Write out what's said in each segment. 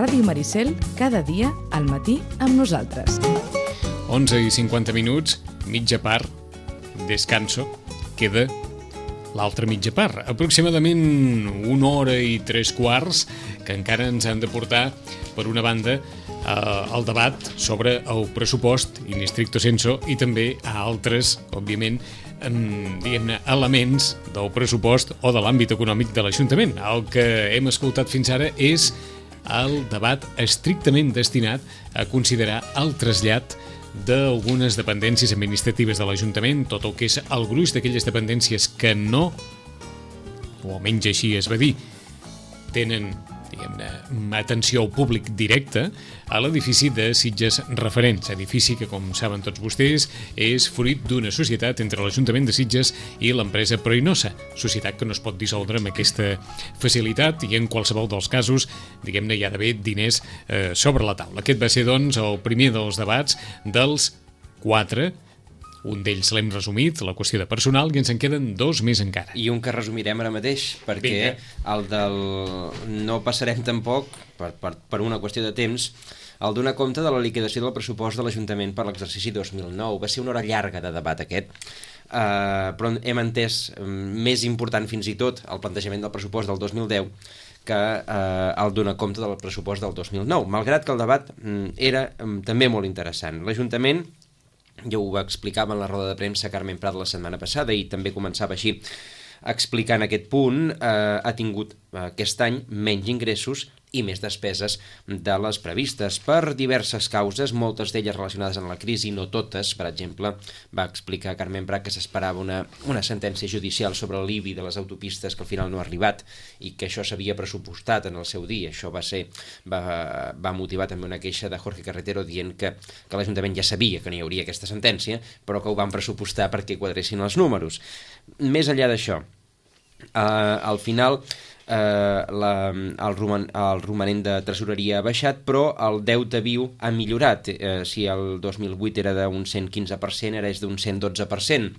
Ràdio Maricel, cada dia al matí amb nosaltres. 11:50, mitja part, descanso, queda l'altra mitja part. Aproximadament 1 hora i 3/4 que encara ens han de portar, per una banda, el debat sobre el pressupost in stricto sensu i també a altres, òbviament, diguem-ne, elements del pressupost o de l'àmbit econòmic de l'Ajuntament. El que hem escoltat fins ara és el debat estrictament destinat a considerar el trasllat d'algunes dependències administratives de l'Ajuntament, tot el que és el gruix d'aquelles dependències que no, o almenys així es va dir, tenen, diguem-ne, atenció al públic directe, a l'edifici de Sitges Referents, edifici que, com saben tots vostès, és fruit d'una societat entre l'Ajuntament de Sitges i l'empresa Proinosa, societat que no es pot dissoldre amb aquesta facilitat i en qualsevol dels casos, diguem-ne, hi ha d'haver diners sobre la taula. Aquest va ser, doncs, el primer dels debats dels 4. Un d'ells l'hem resumit, la qüestió de personal, i ens en queden 2 més encara. I un que resumirem ara mateix, perquè el del... no passarem tampoc, per una qüestió de temps, el donar compte de la liquidació del pressupost de l'Ajuntament per l'exercici 2009. Va ser una hora llarga de debat aquest, però hem entès, més important fins i tot, el plantejament del pressupost del 2010 que el donar compte del pressupost del 2009, malgrat que el debat era també molt interessant. L'Ajuntament, ja ho explicava en la roda de premsa Carmen Prat la setmana passada i també començava així explicant aquest punt, ha tingut aquest any menys ingressos i més despeses de les previstes per diverses causes, moltes d'elles relacionades amb la crisi, no totes. Per exemple, va explicar Carmen Prat que s'esperava una sentència judicial sobre l'IBI de les autopistes que al final no ha arribat i que això s'havia pressupostat en el seu dia. Això va motivar també una queixa de Jorge Carretero dient que l'Ajuntament ja sabia que no hi hauria aquesta sentència, però que ho van pressupostar perquè quadressin els números. Més enllà d'això, al final el romanent de tresoreria ha baixat, però el deute viu ha millorat. Si el 2008 era d'un 115%, ara és d'un 112%.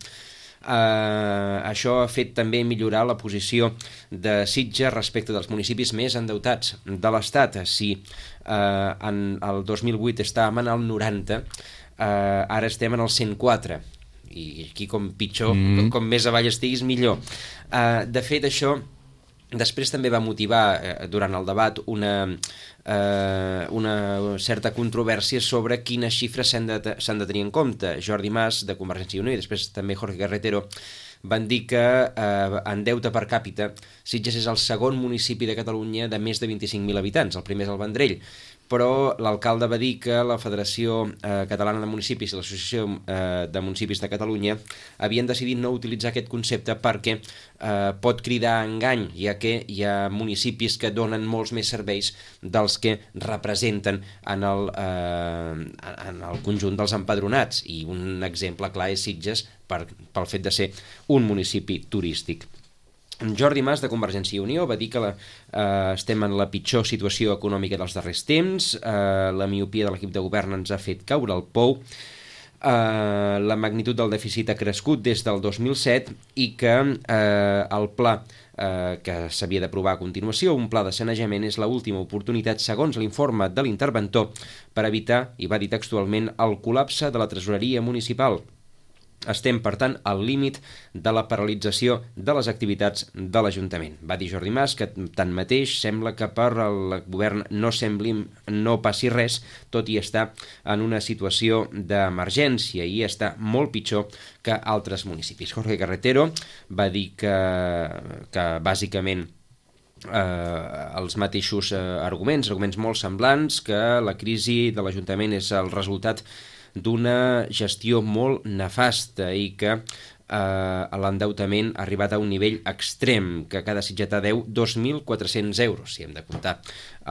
Això ha fet també millorar la posició de Sitges respecte dels municipis més endeutats de l'Estat. Si en el 2008 estàvem en el 90, ara estem en el 104, i aquí com pitjor, com més avall estiguis millor. De fet, això després també va motivar durant el debat una certa controvèrsia sobre quines xifres s'han de tenir en compte. Jordi Mas, de Convergència i Unió, i després també Jorge Carretero, van dir que en deute per càpita Sitges és el segon municipi de Catalunya de més de 25.000 habitants, el primer és el Vendrell, però l'alcalde va dir que la Federació Catalana de Municipis i l'Associació de Municipis de Catalunya havien decidit no utilitzar aquest concepte perquè pot cridar engany, ja que hi ha municipis que donen molts més serveis dels que representen en el conjunt dels empadronats, i un exemple clar és Sitges pel fet de ser un municipi turístic. Jordi Mas, de Convergència i Unió, va dir que estem en la pitjor situació econòmica dels darrers temps, la miopia de l'equip de govern ens ha fet caure el pou, la magnitud del dèficit ha crescut des del 2007 i que el pla que s'havia d'aprovar a continuació, un pla de sanejament, és l'última oportunitat, segons l'informe de l'interventor, per evitar, i va dir textualment, el col·lapse de la tresoreria municipal. Estem, per tant, al límit de la paralització de les activitats de l'Ajuntament. Va dir Jordi Mas que, tanmateix, sembla que per al govern no passi res, tot i estar en una situació d'emergència i està molt pitjor que altres municipis. Jorge Carretero va dir que bàsicament els mateixos arguments molt semblants, que la crisi de l'Ajuntament és el resultat d'una gestió molt nefasta i que l'endeutament ha arribat a un nivell extrem, que cada sitgetà deu 2.400 euros, si hem de comptar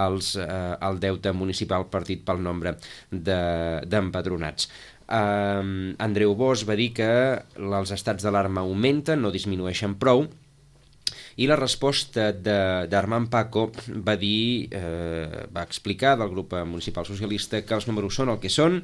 el deute municipal partit pel nombre d'empadronats. Andreu Bosch va dir que els estats d'alarma augmenten, no disminueixen prou, I la resposta d'Armand Paco va dir, va explicar del grup municipal socialista que els números són el que són,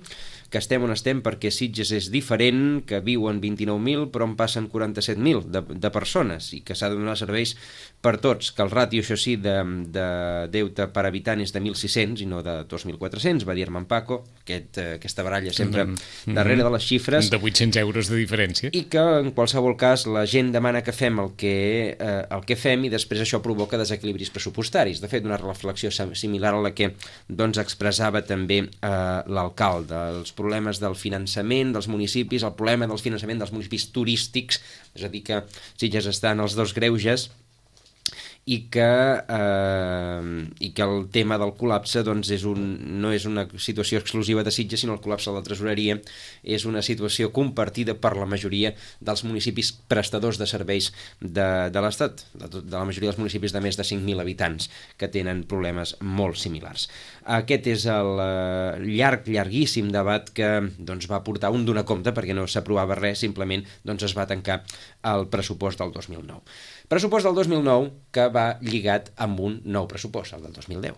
que estem on estem perquè Sitges és diferent, que viuen 29.000 però en passen 47.000 de persones i que s'ha de donar serveis per tots, que el ràtio, això sí, de deute per habitant és de 1.600 i no de 2.400, va dir Armand Paco, aquesta baralla sempre darrere de les xifres. De 800 euros de diferència. I que en qualsevol cas la gent demana que fem el que fem i després això provoca desequilibris pressupostaris. De fet, una reflexió similar a la que doncs, expressava també l'alcalde. Els problemes del finançament dels municipis, el problema del finançament dels municipis turístics, és a dir que Sitges està en els dos greuges, i que el tema del col·lapse doncs, no és una situació exclusiva de Sitges, sinó el col·lapse de la tresoreria és una situació compartida per la majoria dels municipis prestadors de serveis de l'Estat, de la majoria dels municipis de més de 5.000 habitants que tenen problemes molt similars. Aquest és el llarguíssim debat que doncs, va portar un donar compte perquè no s'aprovava res, simplement doncs, es va tancar el pressupost del 2009. Pressupost del 2009 que va lligat amb un nou pressupost, el del 2010.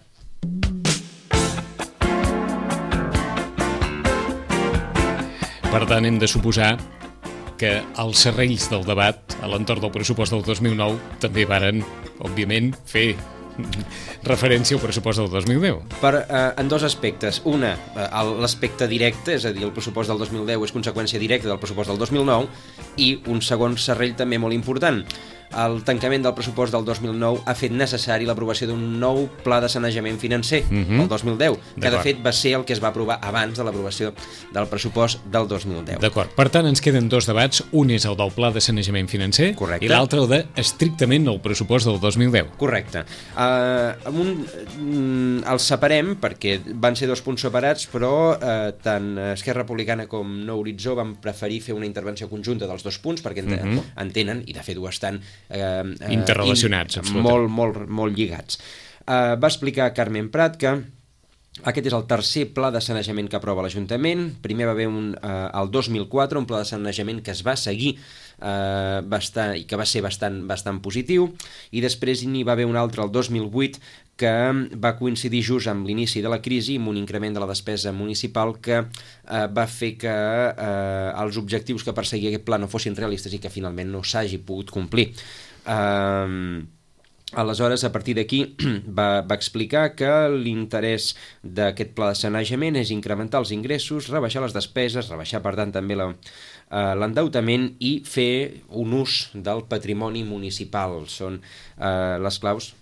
Per tant, hem de suposar que els serrells del debat a l'entorn del pressupost del 2009 també varen, òbviament, fer referència al pressupost del 2010. En dos aspectes. Una, l'aspecte directe, és a dir, el pressupost del 2010 és conseqüència directa del pressupost del 2009, i un segon serrell també molt important. El tancament del pressupost del 2009 ha fet necessari l'aprovació d'un nou pla de sanejament financer, el 2010, que de fet va ser el que es va aprovar abans de l'aprovació del pressupost del 2010. D'acord. Per tant, ens queden dos debats. Un és el del pla de sanejament financer. Correcte. I l'altre el de estrictament el pressupost del 2010. Correcte. Els separem perquè van ser dos punts separats, però tant Esquerra Republicana com Nou Horitzó van preferir fer una intervenció conjunta dels dos punts perquè entenen, i de fet ho estan, interrelacionats, absolutament. Molt lligats. Va explicar Carmen Prat que aquest és el tercer pla de sanejament que aprova l'Ajuntament. Primer va haver el 2004 un pla de sanejament que es va seguir i que va ser bastant positiu, i després n'hi va haver un altre el 2008 que va coincidir just amb l'inici de la crisi, amb un increment de la despesa municipal que va fer que els objectius que perseguia aquest pla no fossin realistes i que finalment no s'hagi pogut complir. Aleshores, a partir d'aquí, va explicar que l'interès d'aquest pla de sanejament és incrementar els ingressos, rebaixar les despeses, rebaixar, per tant, també l'endeutament i fer un ús del patrimoni municipal. Són les claus.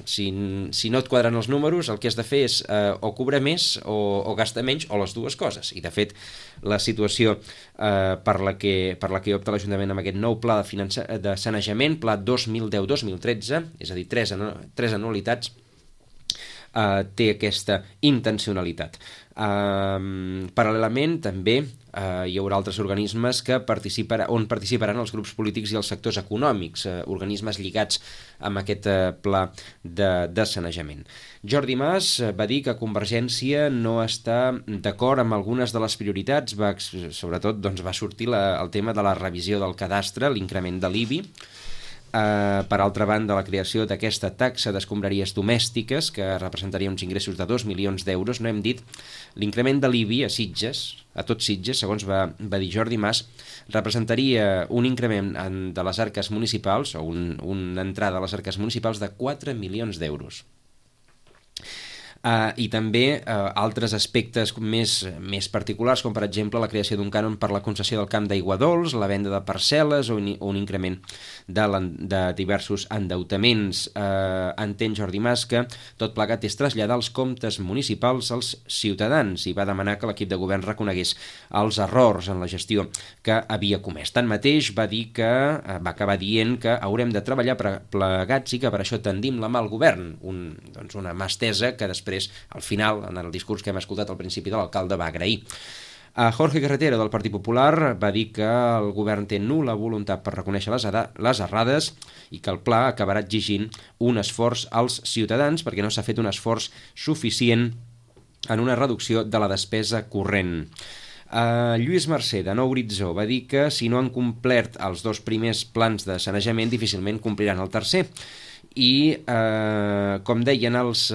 Si no et quadren els números, el que has de fer és o cobrar més o gastar menys, o les dues coses. I, de fet, la situació per la que opta l'Ajuntament amb aquest nou pla de sanejament, pla 2010-2013, és a dir, tres anualitats, té aquesta intencionalitat. Paral·lelament, també hi haurà altres organismes on participaran els grups polítics i els sectors econòmics, organismes lligats amb aquest pla de sanejament. Jordi Mas va dir que Convergència no està d'acord amb algunes de les prioritats, sobretot va sortir el tema de la revisió del cadastre, l'increment de l'IBI. Per altra banda, la creació d'aquesta taxa d'escombraries domèstiques, que representaria uns ingressos de 2 milions d'euros. No hem dit, l'increment de l'IBI a Sitges, a tot Sitges, segons va dir Jordi Mas, representaria un increment de les arques municipals, o una entrada a les arques municipals de 4 milions d'euros. I també altres aspectes més particulars, com per exemple la creació d'un cànon per la concessió del camp d'aigua dolç, la venda de parcel·les o un increment de diversos endeutaments. Entén Jordi Mas que tot plegat és traslladar els comptes municipals als ciutadans i va demanar que l'equip de govern reconegués els errors en la gestió que havia comès. Tanmateix va acabar dient que haurem de treballar plegats i que per això tendim la mà al govern, una mà estesa que després, al final, en el discurs que hem escoltat al principi de l'alcalde, va agrair. Jorge Carretero, del Partit Popular, va dir que el govern té nul·la voluntat per reconèixer les errades i que el pla acabarà exigint un esforç als ciutadans perquè no s'ha fet un esforç suficient en una reducció de la despesa corrent. Lluís Mercè, de Nou Horitzó, va dir que si no han complert els 2 primers plans de sanejament, difícilment compliran el tercer. I com deien els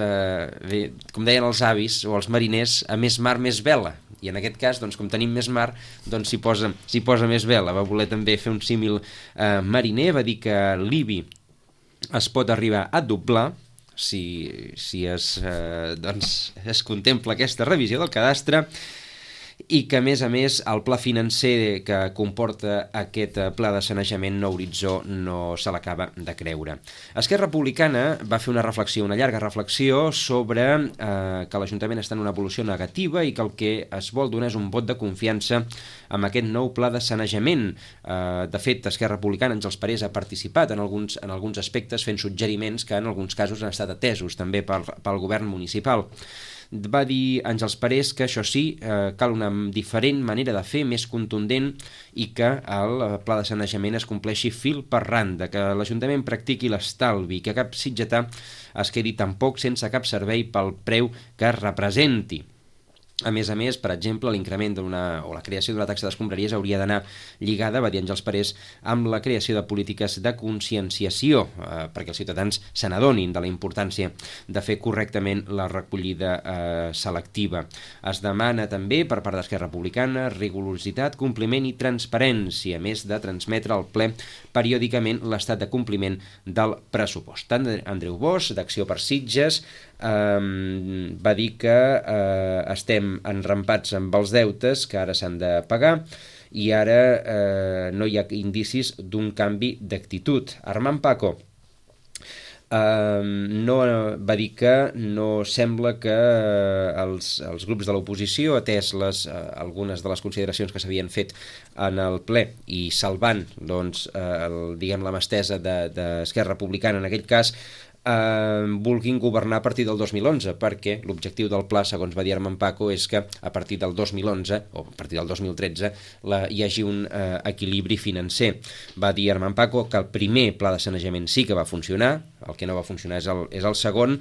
avis o els mariners, a més mar més vela, i en aquest cas, doncs, com tenim més mar, doncs s'hi posa més vela. Va voler també fer un símil mariner, va dir que l'IBI es pot arribar a doblar si es contempla aquesta revisió del cadastre, i que, a més, el pla financer que comporta aquest pla de sanejament Nou Horitzó no se l'acaba de creure. Esquerra Republicana va fer una llarga reflexió sobre que l'Ajuntament està en una evolució negativa i que el que es vol donar és un vot de confiança amb aquest nou pla de sanejament. De fet, Esquerra Republicana, Àngels Parés, ha participat en alguns aspectes fent suggeriments que en alguns casos han estat atesos també pel govern municipal. Va dir Àngels Parés que això sí, cal una diferent manera de fer, més contundent, i que el pla de sanejament es compleixi fil per randa, que l'Ajuntament practiqui l'estalvi, que cap sitgetà es quedi tampoc sense cap servei pel preu que representi. A més, per exemple, l'increment o la creació d'una taxa d'escombraries hauria d'anar lligada, va dir Àngels Parés, amb la creació de polítiques de conscienciació, perquè els ciutadans se n'adonin de la importància de fer correctament la recollida selectiva. Es demana també, per part d'Esquerra Republicana, rigorositat, compliment i transparència, a més de transmetre al ple periòdicament l'estat de compliment del pressupost. Tant Andreu Bosch, d'Acció per Sitges, va dir que estem enrampats amb els deutes que ara s'han de pagar i ara no hi ha indicis d'un canvi d'actitud. Armand Paco va dir que no sembla que els grups de l'oposició, atès algunes de les consideracions que s'havien fet en el ple i salvant la mà estesa d'Esquerra Republicana en aquell cas, vulguin governar a partir del 2011, perquè l'objectiu del pla, segons va dir Armand Paco, és que a partir del 2011 o a partir del 2013 hi hagi un equilibri financer. Va dir Armand Paco que el primer pla de sanejament sí que va funcionar, el que no va funcionar és el segon,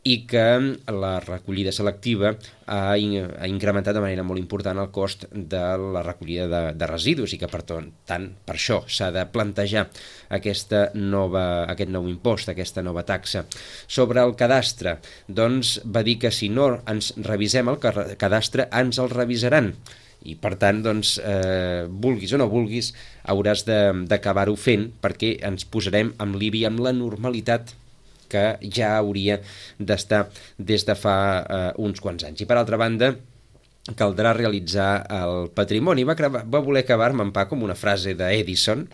i que la recollida selectiva ha incrementat de manera molt important el cost de la recollida de residus, i que per això s'ha de plantejar aquest nou impost, aquesta nova taxa. Sobre el cadastre, doncs va dir que si no ens revisem el cadastre ens el revisaran, i per tant, vulguis o no vulguis, hauràs d'acabar-ho fent, perquè ens posarem amb l'IBI amb la normalitat que ja hauria d'estar des de fa uns quants anys. I per altra banda, caldrà realitzar el patrimoni. Va voler acabar Armand Paco amb una frase d'Edison: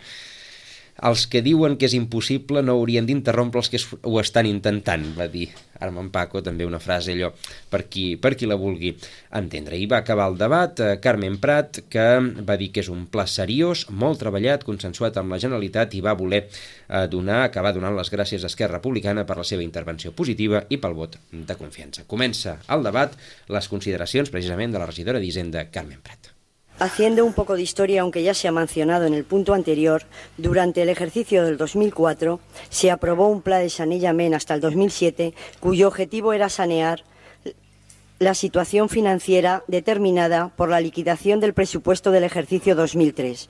els que diuen que és impossible no haurien d'interrompre els que ho estan intentant, va dir Armand Paco, també una frase allò per qui la vulgui entendre. I va acabar el debat Carmen Prat, que va dir que és un pla seriós, molt treballat, consensuat amb la Generalitat, i va voler acabar donant les gràcies a Esquerra Republicana per la seva intervenció positiva i pel vot de confiança. Comença el debat, les consideracions precisament de la regidora d'Hisenda, Carmen Prat. Haciendo un poco de historia, aunque ya se ha mencionado en el punto anterior, durante el ejercicio del 2004 se aprobó un plan de sanejament hasta el 2007, cuyo objetivo era sanear la situación financiera determinada por la liquidación del presupuesto del ejercicio 2003,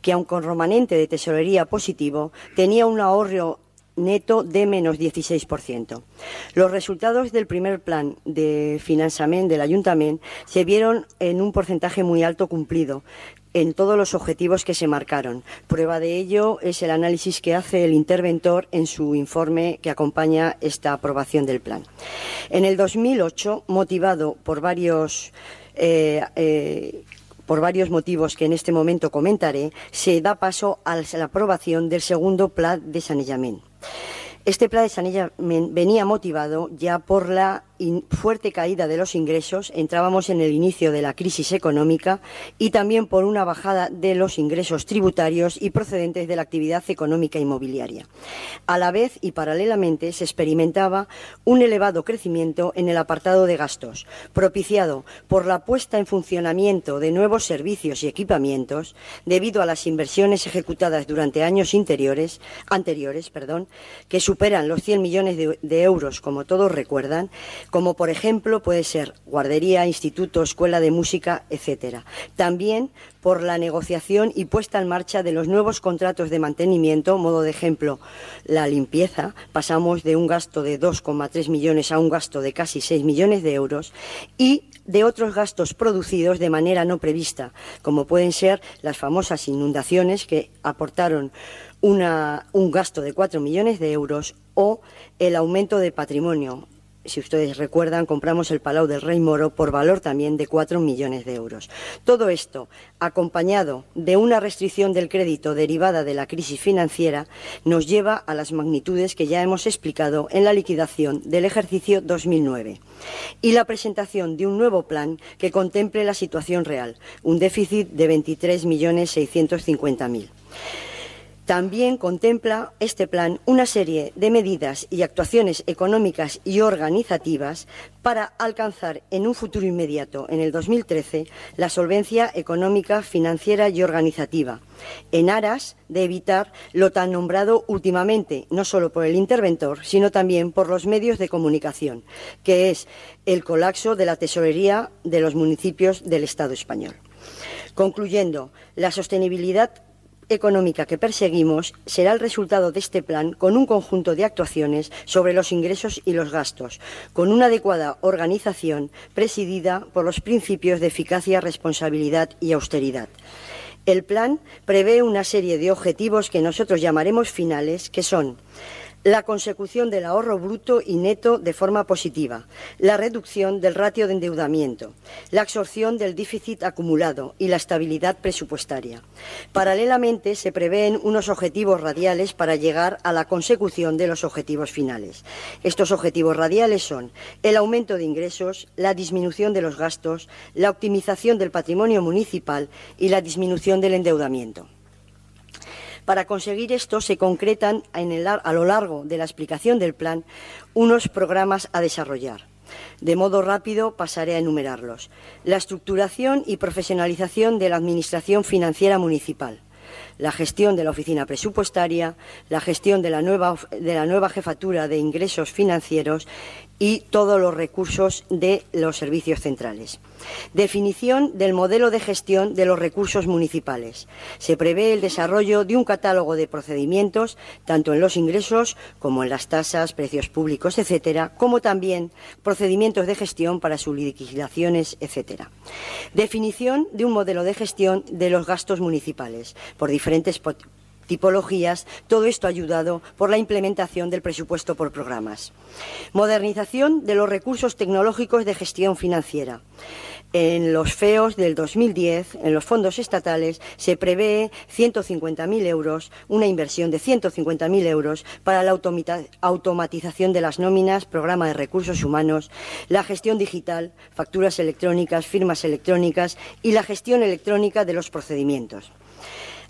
que aun con remanente de tesorería positivo, tenía un ahorro neto de menos 16%. Los resultados del primer plan de finançament del Ayuntament se vieron en un porcentaje muy alto cumplido en todos los objetivos que se marcaron. Prueba de ello es el análisis que hace el interventor en su informe que acompaña esta aprobación del plan. En el 2008, motivado por varios motivos que en este momento comentaré, se da paso a la aprobación del segundo plan de sanejament. Este plan de sanejament venía motivado ya por la fuerte caída de los ingresos, entrábamos en el inicio de la crisis económica, y también por una bajada de los ingresos tributarios y procedentes de la actividad económica inmobiliaria. A la vez y paralelamente se experimentaba un elevado crecimiento en el apartado de gastos, propiciado por la puesta en funcionamiento de nuevos servicios y equipamientos debido a las inversiones ejecutadas durante años anteriores, que superan los 100 millones de euros, como todos recuerdan, como por ejemplo puede ser guardería, instituto, escuela de música, etcétera. También por la negociación y puesta en marcha de los nuevos contratos de mantenimiento, modo de ejemplo, la limpieza, pasamos de un gasto de 2,3 millones a un gasto de casi 6 millones de euros, y de otros gastos producidos de manera no prevista, como pueden ser las famosas inundaciones que aportaron un gasto de 4 millones de euros, o el aumento de patrimonio. Si ustedes recuerdan, compramos el Palau del Rei Moro por valor también de 4 millones de euros. Todo esto, acompañado de una restricción del crédito derivada de la crisis financiera, nos lleva a las magnitudes que ya hemos explicado en la liquidación del ejercicio 2009 y la presentación de un nuevo plan que contemple la situación real, un déficit de 23.650.000. También contempla este plan una serie de medidas y actuaciones económicas y organizativas para alcanzar en un futuro inmediato, en el 2013, la solvencia económica, financiera y organizativa, en aras de evitar lo tan nombrado últimamente, no solo por el interventor, sino también por los medios de comunicación, que es el colapso de la tesorería de los municipios del Estado español. Concluyendo, la sostenibilidad económica que perseguimos será el resultado de este plan, con un conjunto de actuaciones sobre los ingresos y los gastos, con una adecuada organización presidida por los principios de eficacia, responsabilidad y austeridad. El plan prevé una serie de objetivos que nosotros llamaremos finales, que son la consecución del ahorro bruto y neto de forma positiva, la reducción del ratio de endeudamiento, la absorción del déficit acumulado y la estabilidad presupuestaria. Paralelamente, se prevén unos objetivos radiales para llegar a la consecución de los objetivos finales. Estos objetivos radiales son el aumento de ingresos, la disminución de los gastos, la optimización del patrimonio municipal y la disminución del endeudamiento. Para conseguir esto se concretan a lo largo de la explicación del plan unos programas a desarrollar. De modo rápido pasaré a enumerarlos. La estructuración y profesionalización de la Administración Financiera Municipal, la gestión de la oficina presupuestaria, la gestión de la nueva jefatura de ingresos financieros y todos los recursos de los servicios centrales. Definición del modelo de gestión de los recursos municipales. Se prevé el desarrollo de un catálogo de procedimientos, tanto en los ingresos como en las tasas, precios públicos, etcétera, como también procedimientos de gestión para sus liquidaciones, etcétera. Definición de un modelo de gestión de los gastos municipales por diferentes tipologías, todo esto ayudado por la implementación del presupuesto por programas. Modernización de los recursos tecnológicos de gestión financiera. En los FEOs del 2010, en los fondos estatales, se prevé 150.000 euros, una inversión de 150.000 euros para la automatización de las nóminas, programa de recursos humanos, la gestión digital, facturas electrónicas, firmas electrónicas y la gestión electrónica de los procedimientos.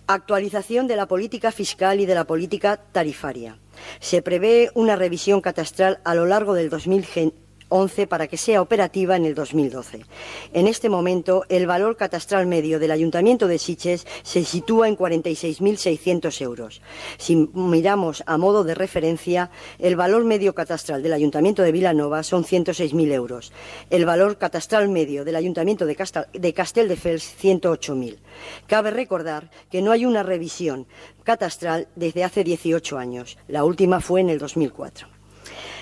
Actualización de la política fiscal y de la política tarifaria. Se prevé una revisión catastral a lo largo del 2011 para que sea operativa en el 2012. En este momento, el valor catastral medio del Ayuntamiento de Sitges se sitúa en 46.600 euros. Si miramos a modo de referencia, el valor medio catastral del Ayuntamiento de Vilanova son 106.000 euros. El valor catastral medio del Ayuntamiento de Castelldefels, 108.000. Cabe recordar que no hay una revisión catastral desde hace 18 años. La última fue en el 2004.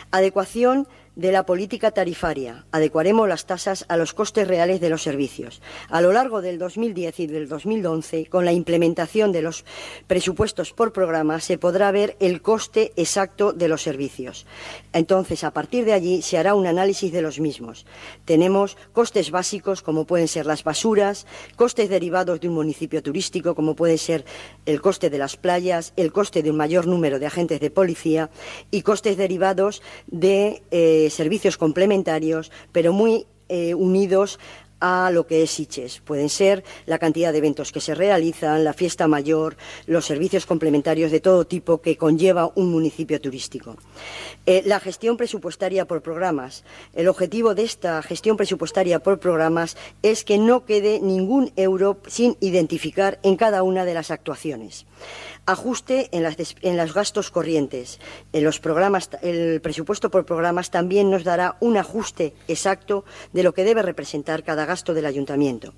Adecuación de la política tarifaria. Adecuaremos las tasas a los costes reales de los servicios. A lo largo del 2010 y del 2011, con la implementación de los presupuestos por programa, se podrá ver el coste exacto de los servicios. Entonces, a partir de allí, se hará un análisis de los mismos. Tenemos costes básicos, como pueden ser las basuras, costes derivados de un municipio turístico, como puede ser el coste de las playas, el coste de un mayor número de agentes de policía y costes derivados de servicios complementarios, pero muy unidos a lo que es Sitges. Pueden ser la cantidad de eventos que se realizan, la fiesta mayor, los servicios complementarios de todo tipo que conlleva un municipio turístico. La gestión presupuestaria por programas. El objetivo de esta gestión presupuestaria por programas es que no quede ningún euro sin identificar en cada una de las actuaciones. Ajuste en los gastos corrientes. El presupuesto por programas también nos dará un ajuste exacto de lo que debe representar cada gasto del ayuntamiento.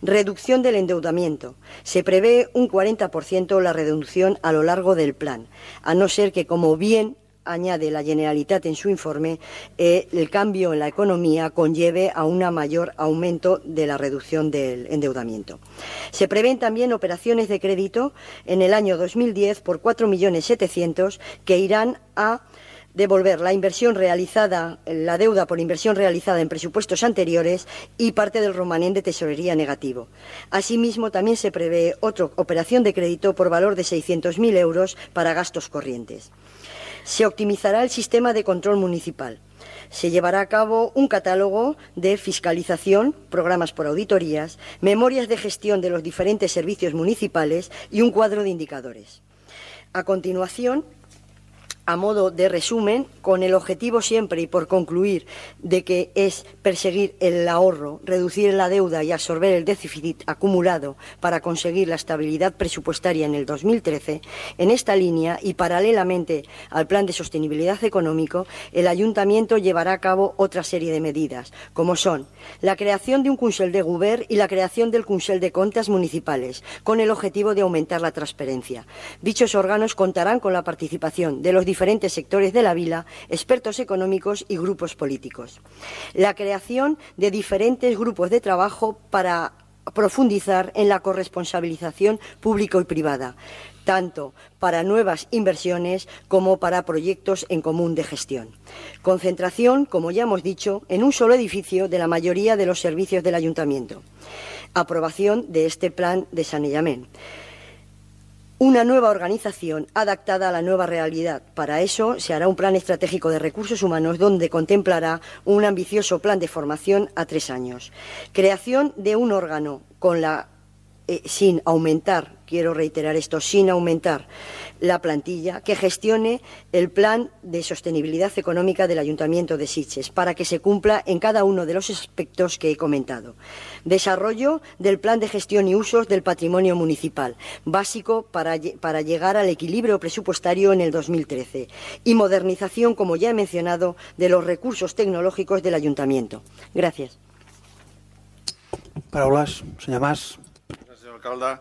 Reducción del endeudamiento. Se prevé un 40% la reducción a lo largo del plan, a no ser que, como bien añade la Generalitat en su informe, el cambio en la economía conlleve a un mayor aumento de la reducción del endeudamiento. Se prevén también operaciones de crédito en el año 2010 por 4.700.000 que irán a devolver la inversión realizada, la deuda por inversión realizada en presupuestos anteriores y parte del romanente de tesorería negativo. Asimismo, también se prevé otra operación de crédito por valor de 600.000 euros para gastos corrientes. Se optimizará el sistema de control municipal. Se llevará a cabo un catálogo de fiscalización, programas por auditorías, memorias de gestión de los diferentes servicios municipales y un cuadro de indicadores. A continuación, a modo de resumen, con el objetivo siempre y por concluir de que es perseguir el ahorro, reducir la deuda y absorber el déficit acumulado para conseguir la estabilidad presupuestaria en el 2013, en esta línea y paralelamente al Plan de Sostenibilidad Económico, el Ayuntamiento llevará a cabo otra serie de medidas, como son la creación de un Consell de Govern y la creación del Consell de Comptes Municipales, con el objetivo de aumentar la transparencia. Dichos órganos contarán con la participación de los diferentes sectores de la vila, expertos económicos y grupos políticos. La creación de diferentes grupos de trabajo para profundizar en la corresponsabilización pública y privada, tanto para nuevas inversiones como para proyectos en común de gestión. Concentración, como ya hemos dicho, en un solo edificio de la mayoría de los servicios del Ayuntamiento. Aprobación de este plan de saneamiento. Una nueva organización adaptada a la nueva realidad. Para eso se hará un plan estratégico de recursos humanos donde contemplará un ambicioso plan de formación a 3 años. Creación de un órgano sin aumentar, quiero reiterar esto, sin aumentar la plantilla, que gestione el plan de sostenibilidad económica del Ayuntamiento de Sitges para que se cumpla en cada uno de los aspectos que he comentado. Desarrollo del plan de gestión y usos del patrimonio municipal, básico para llegar al equilibrio presupuestario en el 2013. Y modernización, como ya he mencionado, de los recursos tecnológicos del Ayuntamiento. Gràcies. Paraules, senyor Mas. Gràcies, senyor alcalde.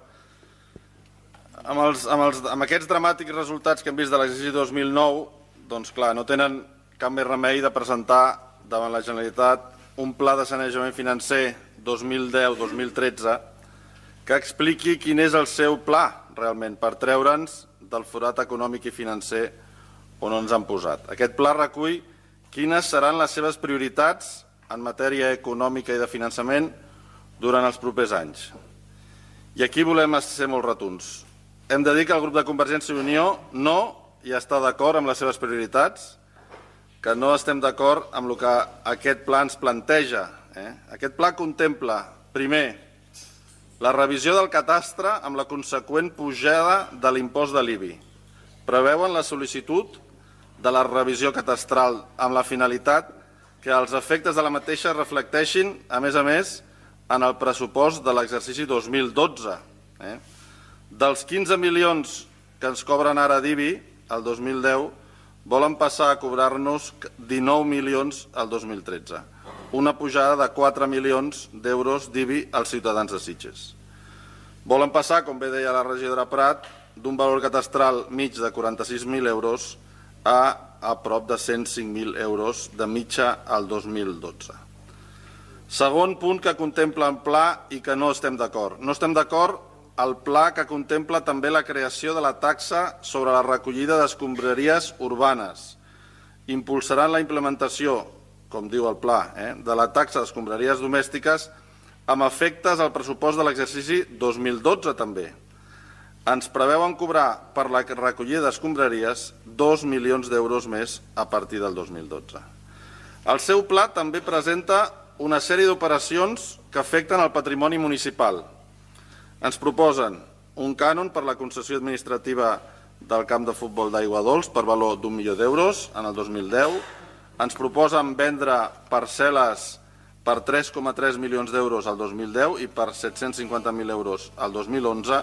Amb aquests dramàtics resultats que hem vist de l'exercici 2009, doncs clar, no tenen cap més remei de presentar davant la Generalitat un pla de sanejament financer 2010-2013 que expliqui quin és el seu pla realment per treure'ns del forat econòmic i financer on ens han posat. Aquest pla recull quines seran les seves prioritats en matèria econòmica i de finançament durant els propers anys. I aquí volem ser molt rotunds. Hem de dir que el grup de Convergència i Unió no hi està d'acord amb les seves prioritats, que no estem d'acord amb el que aquest pla ens planteja. Aquest pla contempla, primer, la revisió del catastre amb la conseqüent pujada de l'impost de l'IBI. Preveuen la sol·licitud de la revisió catastral amb la finalitat que els efectes de la mateixa reflecteixin, a més, en el pressupost de l'exercici 2012. Dels 15 milions que ens cobren ara d'IBI, el 2010, volen passar a cobrar-nos 19 milions el 2013. Una pujada de 4 milions d'euros d'IBI als ciutadans de Sitges. Volen passar, com bé deia la regidora Prat, d'un valor catastral mig de 46.000 euros a prop de 105.000 euros de mitja al 2012. Segon punt que contempla el pla i que no estem d'acord. No estem d'acord el pla que contempla també la creació de la taxa sobre la recollida d'escombraries urbanes. Impulsaran la implementació, com diu el pla, de la taxa d'escombraries domèstiques amb efectes al pressupost de l'exercici 2012 també. Ens preveuen cobrar per la recollida d'escombraries 2 milions d'euros més a partir del 2012. El seu pla també presenta una sèrie d'operacions que afecten el patrimoni municipal. Ens proposen un cànon per la concessió administrativa del camp de futbol d'Aigua Dols per valor d'1 milió d'euros en el 2010. Ens proposen vendre parcel·les per 3,3 milions d'euros al 2010 i per 750.000 euros al 2011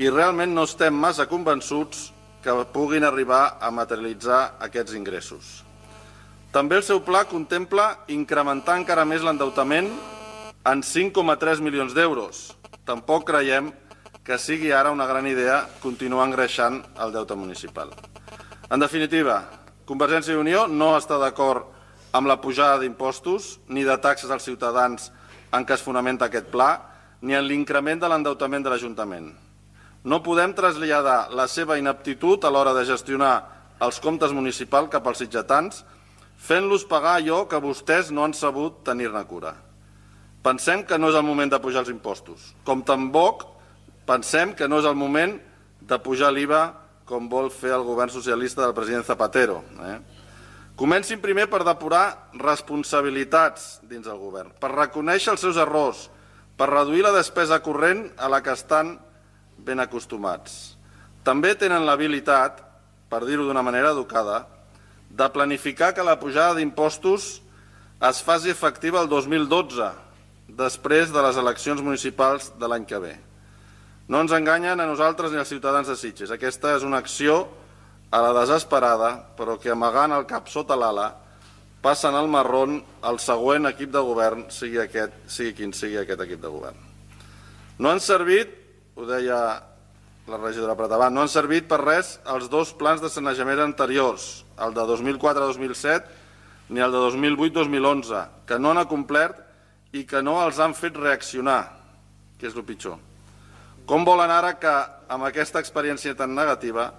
i realment no estem massa convençuts que puguin arribar a materialitzar aquests ingressos. També el seu pla contempla incrementar encara més l'endeutament en 5,3 milions d'euros. Tampoc creiem que sigui ara una gran idea continuar engreixant el deute municipal. En definitiva, Convergència i Unió no està d'acord amb la pujada d'impostos ni de taxes als ciutadans en què es fonamenta aquest pla, ni en l'increment de l'endeutament de l'Ajuntament. No podem traslladar la seva ineptitud a l'hora de gestionar els comptes municipals cap als sitgetans, fent-los pagar allò que vostès no han sabut tenir-ne cura. Pensem que no és el moment de pujar els impostos, com tampoc pensem que no és el moment de pujar l'IVA com vol fer el govern socialista del president Zapatero. Comencin primer per depurar responsabilitats dins del govern, per reconèixer els seus errors, per reduir la despesa corrent a la que estan ben acostumats. També tenen l'habilitat, per dir-ho d'una manera educada, de planificar que la pujada d'impostos es faci efectiva el 2012, després de les eleccions municipals de l'any que ve. No ens enganyen a nosaltres ni als ciutadans de Sitges. Aquesta és una acció a la desesperada, però que amagant el cap sota l'ala, passen al marrón el següent equip de govern, sigui quin sigui aquest equip de govern. No han servit, ho deia la regidora Pratavant, no han servit per res els dos plans de sanejament anteriors, el de 2004-2007 ni el de 2008-2011, que no han acomplert i que no els han fet reaccionar, que és el pitjor. Com volen ara que, amb aquesta experiència tan negativa,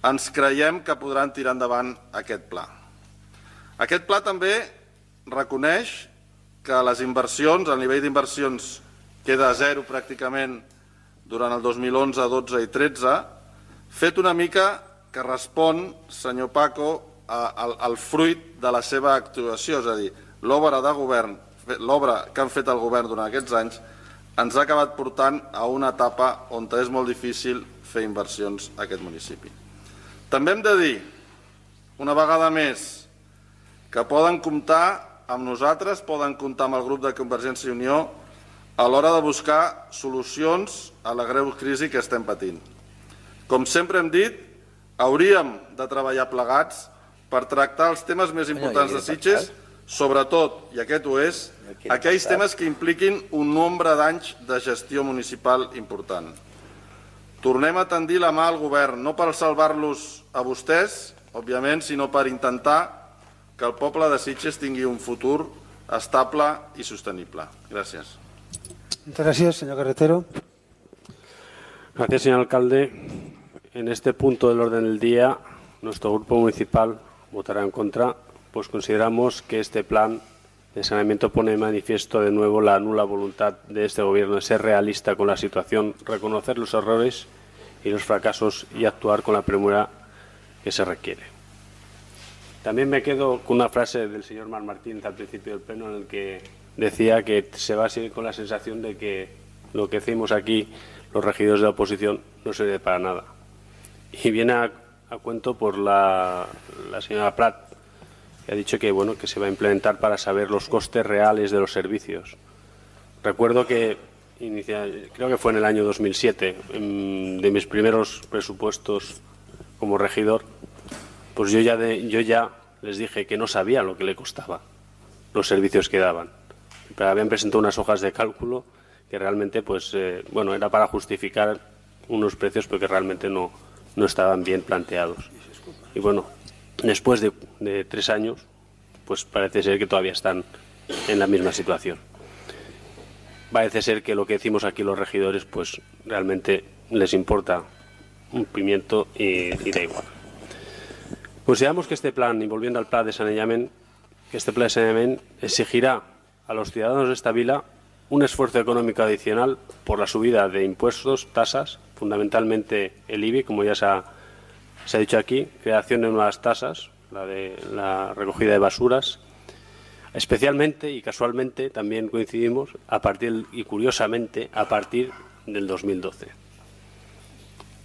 ens creiem que podran tirar endavant aquest pla? Aquest pla també reconeix que les inversions, el nivell d'inversions queda a zero pràcticament durant el 2011, 12 i 13, fet una mica que respon, senyor Paco, al fruit de la seva actuació, és a dir, l'obra de govern, l'obra que han fet el govern durant aquests anys, ens ha acabat portant a una etapa on és molt difícil fer inversions a aquest municipi. També hem de dir, una vegada més, que poden comptar amb nosaltres, poden comptar amb el grup de Convergència i Unió a l'hora de buscar solucions a la greu crisi que estem patint. Com sempre hem dit, hauríem de treballar plegats per tractar els temes més importants de Sitges, sobretot, i aquest ho és, aquells temes que impliquin un nombre d'anys de gestió municipal important. Tornem a tendir la mà al govern, no per salvar-los a vostès, òbviament, sinó per intentar que el poble de Sitges tingui un futur estable i sostenible. Gràcies. Muchas gracias, señor Carretero. Gracias, señor alcalde. En este punto del orden del día, nuestro grupo municipal votará en contra, pues consideramos que este plan de saneamiento pone de manifiesto de nuevo la nula voluntad de este gobierno de ser realista con la situación, reconocer los errores y los fracasos y actuar con la premura que se requiere. También me quedo con una frase del señor Mar Martínez al principio del pleno en el que decía que se va a seguir con la sensación de que lo que hacemos aquí los regidores de la oposición no sirve para nada. Y viene a cuento por la señora Prat, que ha dicho que, bueno, que se va a implementar para saber los costes reales de los servicios. Recuerdo que, creo que fue en el año 2007, de mis primeros presupuestos como regidor, pues yo ya les dije que no sabía lo que le costaba los servicios que daban. Pero habían presentado unas hojas de cálculo que realmente, pues, bueno, era para justificar unos precios porque realmente no estaban bien planteados. Y bueno, después de 3 años, pues parece ser que todavía están en la misma situación. Parece ser que lo que decimos aquí los regidores, pues realmente les importa un pimiento y da igual. Consideramos que este plan, y volviendo al plan de saneamiento, que este plan de saneamiento exigirá a los ciudadanos de esta vila un esfuerzo económico adicional por la subida de impuestos, tasas, fundamentalmente el IBI, como ya se ha dicho aquí, creación de nuevas tasas, la de la recogida de basuras, Especialmente y casualmente también coincidimos y curiosamente a partir del 2012.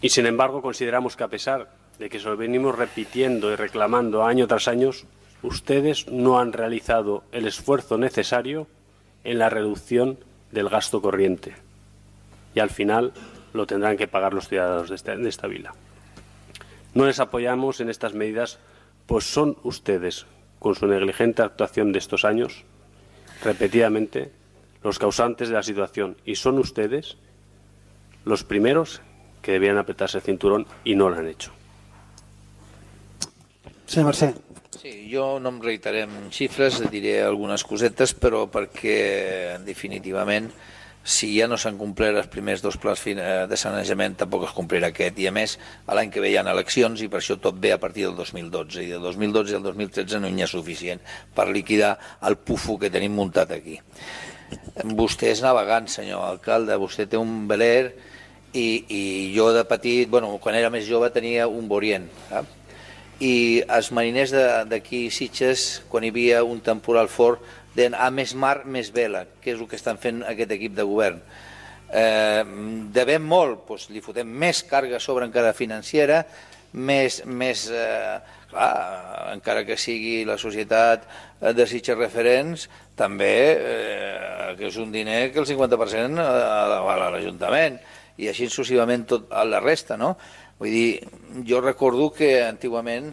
Y sin embargo consideramos que a pesar de que se lo venimos repitiendo y reclamando año tras año, ustedes no han realizado el esfuerzo necesario en la reducción del gasto corriente. Y al final lo tendrán que pagar los ciudadanos de esta vila. No les apoyamos en estas medidas, pues son ustedes, con su negligente actuación de estos años, repetidamente, los causantes de la situación. Y son ustedes los primeros que debían apretarse el cinturón y no lo han hecho. Senyor Mercè. Sí, jo no em reiteraré en xifres, diré algunes cosetes, però perquè definitivament si ja no s'han complert els primers dos plans de sanejament, tampoc es complirà aquest, i a més l'any que ve hi ha eleccions i per això tot ve a partir del 2012, i del 2012 al 2013 no n'hi ha suficient per liquidar el pufo que tenim muntat aquí. Vostè és navegant, senyor alcalde, vostè té un veler i jo de petit, quan era més jove tenia un Borient, i els mariners d'aquí Sitges, quan hi havia un temporal fort, deien a més mar, més vela, que és el que estan fent aquest equip de govern. Devem molt, doncs li fotem més càrrega sobre encara financera, més clar, encara que sigui la societat de Sitges Referents, també que és un diner que el 50% va a l'Ajuntament, i així successivament tot la resta, no? Vull dir, jo recordo que antigament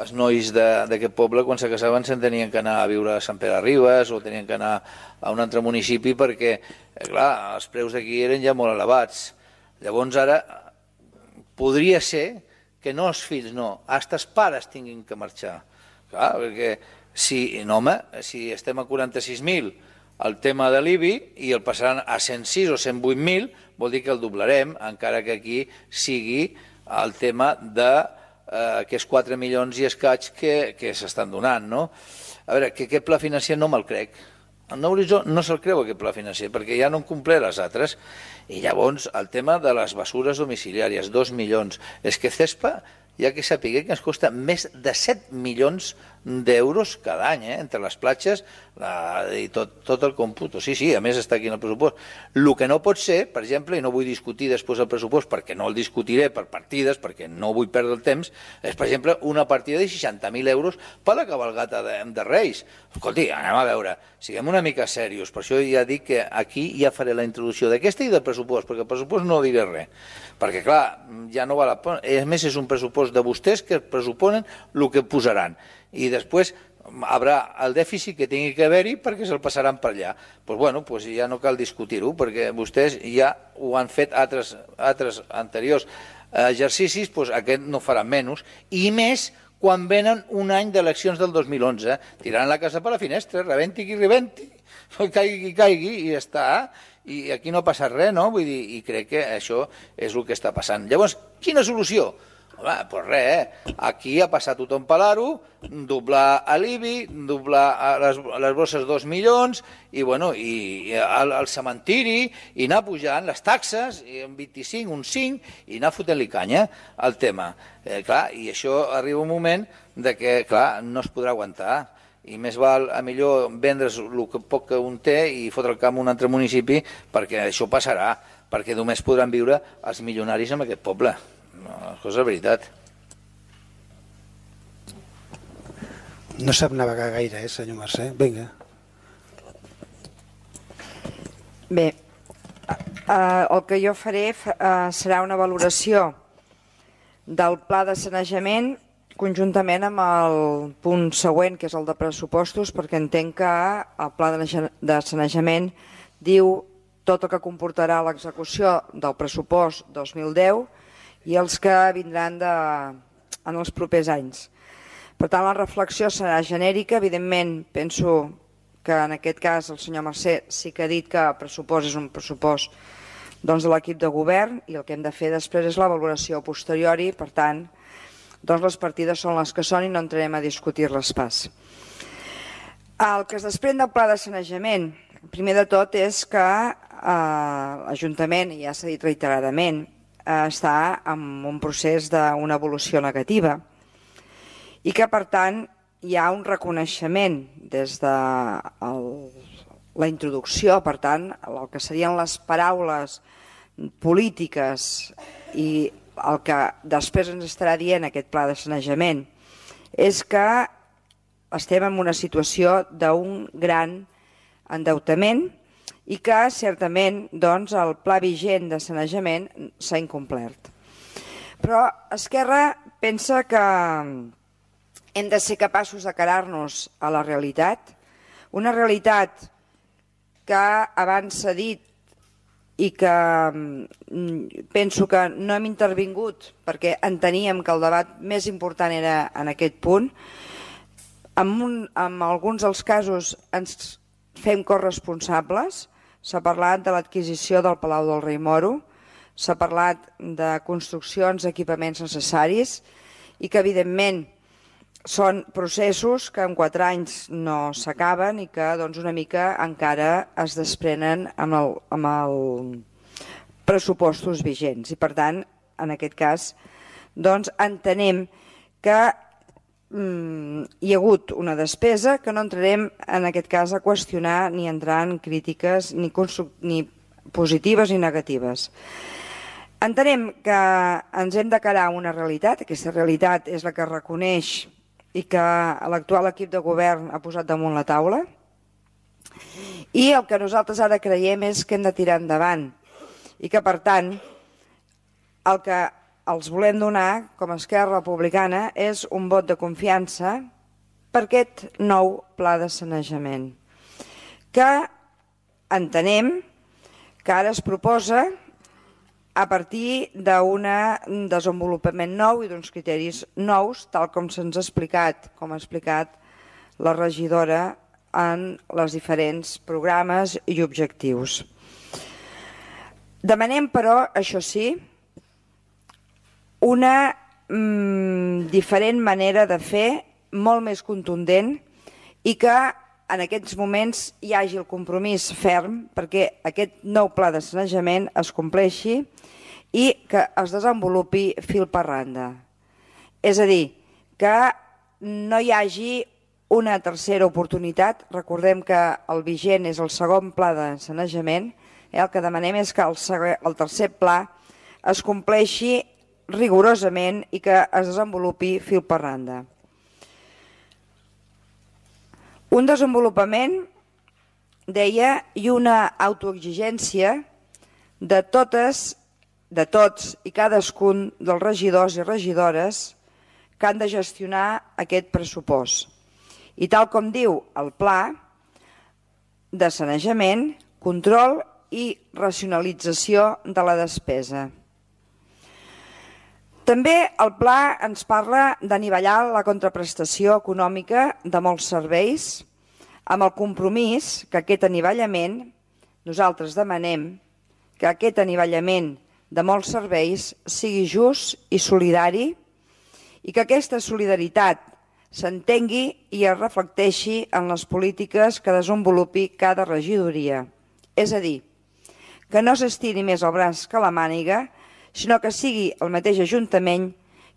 els nois d'aquest poble, quan se casaven, se'n tenien que anar a viure a Sant Pere Ribes o tenien que anar a un altre municipi perquè, clar, els preus d'aquí eren ja molt elevats. Llavors ara podria ser que no els fills, no, fins els pares tinguin que marxar. Clar, perquè si estem a 46.000 el tema de l'IBI i el passaran a 106 o 108.000, vol dir que el doblarem, encara que aquí sigui el tema d'aquests 4 milions i escaig que s'estan donant, no? A veure, que aquest pla financer no me'l crec. El Nou Horitzó no se'l creu, aquest pla financer, perquè ja no en compleix les altres. I llavors, el tema de les bessures domiciliàries, 2 milions. És que CESPA, ja que sapigué que ens costa més de 7 milions d'euros cada any, entre les platges i tot el còmput. Sí, a més està aquí en el pressupost. El que no pot ser, per exemple, i no vull discutir després el pressupost perquè no el discutiré per partides, perquè no vull perdre el temps, és, per exemple, una partida de 60.000 euros per la cabalgata de Reis. Escolti, anem a veure, siguem una mica serios. Per això ja dic que aquí ja faré la introducció d'aquesta i del pressupost, perquè el pressupost no diré res. Perquè, clar, ja no val la pena. A més, és un pressupost de vostès que pressuponen el que posaran. I després haurà el dèficit que tingui que haver-hi perquè se'l passaran per allà. Doncs ja no cal discutir-ho, perquè vostès ja ho han fet altres anteriors exercicis, doncs aquest no farà menys, i més quan venen un any d'eleccions del 2011, tiraran la casa per la finestra, rebenti qui rebenti, caigui qui caigui, i ja està, i aquí no passa res, no? Vull dir, i crec que això és el que està passant. Llavors, quina solució? Doncs res, aquí ha passat tothom per l'aro, doblar l'IBI, doblar les bosses 2 milions, i el cementiri, i anar pujant les taxes, un 25, un 5, i anar fotent-li canya al tema. I això arriba un moment que no es podrà aguantar, i més val a millor vendre's el poc que un té i fotre el camp a un altre municipi, perquè això passarà, perquè només podran viure els milionaris en aquest poble. Això és la veritat. No sap navegar gaire, senyor Mercè? Vinga. Bé, el que jo faré serà una valoració del pla de sanejament conjuntament amb el punt següent, que és el de pressupostos, perquè entenc que el pla de sanejament diu tot el que comportarà l'execució del pressupost 2010 i els que vindran en els propers anys. Per tant, la reflexió serà genèrica. Evidentment, penso que en aquest cas el senyor Mercè sí que ha dit que el pressupost és un pressupost de l'equip de govern i el que hem de fer després és la valoració posteriori. Per tant, les partides són les que són i no entrarem a discutir-les pas. El que es desprèn del pla de sanejament, primer de tot, és que l'Ajuntament, ja s'ha dit reiteradament, està en un procés d'una evolució negativa i que, per tant, hi ha un reconeixement des de la introducció, per tant, el que serien les paraules polítiques i el que després ens estarà dient aquest pla de sanejament és que estem en una situació d'un gran endeutament i que certament doncs, el pla vigent de sanejament s'ha incomplert. Però Esquerra pensa que hem de ser capaços de carar-nos a la realitat, una realitat que abans s'ha dit i que penso que no hem intervingut perquè enteníem que el debat més important era en aquest punt. En alguns dels casos ens fem corresponsables. S'ha parlat de l'adquisició del Palau del Rei Moro, s'ha parlat de construccions d'equipaments necessaris i que evidentment són processos que en 4 anys no s'acaben i que doncs, una mica encara es desprenen amb els pressupostos vigents. I per tant, en aquest cas, doncs, entenem que hi ha hagut una despesa que no entrarem en aquest cas a qüestionar ni entrar en crítiques ni positives ni negatives. Entenem que ens hem de carar una realitat, aquesta realitat és la que reconeix i que l'actual equip de govern ha posat damunt la taula i el que nosaltres ara creiem és que hem de tirar endavant i que per tant el que els volem donar com a Esquerra Republicana és un vot de confiança per aquest nou pla de sanejament que entenem que ara es proposa a partir d'un desenvolupament nou i d'uns criteris nous, tal com se'ns ha explicat, com ha explicat la regidora en els diferents programes i objectius. Demanem, però, això sí, una diferent manera de fer, molt més contundent, i que en aquests moments hi hagi el compromís ferm perquè aquest nou pla de sanejament es compleixi i que es desenvolupi fil per randa. És a dir, que no hi hagi una tercera oportunitat. Recordem que el vigent és el segon pla de sanejament. El que demanem és que el tercer pla es compleixi rigorosament i que es desenvolupi fil per randa. Un desenvolupament, deia, i una autoexigència de tots i cadascun dels regidors i regidores que han de gestionar aquest pressupost. I tal com diu el pla de sanejament, control i racionalització de la despesa. També el pla ens parla d'anivellar la contraprestació econòmica de molts serveis amb el compromís que aquest anivellament, nosaltres demanem que aquest anivellament de molts serveis sigui just i solidari i que aquesta solidaritat s'entengui i es reflecteixi en les polítiques que desenvolupi cada regidoria. És a dir, que no s'estiri més el braç que la màniga, sinó que sigui el mateix Ajuntament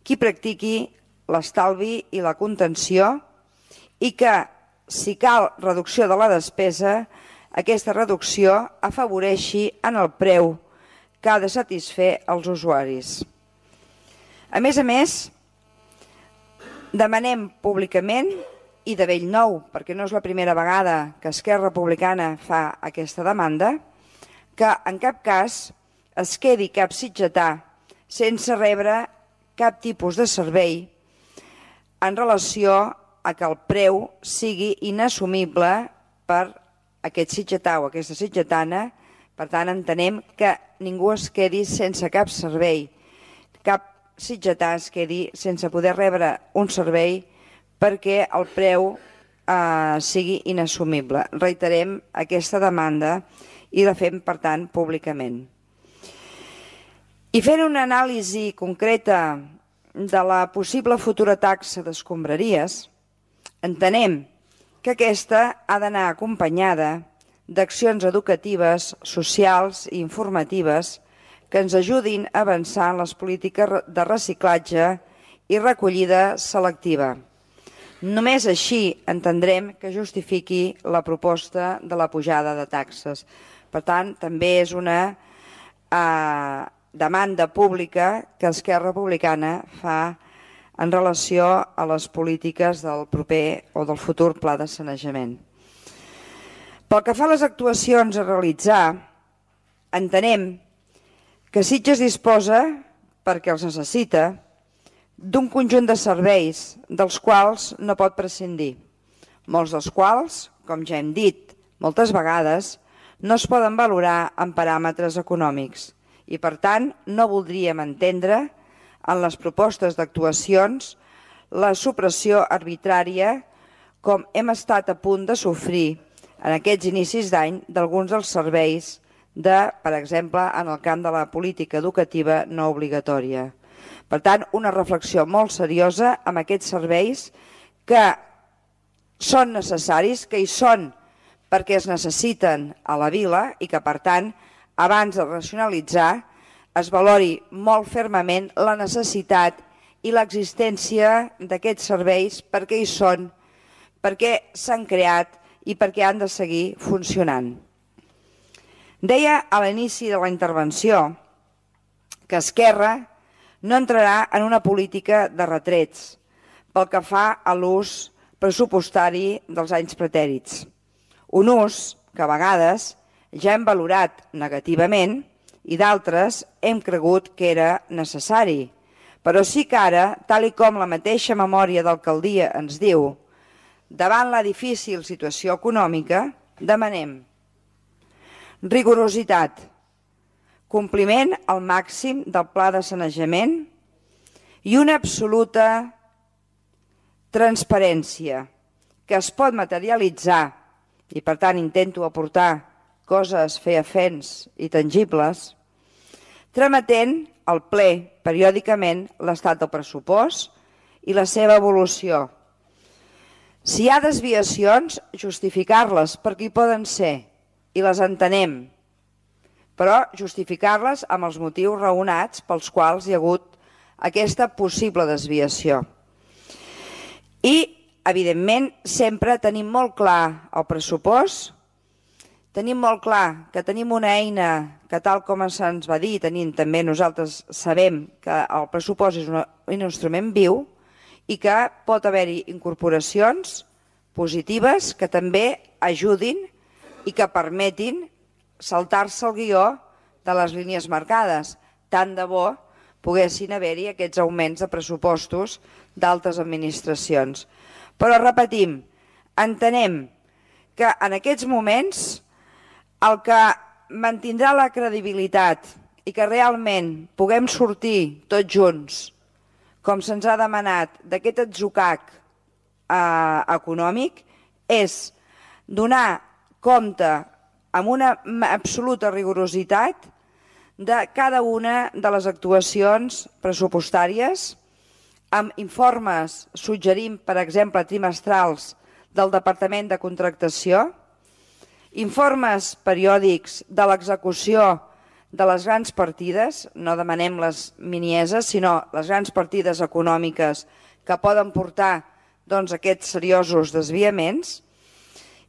qui practiqui l'estalvi i la contenció i que, si cal reducció de la despesa, aquesta reducció afavoreixi en el preu que ha de satisfer els usuaris. A més, demanem públicament i de bell nou, perquè no és la primera vegada que Esquerra Republicana fa aquesta demanda, que en cap cas es quedi cap sitgetà sense rebre cap tipus de servei en relació a que el preu sigui inassumible per aquest sitgetà o aquesta sitgetana. Per tant, entenem que ningú es quedi sense cap servei, cap sitgetà es quedi sense poder rebre un servei perquè el preu sigui inassumible. Reiterem aquesta demanda i la fem, per tant, públicament. I fent una anàlisi concreta de la possible futura taxa d'escombraries, entenem que aquesta ha d'anar acompanyada d'accions educatives, socials i informatives que ens ajudin a avançar en les polítiques de reciclatge i recollida selectiva. Només així entendrem que justifiqui la proposta de la pujada de taxes. Per tant, també és una demanda pública que Esquerra Republicana fa en relació a les polítiques del proper o del futur pla de sanejament. Pel que fa a les actuacions a realitzar, entenem que Sitges disposa, perquè els necessita, d'un conjunt de serveis dels quals no pot prescindir, molts dels quals, com ja hem dit moltes vegades, no es poden valorar en paràmetres econòmics i, per tant, no voldríem entendre en les propostes d'actuacions la supressió arbitrària com hem estat a punt de sofrir en aquests inicis d'any d'alguns dels serveis per exemple, en el camp de la política educativa no obligatòria. Per tant, una reflexió molt seriosa amb aquests serveis que són necessaris, que hi són perquè es necessiten a la vila i que, per tant, abans de racionalitzar, es valori molt fermament la necessitat i l'existència d'aquests serveis, perquè hi són, perquè s'han creat i perquè han de seguir funcionant. Deia a l'inici de la intervenció que Esquerra no entrarà en una política de retrets pel que fa a l'ús pressupostari dels anys pretèrits. Un ús que a vegades ja hem valorat negativament i d'altres hem cregut que era necessari. Però sí que ara, tal i com la mateixa memòria d'alcaldia ens diu, davant la difícil situació econòmica, demanem rigorositat, compliment al màxim del pla de sanejament i una absoluta transparència que es pot materialitzar, i per tant intento aportar coses feafents i tangibles, trametent al ple periòdicament l'estat del pressupost i la seva evolució. Si hi ha desviacions, justificar-les perquè hi poden ser, i les entenem, però justificar-les amb els motius raonats pels quals hi ha hagut aquesta possible desviació. I, evidentment, sempre tenim molt clar el pressupost, tenim molt clar que tenim una eina que, tal com se'ns va dir, tenim també nosaltres sabem que el pressupost és un instrument viu i que pot haver-hi incorporacions positives que també ajudin i que permetin saltar-se el guió de les línies marcades. Tant de bo poguessin haver-hi aquests augments de pressupostos d'altres administracions. Però repetim, entenem que en aquests moments el que mantindrà la credibilitat i que realment puguem sortir tots junts, com se'ns ha demanat, d'aquest atzucac econòmic, és donar compte amb una absoluta rigorositat de cada una de les actuacions pressupostàries, amb informes, suggerim, per exemple, trimestrals del Departament de Contractació, informes periòdics de l'execució de les grans partides, no demanem les minieses, sinó les grans partides econòmiques que poden portar aquests seriosos desviaments,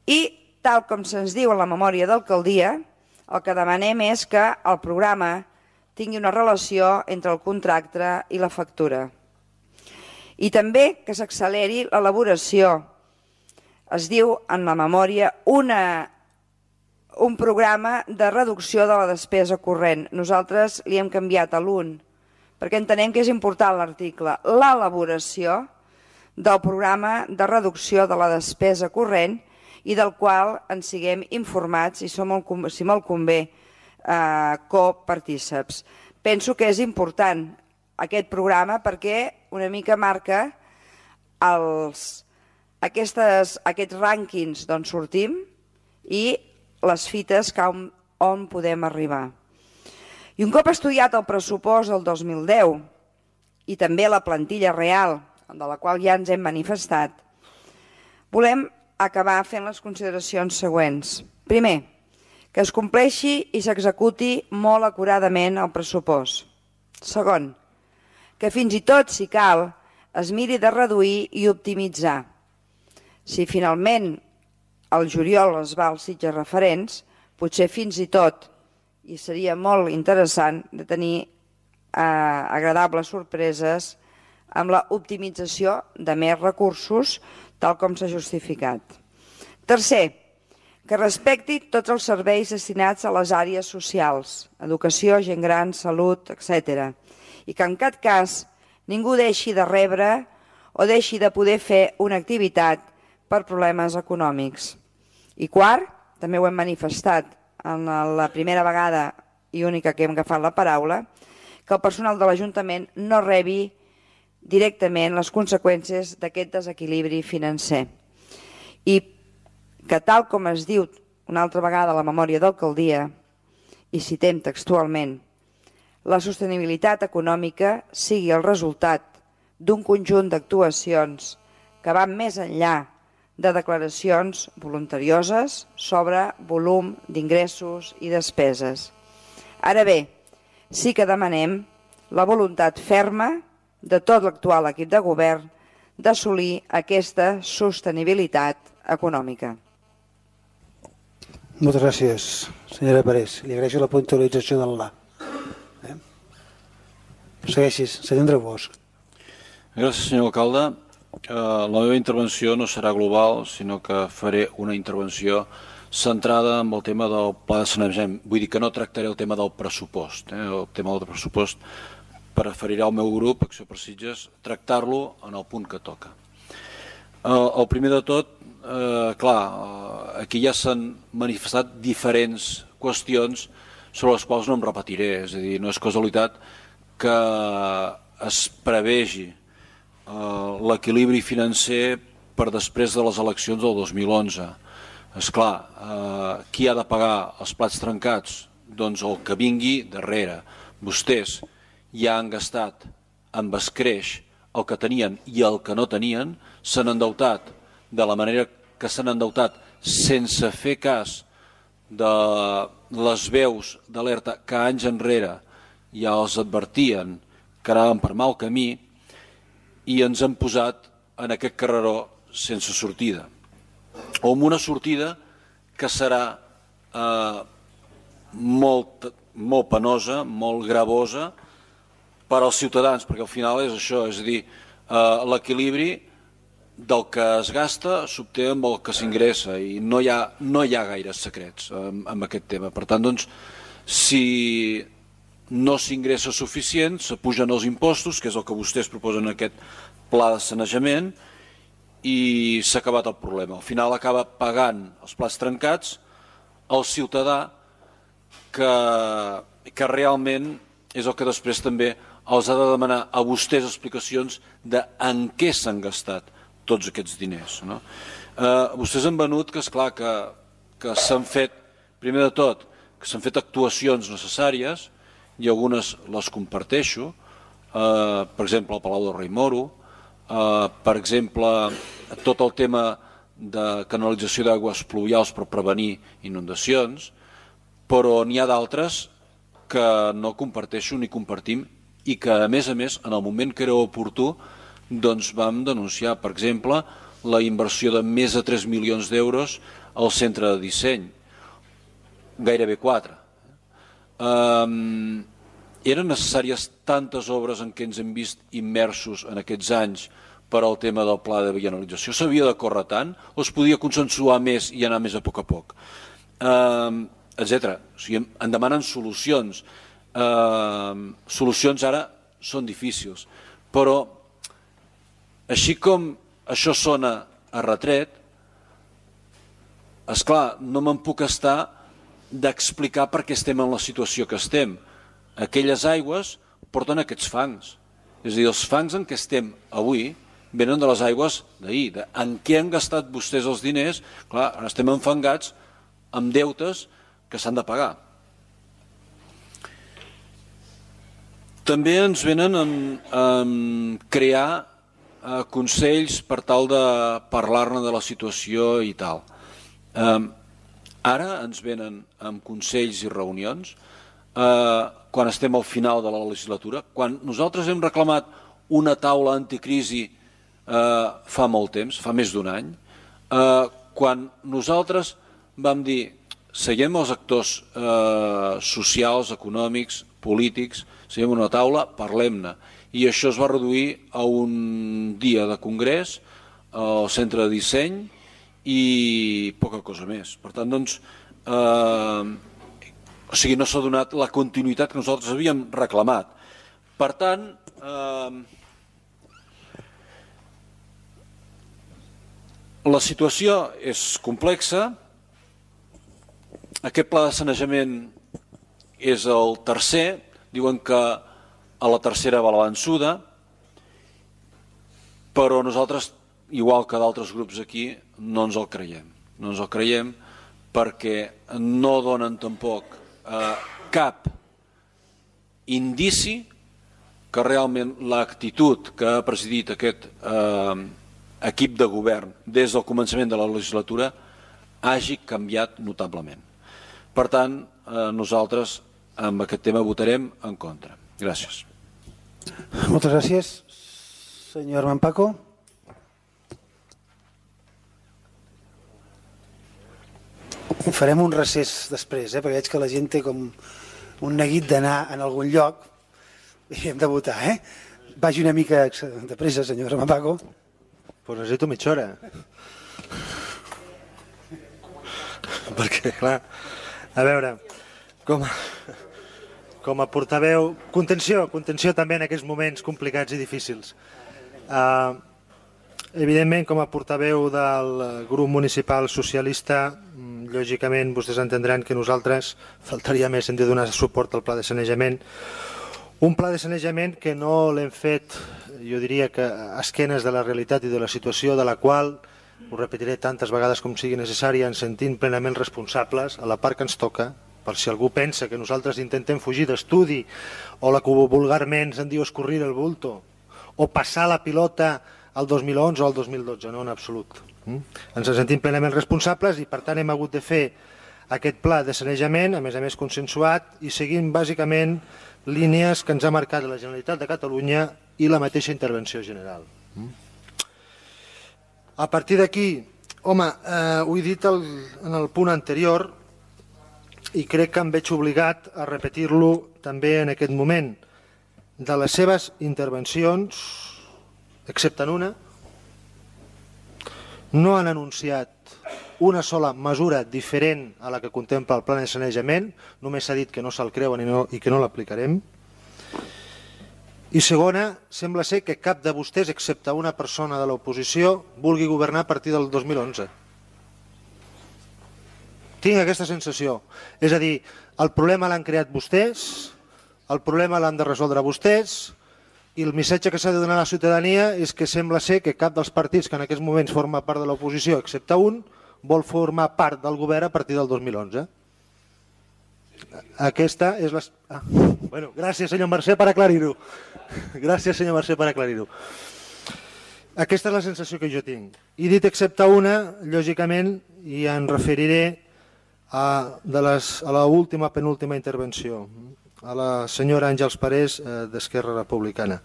i tal com se'ns diu en la memòria d'alcaldia, el que demanem és que el programa tingui una relació entre el contracte i la factura. I també que s'acceleri l'elaboració. Es diu en la memòria un programa de reducció de la despesa corrent. Nosaltres li hem canviat a l'1, perquè entenem que és important l'article. L'elaboració del programa de reducció de la despesa corrent i del qual ens siguem informats i som, si molt convé, copartíceps. Penso que és important aquest programa perquè una mica marca aquests rànquings d'on sortim i les fites on podem arribar. I un cop estudiat el pressupost del 2010 i també la plantilla real, de la qual ja ens hem manifestat, volem acabar fent les consideracions següents. Primer, que es compleixi i s'executi molt acuradament el pressupost. Segon, que fins i tot, si cal, es miri de reduir i optimitzar. Si finalment al juliol es va als Sitges referents, potser fins i tot, i seria molt interessant de tenir agradables sorpreses amb la optimització de més recursos, tal com s'ha justificat. Tercer, que respecti tots els serveis destinats a les àrees socials, educació, gent gran, salut, etc. I que en cap cas ningú deixi de rebre o deixi de poder fer una activitat per problemes econòmics. I quart, també ho hem manifestat en la primera vegada i única que hem agafat la paraula, que el personal de l'Ajuntament no rebi directament les conseqüències d'aquest desequilibri financer. I que tal com es diu una altra vegada a la memòria d'alcaldia, i citem textualment, la sostenibilitat econòmica sigui el resultat d'un conjunt d'actuacions que van més enllà de declaracions voluntarioses sobre volum d'ingressos i despeses. Ara bé, sí que demanem la voluntat ferma de tot l'actual equip de govern d'assolir aquesta sostenibilitat econòmica. Moltes gràcies, senyora Parés. Li agraeixo la puntualització del la. Segueixis, senyor Andreu Bosch. Gràcies, senyor alcalde. La meva intervenció no serà global, sinó que faré una intervenció centrada en el tema del pla de sanejament. Vull dir que no tractaré el tema del pressupost. El tema del pressupost preferirà el meu grup, Acció per Sitges, tractar-lo en el punt que toca. El primer de tot, clar, aquí ja s'han manifestat diferents qüestions sobre les quals no em repetiré, és a dir, no és casualitat que es prevegi l'equilibri financer per després de les eleccions del 2011. Esclar, qui ha de pagar els plats trencats? Doncs el que vingui darrere. Vostès ja han gastat amb escreix el que tenien i el que no tenien, s'han endeutat de la manera que s'han endeutat sense fer cas de les veus d'alerta que anys enrere ja els advertien que anaven per mal camí i ens han posat en aquest carreró sense sortida. O amb una sortida que serà molt penosa, molt gravosa per als ciutadans, perquè al final és això, és a dir, l'equilibri del que es gasta s'obté amb el que s'ingressa i no hi ha gaires secrets amb aquest tema. Per tant, doncs, si no s'ingressa suficient, s'apugen els impostos, que és el que vostès proposen en aquest pla de sanejament, i s'ha acabat el problema. Al final acaba pagant els plats trencats el ciutadà que realment és el que després també els ha de demanar a vostès explicacions de en què s'han gastat tots aquests diners. Vostès han venut que, esclar, que s'han fet, primer de tot, que s'han fet actuacions necessàries i algunes les comparteixo, per exemple, al Palau del Rei Moro, per exemple, tot el tema de canalització d'aigües pluvials per prevenir inundacions, però n'hi ha d'altres que no comparteixo ni compartim i que, a més, en el moment que era oportú, doncs vam denunciar, per exemple, la inversió de més de 3 milions d'euros al centre de disseny, gairebé 4. Eren necessàries tantes obres en què ens hem vist immersos en aquests anys per al tema del pla de vianalització? S'havia de córrer tant o es podia consensuar més i anar més a poc, etcètera. O sigui, en demanen solucions. Solucions ara són difícils, però així com això sona a retret, esclar, no me'n puc estar d'explicar per què estem en la situació que estem. Aquelles aigües porten aquests fangs. És a dir, els fangs en què estem avui venen de les aigües d'ahir. En què han gastat vostès els diners? Clar, ara estem enfangats amb deutes que s'han de pagar. També ens venen a crear consells per tal de parlar-ne de la situació i tal. Ara ens venen amb consells i reunions quan estem al final de la legislatura, quan nosaltres hem reclamat una taula anticrisi fa molt temps, fa més d'un any, quan nosaltres vam dir seguim els actors socials, econòmics, polítics, seguim una taula, parlem-ne, i això es va reduir a un dia de congrés al centre de disseny i poca cosa més. Per tant, doncs, o sigui, no s'ha donat la continuïtat que nosaltres havíem reclamat. Per tant, la situació és complexa. Aquest pla de sanejament és el tercer. Diuen que a la tercera va la vençuda, però nosaltres, igual que d'altres grups aquí, no ens el creiem. No ens el creiem perquè no donen tampoc cap indici que realment l'actitud que ha presidit aquest equip de govern des del començament de la legislatura hagi canviat notablement. Per tant, nosaltres amb aquest tema votarem en contra. Gràcies. Moltes gràcies. Senyor Armand Paco. Farem un recés després, perquè veig que la gent té com un neguit d'anar en algun lloc i hem de votar, Vagi una mica de pressa, senyor Armand Paco. Pues necessito mitja hora. Perquè, clar, a veure, com a portaveu... Contenció també en aquests moments complicats i difícils. Evidentment, com a portaveu del grup municipal socialista, lògicament vostès entendran que nosaltres faltaria més hem de donar suport al pla de sanejament. Un pla de sanejament que no l'hem fet, jo diria que a esquenes de la realitat i de la situació de la qual, ho repetiré tantes vegades com sigui necessari, ens sentim plenament responsables a la part que ens toca, per si algú pensa que nosaltres intentem fugir d'estudi o la que vulgarment se'n diu escorrir el bulto o passar la pilota al 2011 o al 2012, no en absolut. Ens sentim plenament responsables i per tant hem hagut de fer aquest pla de sanejament, a més consensuat, i seguint bàsicament línies que ens ha marcat la Generalitat de Catalunya i la mateixa intervenció general. A partir d'aquí, home, ho he dit en el punt anterior i crec que em veig obligat a repetir-lo també en aquest moment. De les seves intervencions, excepte en una, no han anunciat una sola mesura diferent a la que contempla el pla de sanejament, només s'ha dit que no se'l creuen i que no l'aplicarem. I segona, sembla ser que cap de vostès, excepte una persona de l'oposició, vulgui governar a partir del 2011. Tinc aquesta sensació. És a dir, el problema l'han creat vostès, el problema l'han de resoldre vostès, i el missatge que s'ha de donar a la ciutadania és que sembla ser que cap dels partits que en aquests moments forma part de l'oposició, excepte un, vol formar part del govern a partir del 2011. Aquesta és la... Bueno, gràcies, senyor Mercè, per aclarir-ho. Gràcies, senyor Mercè, per aclarir-ho. Aquesta és la sensació que jo tinc. I dit excepte una, lògicament, i em referiré a la última, penúltima intervenció, a la senyora Àngels Parés d'Esquerra Republicana.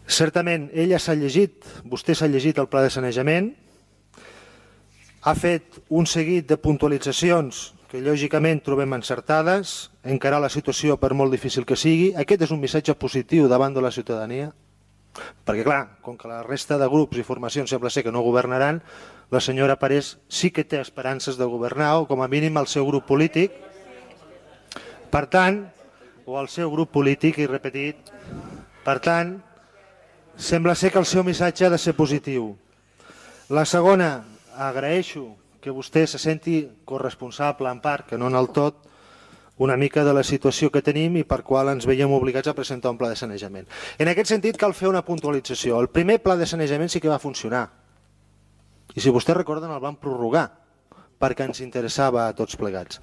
Certament, ella s'ha llegit, vostè s'ha llegit el pla de sanejament, ha fet un seguit de puntualitzacions que lògicament trobem encertades, encarar la situació per molt difícil que sigui. Aquest és un missatge positiu davant de la ciutadania, perquè clar, com que la resta de grups i formacions sembla ser que no governaran, la senyora Parés sí que té esperances de governar, o com a mínim el seu grup polític. Per tant, o el seu grup polític, i repetit, per tant, sembla ser que el seu missatge ha de ser positiu. La segona, agraeixo que vostè se senti corresponsable en part, que no en el tot, una mica de la situació que tenim i per qual ens veiem obligats a presentar un pla de sanejament. En aquest sentit cal fer una puntualització. El primer pla de sanejament sí que va funcionar. I si vostès recorden el van prorrogar perquè ens interessava a tots plegats.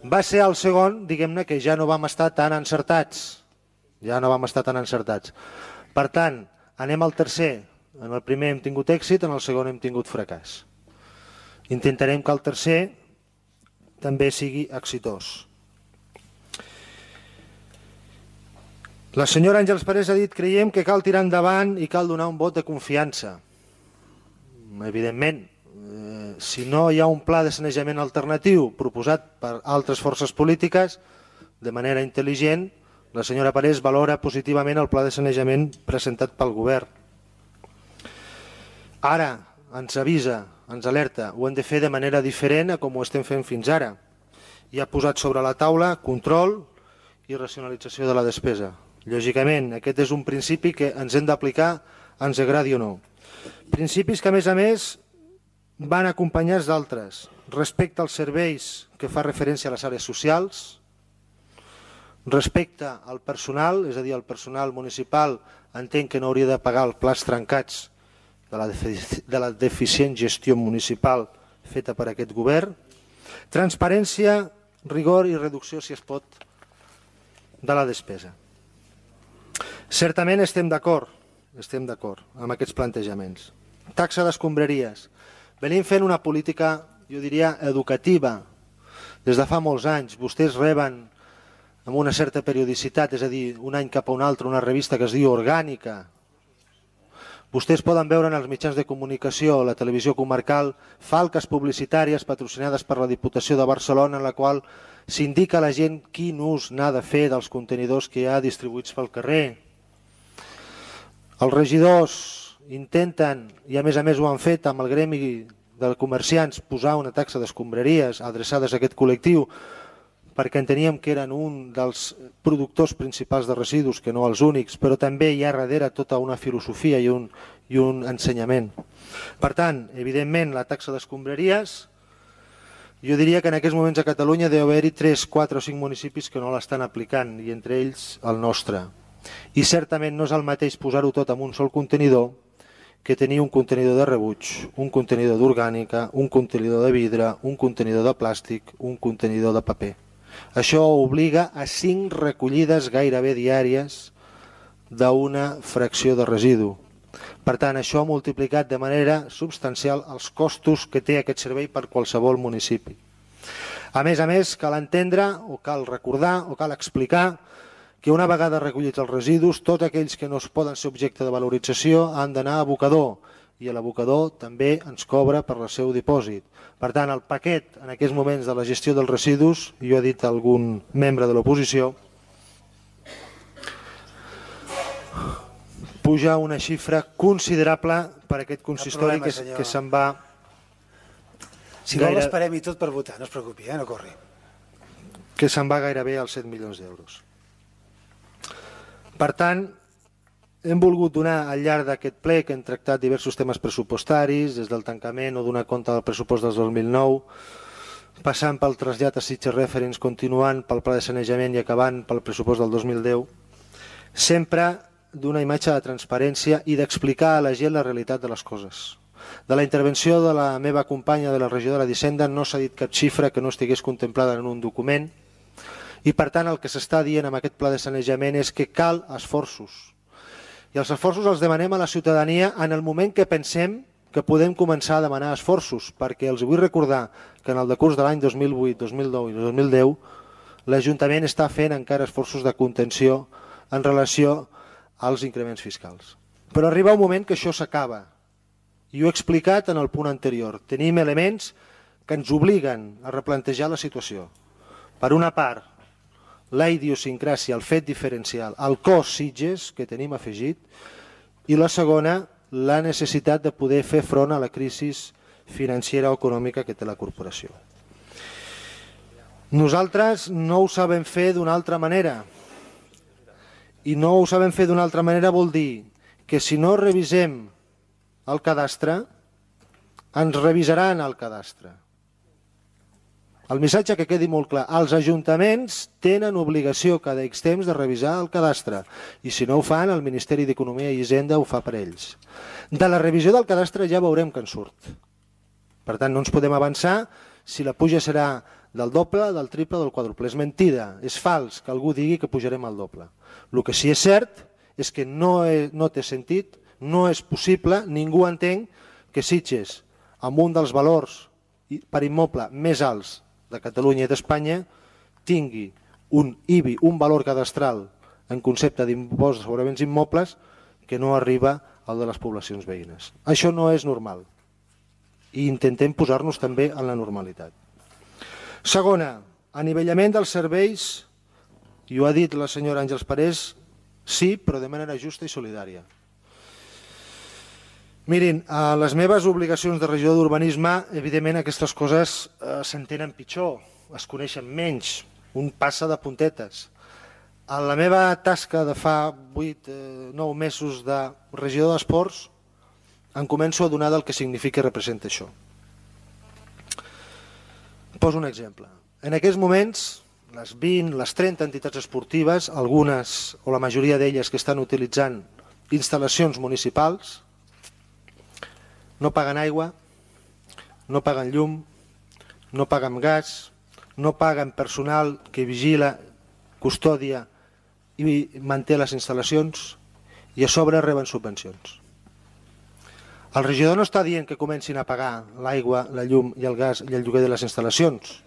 Va ser el segon, diguem-ne, que ja no vam estar tan encertats. Ja no vam estar tan encertats. Per tant, anem al tercer. En el primer hem tingut èxit, en el segon hem tingut fracàs. Intentarem que el tercer també sigui exitós. La senyora Àngels Parés ha dit creiem que cal tirar endavant i cal donar un vot de confiança. Evidentment, si no hi ha un pla de sanejament alternatiu proposat per altres forces polítiques, de manera intel·ligent, la senyora Parés valora positivament el pla de sanejament presentat pel govern. Ara ens avisa, ens alerta, ho hem de fer de manera diferent a com ho estem fent fins ara. I ha posat sobre la taula control i racionalització de la despesa. Lògicament, aquest és un principi que ens hem d'aplicar, ens agradi o no. Principis que, a més, van acompanyats d'altres. Respecte als serveis que fa referència a les àrees socials, respecte al personal, és a dir, el personal municipal entenc que no hauria de pagar els plats trencats de la deficient gestió municipal feta per aquest govern, transparència, rigor i reducció, si es pot, de la despesa. Certament estem d'acord amb aquests plantejaments. Taxa d'escombraries. Venim fent una política, jo diria, educativa. Des de fa molts anys vostès reben amb una certa periodicitat, és a dir, un any cap a un altre, una revista que es diu Orgànica. Vostès poden veure en els mitjans de comunicació, la televisió comarcal, falques publicitàries patrocinades per la Diputació de Barcelona en la qual s'indica a la gent quin ús n'ha de fer dels contenidors que hi ha distribuïts pel carrer. Els regidors intenten, i a més ho han fet amb el gremi de comerciants, posar una taxa d'escombraries adreçades a aquest col·lectiu perquè enteníem que eren un dels productors principals de residus, que no els únics, però també hi ha darrere tota una filosofia i un ensenyament. Per tant, evidentment, la taxa d'escombraries, jo diria que en aquests moments a Catalunya deu haver-hi 3, 4 o 5 municipis que no l'estan aplicant, i entre ells el nostre. I certament no és el mateix posar-ho tot en un sol contenidor que tenir un contenidor de rebuig, un contenidor d'orgànica, un contenidor de vidre, un contenidor de plàstic, un contenidor de paper. Això obliga a 5 recollides gairebé diàries d'una fracció de residu. Per tant, això ha multiplicat de manera substancial els costos que té aquest servei per qualsevol municipi. A més, cal entendre, o cal recordar, o cal explicar que una vegada recollits els residus, tots aquells que no es poden ser objecte de valorització han d'anar a abocador, i l'abocador també ens cobra per el seu dipòsit. Per tant, el paquet en aquests moments de la gestió dels residus, jo he dit a algun membre de l'oposició, puja una xifra considerable per aquest consistori que se'n va... Si vol esperem i tot per votar, no es preocupi, no corri. Que se'n va gairebé als 7 milions d'euros. Per tant, hem volgut donar al llarg d'aquest ple que hem tractat diversos temes pressupostaris, des del tancament o donar compte del pressupost del 2009, passant pel trasllat a Sitges Referents, continuant pel pla de sanejament i acabant pel pressupost del 2010, sempre d'una imatge de transparència i d'explicar a la gent la realitat de les coses. De la intervenció de la meva companya de la regidora d'Hisenda no s'ha dit cap xifra que no estigués contemplada en un document i per tant el que s'està dient amb aquest pla de sanejament és que cal esforços. I els esforços els demanem a la ciutadania en el moment que pensem que podem començar a demanar esforços, perquè els vull recordar que en el decurs de l'any 2008, 2009 i 2010 l'Ajuntament està fent encara esforços de contenció en relació als increments fiscals. Però arriba un moment que això s'acaba, i ho he explicat en el punt anterior. Tenim elements que ens obliguen a replantejar la situació. Per una part, la idiosincràsia, el fet diferencial, el cost Sitges que tenim afegit, i la segona, la necessitat de poder fer front a la crisi financera o econòmica que té la corporació. Nosaltres no ho sabem fer d'una altra manera, i no ho sabem fer d'una altra manera vol dir que si no revisem el cadastre, ens revisaran el cadastre. El missatge que quedi molt clar, els ajuntaments tenen obligació cada X temps de revisar el cadastre i si no ho fan, el Ministeri d'Economia i Hisenda ho fa per ells. De la revisió del cadastre ja veurem que en surt. Per tant, no ens podem avançar si la puja serà del doble, del triple o del quadruple. És mentida, és fals que algú digui que pujarem al doble. El que sí és cert és que no té sentit, no és possible, ningú entén que Sitges, amb un dels valors per immoble més alts de Catalunya i d'Espanya, tingui un IBI, un valor cadastral en concepte d'impost sobre béns immobles que no arriba al de les poblacions veïnes. Això no és normal. i intentem posar-nos també en la normalitat. Segona, anivellament dels serveis, i ho ha dit la senyora Àngels Parés, sí, però de manera justa i solidària. Mirin, a les meves obligacions de regidor d'urbanisme, evidentment aquestes coses s'entenen pitjor, es coneixen menys, un passa de puntetes. A la meva tasca de fa 8-9 mesos de regidor d'esports em començo a donar del que significa i representa això. Poso un exemple. En aquests moments, les 20, les 30 entitats esportives, algunes o la majoria d'elles que estan utilitzant instal·lacions municipals, no paguen aigua, no paguen llum, no paguen gas, no paguen personal que vigila, custòdia i manté les instal·lacions i a sobre reben subvencions. El regidor no està dient que comencin a pagar l'aigua, la llum i el gas i el lloguer de les instal·lacions.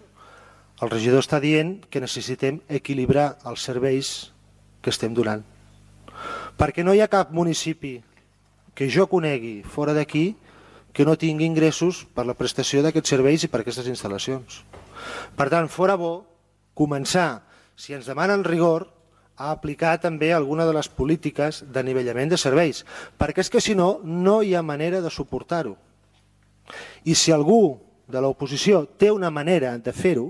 El regidor està dient que necessitem equilibrar els serveis que estem donant. Perquè no hi ha cap municipi que jo conegui fora d'aquí que no tingui ingressos per la prestació d'aquests serveis i per aquestes instal·lacions. Per tant, fora bo començar, si ens demanen rigor, a aplicar també alguna de les polítiques d'anivellament de serveis, perquè és que si no, no hi ha manera de suportar-ho. I si algú de l'oposició té una manera de fer-ho,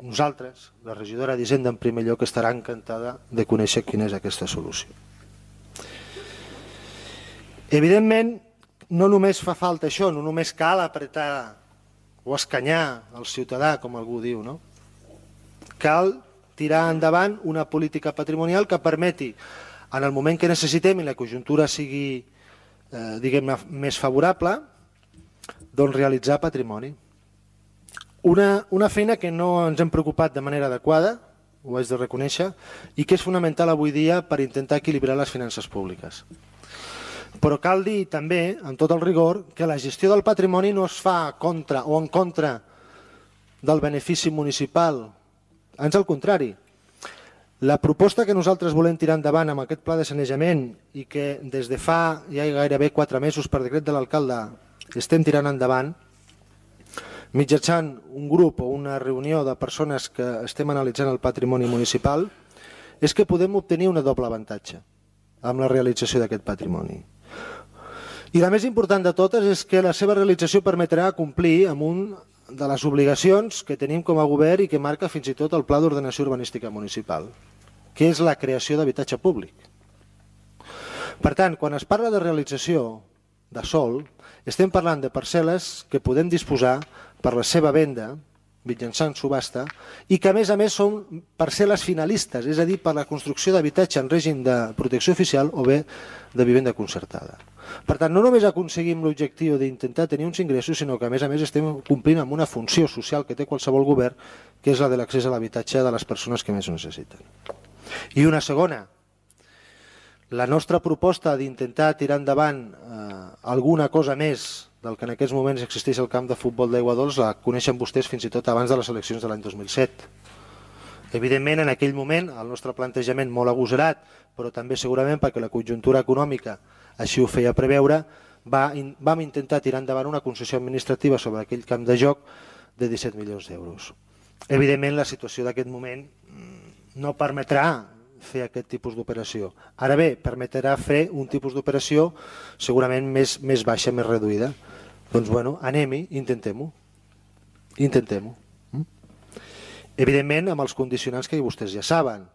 nosaltres, la regidora d'Hisenda en primer lloc, estarà encantada de conèixer quina és aquesta solució. Evidentment, no només fa falta això, no només cal apretar o escanyar el ciutadà, com algú diu, no? Cal tirar endavant una política patrimonial que permeti, en el moment que necessitem i la conjuntura sigui diguem-ne més favorable, doncs realitzar patrimoni. Una feina que no ens hem preocupat de manera adequada, ho haig de reconèixer, i que és fonamental avui dia per intentar equilibrar les finances públiques. Però cal dir també, amb tot el rigor, que la gestió del patrimoni no es fa contra o en contra del benefici municipal. Ans al contrari. La proposta que nosaltres volem tirar endavant amb aquest pla de sanejament i que des de fa ja gairebé 4 mesos per decret de l'alcalde estem tirant endavant, mitjançant un grup o una reunió de persones que estem analitzant el patrimoni municipal, és que podem obtenir un doble avantatge amb la realització d'aquest patrimoni. I la més important de totes és que la seva realització permetrà complir amb un de les obligacions que tenim com a govern i que marca fins i tot el Pla d'Ordenació Urbanística Municipal, que és la creació d'habitatge públic. Per tant, quan es parla de realització de sòl, estem parlant de parcel·les que podem disposar per la seva venda, mitjançant subhasta, i que a més són parcel·les finalistes, és a dir, per la construcció d'habitatge en règim de protecció oficial o bé de vivenda concertada. Per tant, no només aconseguim l'objectiu d'intentar tenir uns ingressos, sinó que a més estem complint amb una funció social que té qualsevol govern, que és la de l'accés a l'habitatge de les persones que més ho necessiten. I una segona, la nostra proposta d'intentar tirar endavant alguna cosa més del que en aquests moments existeix al camp de futbol d'Aigua Dols la coneixen vostès fins i tot abans de les eleccions de l'any 2007. Evidentment, en aquell moment, el nostre plantejament molt agosarat, però també segurament perquè la conjuntura econòmica així ho feia preveure, vam intentar tirar endavant una concessió administrativa sobre aquell camp de joc de 17 milions d'euros. Evidentment, la situació d'aquest moment no permetrà fer aquest tipus d'operació. Ara bé, permetrà fer un tipus d'operació segurament més baixa, més reduïda. Doncs bueno, anem-hi, intentem-ho. Intentem-ho. Evidentment, amb els condicionants que vostès ja saben.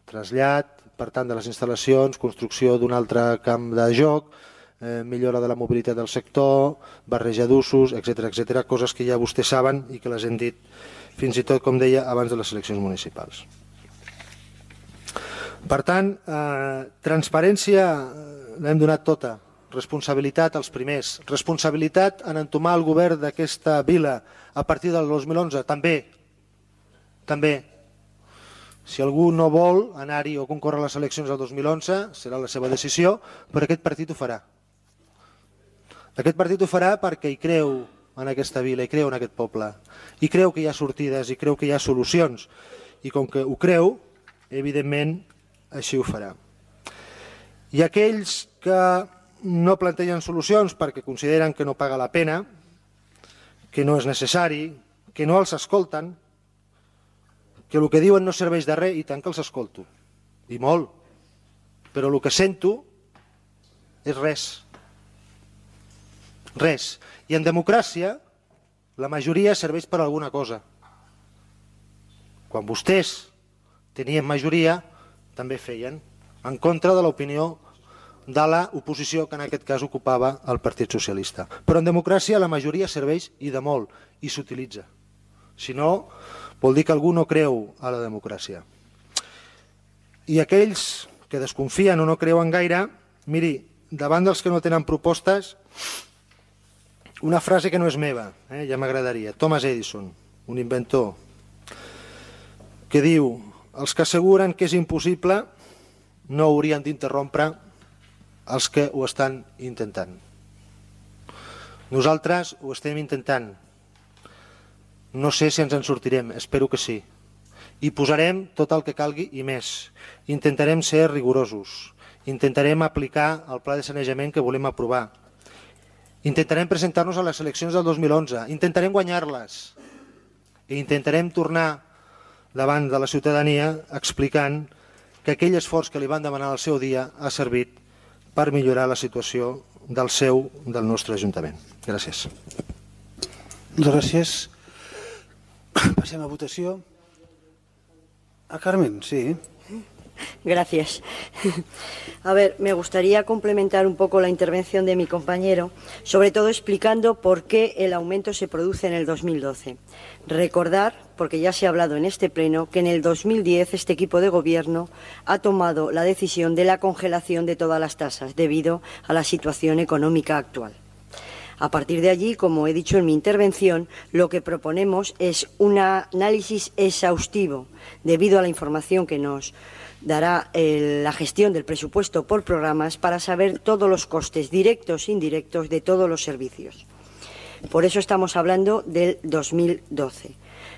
Trasllat, per tant, de les instal·lacions, construcció d'un altre camp de joc, millora de la mobilitat del sector, barreja d'usos, etc., coses que ja vostès saben i que les hem dit fins i tot, com deia, abans de les eleccions municipals. Per tant, transparència l'hem donat tota, responsabilitat als primers, responsabilitat en entomar el govern d'aquesta vila a partir del 2011, també. Si algú no vol anar-hi o concórrer a les eleccions del 2011, serà la seva decisió, però aquest partit ho farà. Aquest partit ho farà perquè hi creu en aquesta vila, hi creu en aquest poble, hi creu que hi ha sortides, hi creu que hi ha solucions, i com que ho creu, evidentment, així ho farà. I aquells que no plantegen solucions perquè consideren que no paga la pena, que no és necessari, que no els escolten, que el que diuen no serveix de res, i tant que els escolto, i molt, però el que sento és res. Res. I en democràcia la majoria serveix per alguna cosa. Quan vostès tenien majoria també feien en contra de l'opinió de l'oposició que en aquest cas ocupava el Partit Socialista. Però en democràcia la majoria serveix i de molt, i s'utilitza. Si no, vol dir que algú no creu a la democràcia. I aquells que desconfien o no creuen gaire, miri, davant dels que no tenen propostes, una frase que no és meva, ja m'agradaria. Thomas Edison, un inventor, que diu: els que asseguren que és impossible no haurien d'interrompre els que ho estan intentant. Nosaltres ho estem intentant. No sé si ens en sortirem, espero que sí. I posarem tot el que calgui i més. Intentarem ser rigorosos. Intentarem aplicar el pla de sanejament que volem aprovar. Intentarem presentar-nos a les eleccions del 2011. Intentarem guanyar-les. I intentarem tornar davant de la ciutadania explicant que aquell esforç que li van demanar al seu dia ha servit per millorar la situació del nostre Ajuntament. Gràcies. Moltes gràcies. Passem a votació. Carmen, sí. Gracias. A ver, me gustaría complementar un poco la intervención de mi compañero, sobre todo explicando por qué el aumento se produce en el 2012. Recordar, porque ya se ha hablado en este pleno, que en el 2010 este equipo de gobierno ha tomado la decisión de la congelación de todas las tasas debido a la situación económica actual. A partir de allí, como he dicho en mi intervención, lo que proponemos es un análisis exhaustivo debido a la información que nos dará la gestión del presupuesto por programas para saber todos los costes directos e indirectos de todos los servicios. Por eso estamos hablando del 2012.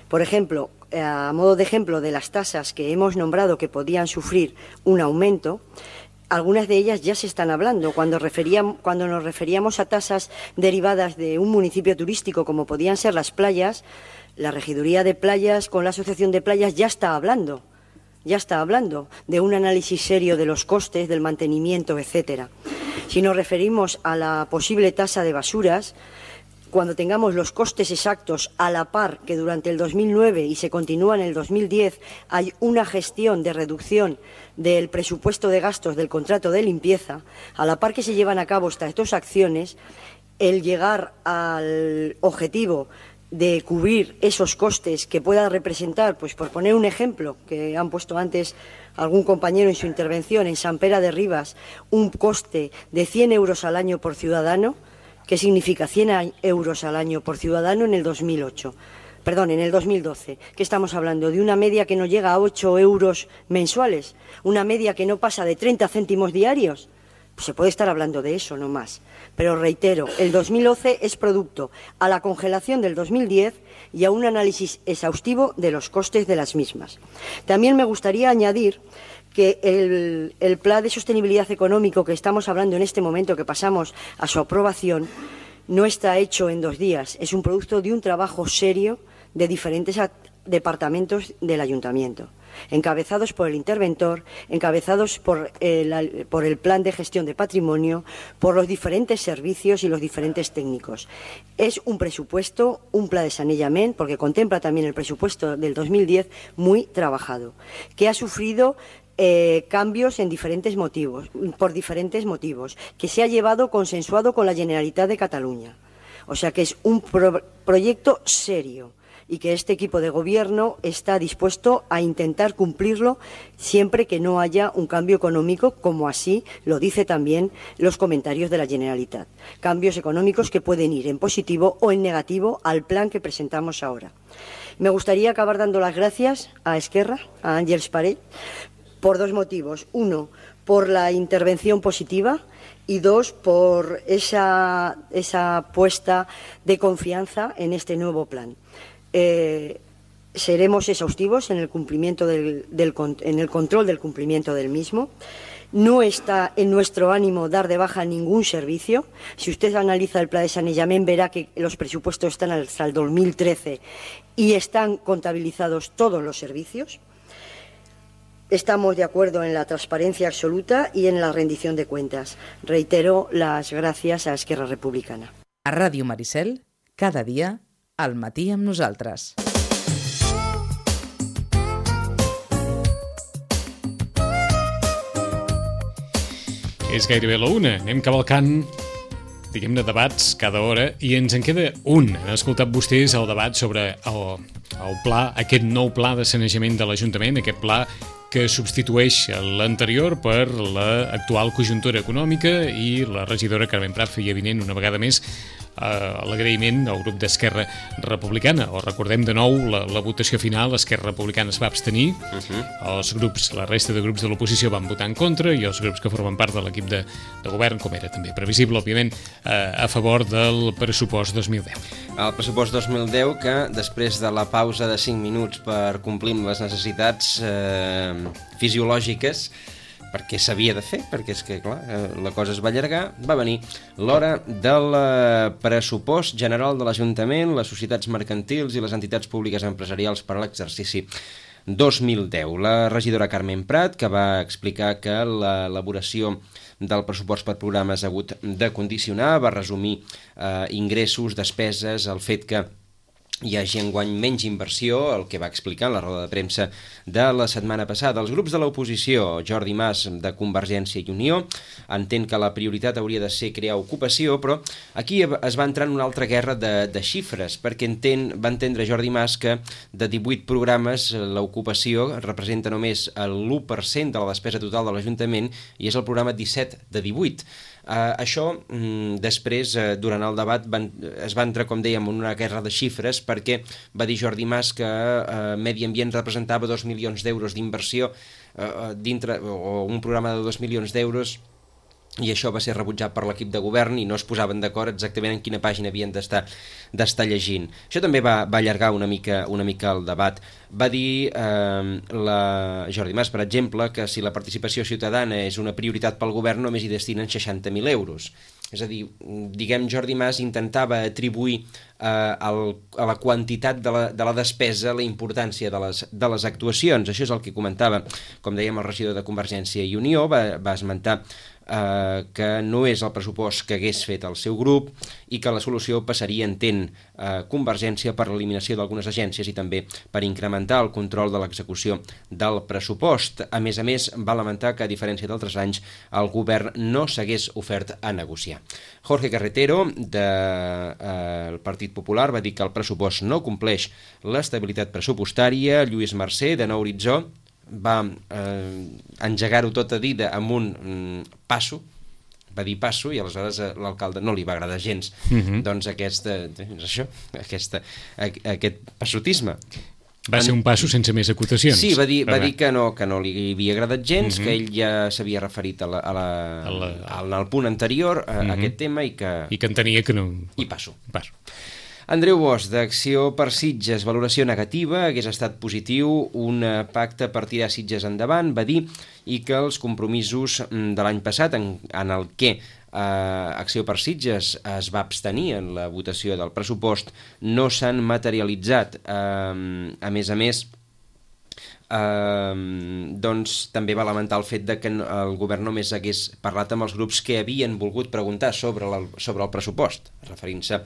Por ejemplo, a modo de ejemplo de las tasas que hemos nombrado que podían sufrir un aumento, algunas de ellas ya se están hablando. Cuando nos referíamos a tasas derivadas de un municipio turístico como podían ser las playas, la Regiduría de Playas con la Asociación de Playas ya está hablando de un análisis serio de los costes, del mantenimiento, etcétera. Si nos referimos a la posible tasa de basuras, cuando tengamos los costes exactos a la par que durante el 2009 y se continúa en el 2010 hay una gestión de reducción del presupuesto de gastos del contrato de limpieza, a la par que se llevan a cabo estas dos acciones, el llegar al objetivo de cubrir esos costes que pueda representar, pues por poner un ejemplo que han puesto antes algún compañero en su intervención, en Sant Pere de Ribas, un coste de 100 euros al año por ciudadano. ¿Qué significa 100 euros al año por ciudadano en el 2012? ¿Qué estamos hablando? De una media que no llega a 8 euros mensuales, una media que no pasa de 30 céntimos diarios. Pues se puede estar hablando de eso, no más. Pero reitero, el 2011 es producto a la congelación del 2010 y a un análisis exhaustivo de los costes de las mismas. También me gustaría añadir que el plan de sostenibilidad económico que estamos hablando en este momento, que pasamos a su aprobación, no está hecho en 2 días. Es un producto de un trabajo serio de diferentes departamentos del Ayuntamiento, encabezados por el interventor, encabezados por el plan de gestión de patrimonio, por los diferentes servicios y los diferentes técnicos. Es un presupuesto, un plan de sanejament, porque contempla también el presupuesto del 2010, muy trabajado, que ha sufrido cambios por diferentes motivos, que se ha llevado consensuado con la Generalitat de Cataluña. O sea que es un proyecto serio y que este equipo de gobierno está dispuesto a intentar cumplirlo siempre que no haya un cambio económico, como así lo dice también los comentarios de la Generalitat. Cambios económicos que pueden ir en positivo o en negativo al plan que presentamos ahora. Me gustaría acabar dando las gracias a Esquerra, a Àngels Parell, por 2 motivos. 1, por la intervención positiva y 2, por esa puesta de confianza en este nuevo plan. Seremos exhaustivos en el cumplimiento en el control del cumplimiento del mismo No está en nuestro ánimo dar de baja ningún servicio. Si usted analiza el plan de Sanejament, verá que los presupuestos están hasta el 2013 y están contabilizados todos los servicios. Estamos de acuerdo en la transparencia absoluta y en la rendición de cuentas. Reitero las gracias a Esquerra Republicana. A Ràdio Maricel, cada dia, al matí amb nosaltres. És gairebé la una. Anem cavalcant, diguem-ne, debats cada hora i ens en queda un. Han escoltat vostès el debat sobre el pla, aquest nou pla de sanejament de l'Ajuntament, aquest pla que substitueix l'anterior per l'actual conjuntura econòmica, i la regidora Carmen Prat feia evident una vegada més l'agraïment al grup d'Esquerra Republicana. O recordem de nou la votació final. Esquerra Republicana es va abstenir, la resta de grups de l'oposició van votar en contra, i els grups que formen part de l'equip de govern, com era també previsible, òbviament, a favor del pressupost 2010. El pressupost 2010 que, després de la pausa de 5 minuts per complir amb les necessitats fisiològiques, perquè s'havia de fer, perquè és que, clar, la cosa es va allargar, va venir l'hora del pressupost general de l'Ajuntament, les societats mercantils i les entitats públiques empresarials per a l'exercici 2010. La regidora Carmen Prat, que va explicar que l'elaboració del pressupost per programes ha hagut de condicionar, va resumir ingressos, despeses, el fet que hi hagi enguany menys inversió, el que va explicar en la roda de premsa de la setmana passada. Els grups de l'oposició, Jordi Mas de Convergència i Unió, entén que la prioritat hauria de ser crear ocupació, però aquí es va entrar en una altra guerra de xifres, perquè va entendre Jordi Mas que de 18 programes l'ocupació representa només l'1% de la despesa total de l'Ajuntament, i és el programa 17 de 18. Això, després, durant el debat, es va entrar, com dèiem, en una guerra de xifres, perquè va dir Jordi Mas que Medi Ambient representava 2 milions d'euros d'inversió dintre, o un programa de 2 milions d'euros, i això va ser rebutjat per l'equip de govern i no es posaven d'acord exactament en quina pàgina havien d'estar llegint. Això també va allargar una mica el debat. Va dir Jordi Mas, per exemple, que si la participació ciutadana és una prioritat pel govern, només hi destinen 60.000 euros. És a dir, diguem, Jordi Mas intentava atribuir a la quantitat de la despesa la importància de les actuacions. Això és el que comentava, com dèiem, el regidor de Convergència i Unió. Va esmentar que no és el pressupost que hagués fet el seu grup i que la solució passaria, entén Convergència, per l'eliminació d'algunes agències i també per incrementar el control de l'execució del pressupost. A més, va lamentar que, a diferència d'altres anys, el govern no s'hagués ofert a negociar. Jorge Carretero, del Partit Popular, va dir que el pressupost no compleix l'estabilitat pressupostària. Lluís Mercè, de Nou Horitzó, va engegar-ho tot a dir amb un passo, va dir passo, i aleshores a l'alcalde no li va agradar gens doncs aquest passotisme. Va ser un passo sense més acotacions. Sí, va dir que no li havia agradat gens, que ell ja s'havia referit al punt anterior a aquest tema i que entenia que no... I passo. Andreu Bosch, d'Acció per Sitges, valoració negativa, hagués estat positiu un pacte per tirar Sitges endavant, va dir, i que els compromisos de l'any passat, en el que Acció per Sitges es va abstenir en la votació del pressupost, no s'han materialitzat. A més, doncs també va lamentar el fet de que el govern només hagués parlat amb els grups que havien volgut preguntar sobre el pressupost, referint-se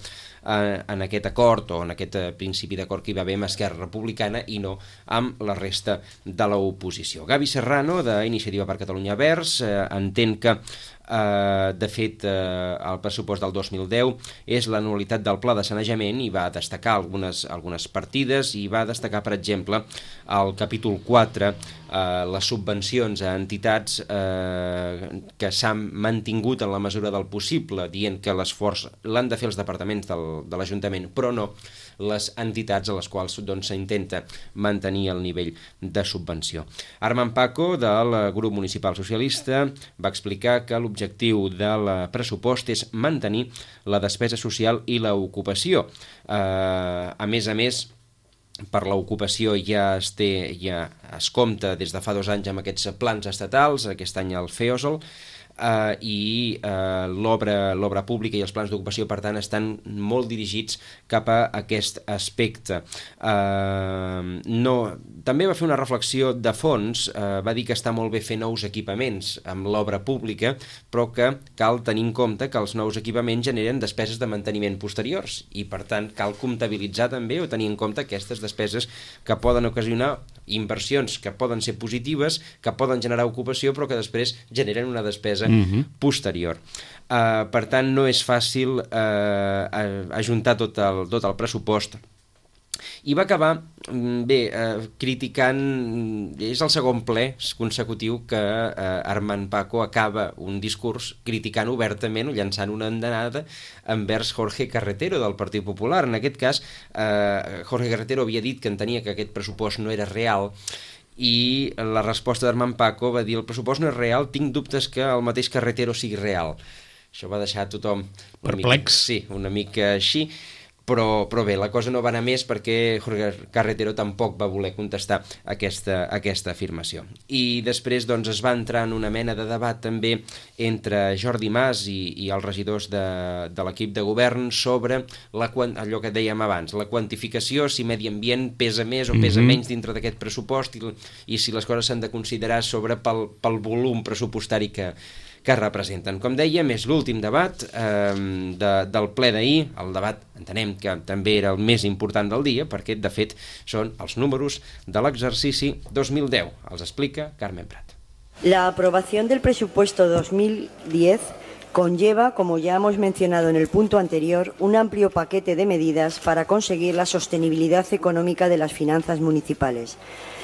en aquest acord o en aquest principi d'acord que hi va haver amb Esquerra Republicana i no amb la resta de l'oposició. Gavi Serrano, d'Iniciativa per Catalunya Verds, entén que de fet el pressupost del 2010 és la nul·litat del pla de sanejament i va destacar algunes partides i va destacar, per exemple, el capítol 4, les subvencions a entitats que s'han mantingut en la mesura del possible, dient que l'esforç l'han de fer els departaments de l'Ajuntament, però no les entitats a les quals s'intenta mantenir el nivell de subvenció. Armand Paco, del grup municipal socialista, va explicar que l'objectiu del pressupost és mantenir la despesa social i l'ocupació. A més, per l'ocupació ja es compta des de fa 2 anys amb aquests plans estatals, aquest any el FEOSL, i l'obra pública i els plans d'ocupació, per tant, estan molt dirigits cap a aquest aspecte. També va fer una reflexió de fons, va dir que està molt bé fer nous equipaments amb l'obra pública, però que cal tenir en compte que els nous equipaments generen despeses de manteniment posteriors i, per tant, cal comptabilitzar també o tenir en compte aquestes despeses que poden ocasionar inversions que poden ser positives, que poden generar ocupació, però que després generen una despesa posterior. Per tant, no és fàcil ajuntar tot el pressupost. I va acabar criticant, és el segon ple consecutiu que Armand Paco acaba un discurs criticant obertament o llançant una andanada envers Jorge Carretero del Partit Popular. En aquest cas, Jorge Carretero havia dit que entenia que aquest pressupost no era real, i la resposta d'Armand Paco va dir: el pressupost no és real, tinc dubtes que el mateix Carretero sigui real. Això va deixar tothom perplex. Sí, una mica així, però bé, la cosa no va anar més perquè Jorge Carretero tampoc va voler contestar aquesta afirmació. I després doncs, es va entrar en una mena de debat també entre Jordi Mas i els regidors de l'equip de govern sobre allò que dèiem abans, la quantificació, si medi ambient pesa més o pesa menys dintre d'aquest pressupost i si les coses s'han de considerar pel volum pressupostari que representen. Com dèiem, és l'últim debat del ple d'ahir. El debat entenem que també era el més important del dia perquè, de fet, són els números de l'exercici 2010. Els explica Carmen Prat. La aprobación del presupuesto 2010 conlleva, como ya hemos mencionado en el punto anterior, un amplio paquete de medidas para conseguir la sostenibilidad económica de las finanzas municipales.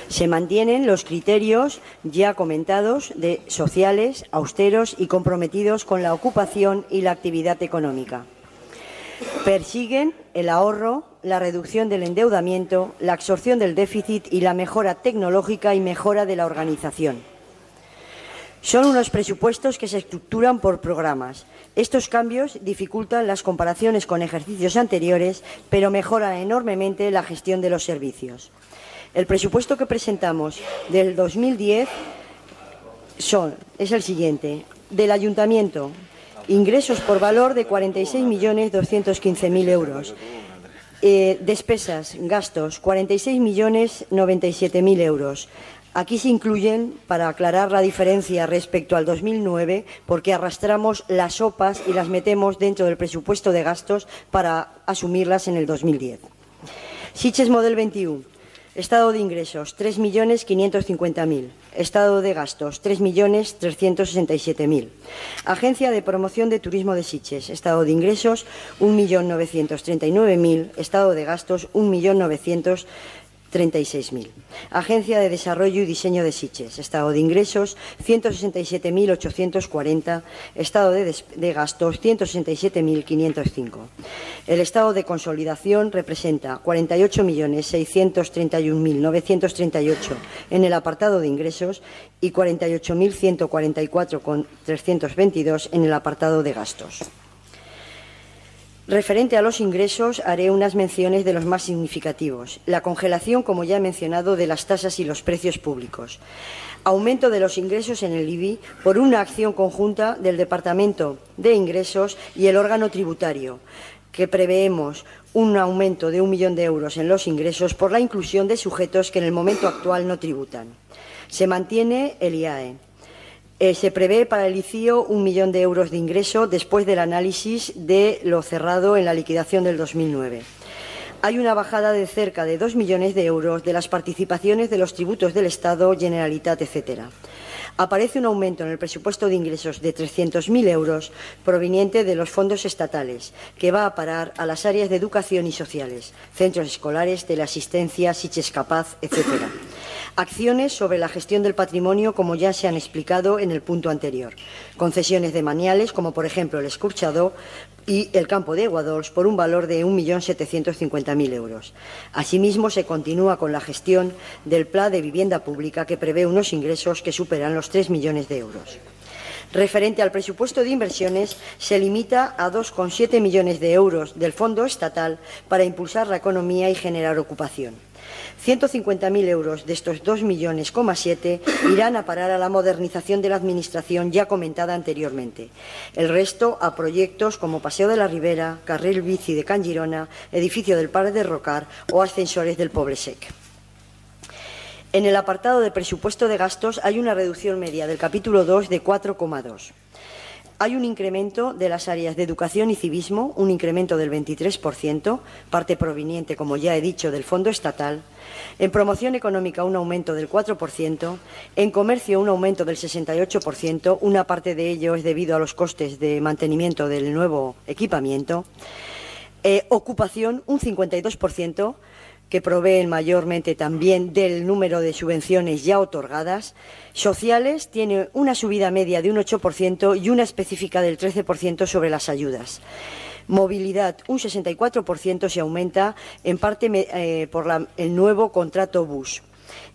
Se mantienen los criterios ya comentados de sociales, austeros y comprometidos con la ocupación y la actividad económica. Persiguen el ahorro, la reducción del endeudamiento, la absorción del déficit y la mejora tecnológica y mejora de la organización. Son unos presupuestos que se estructuran por programas. Estos cambios dificultan las comparaciones con ejercicios anteriores, pero mejoran enormemente la gestión de los servicios. El presupuesto que presentamos del 2010 es el siguiente. Del Ayuntamiento, ingresos por valor de 46.215.000 euros. Despesas, gastos, 46.097.000 euros. Aquí se incluyen, para aclarar la diferencia respecto al 2009, porque arrastramos las OPAs y las metemos dentro del presupuesto de gastos para asumirlas en el 2010. Sitges Model 21. Estado de ingresos, 3.550.000. Estado de gastos, 3.367.000. Agencia de Promoción de Turismo de Sitges. Estado de ingresos, 1.939.000. Estado de gastos, 1.936.000. Agencia de Desarrollo y Diseño de Sitges. Estado de ingresos, 167.840. Estado de gastos, 167.505. El estado de consolidación representa 48.631.938 en el apartado de ingresos y 48.144,322 en el apartado de gastos. Referente a los ingresos, haré unas menciones de los más significativos. La congelación, como ya he mencionado, de las tasas y los precios públicos. Aumento de los ingresos en el IBI por una acción conjunta del Departamento de Ingresos y el órgano tributario, que preveemos un aumento de 1 millón de euros en los ingresos por la inclusión de sujetos que en el momento actual no tributan. Se mantiene el IAE. Se prevé para el ICIO 1 millón de euros de ingreso después del análisis de lo cerrado en la liquidación del 2009. Hay una bajada de cerca de 2 millones de euros de las participaciones de los tributos del Estado, Generalitat, etc. Aparece un aumento en el presupuesto de ingresos de 300.000 euros proveniente de los fondos estatales, que va a parar a las áreas de educación y sociales, centros escolares, teleasistencia, Sitges Capaz, etc. Acciones sobre la gestión del patrimonio, como ya se han explicado en el punto anterior. Concesiones de maniales, como por ejemplo el Escorxador y el campo de Guadols, por un valor de 1.750.000 euros. Asimismo, se continúa con la gestión del Plan de Vivienda Pública, que prevé unos ingresos que superan los 3 millones de euros. Referente al presupuesto de inversiones, se limita a 2,7 millones de euros del Fondo Estatal para impulsar la economía y generar ocupación. 150.000 euros de estos 2,7 millones irán a parar a la modernización de la Administración ya comentada anteriormente. El resto a proyectos como Paseo de la Ribera, Carril Bici de Can Girona, Edificio del Parc de Rocar o ascensores del Poble Sec. En el apartado de presupuesto de gastos hay una reducción media del capítulo 2 de 4,2. Hay un incremento de las áreas de educación y civismo, un incremento del 23%, parte proveniente, como ya he dicho, del Fondo Estatal. En promoción económica, un aumento del 4%. En comercio, un aumento del 68%. Una parte de ello es debido a los costes de mantenimiento del nuevo equipamiento. Ocupación, un 52%. Que proveen mayormente también del número de subvenciones ya otorgadas. Sociales tiene una subida media de un 8% y una específica del 13% sobre las ayudas. Movilidad, un 64% se aumenta, en parte por el nuevo contrato bus.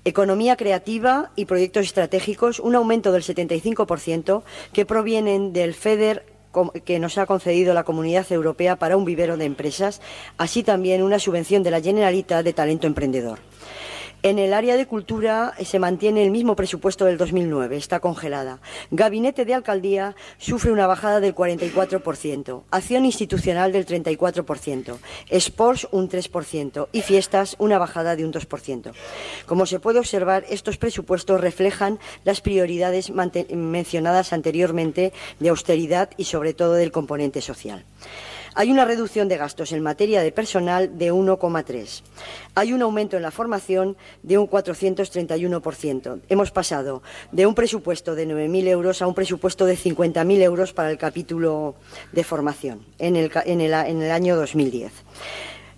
Economía creativa y proyectos estratégicos, un aumento del 75% que provienen del FEDER que nos ha concedido la Comunidad Europea para un vivero de empresas, así también una subvención de la Generalitat de talento emprendedor. En el área de cultura se mantiene el mismo presupuesto del 2009, está congelada. Gabinete de Alcaldía sufre una bajada del 44%, Acción Institucional del 34%, Sports un 3% y Fiestas una bajada de un 2%. Como se puede observar, estos presupuestos reflejan las prioridades mencionadas anteriormente de austeridad y sobre todo del componente social. Hay una reducción de gastos en materia de personal de 1,3. Hay un aumento en la formación de un 431%. Hemos pasado de un presupuesto de 9.000 euros a un presupuesto de 50.000 euros para el capítulo de formación en el año 2010.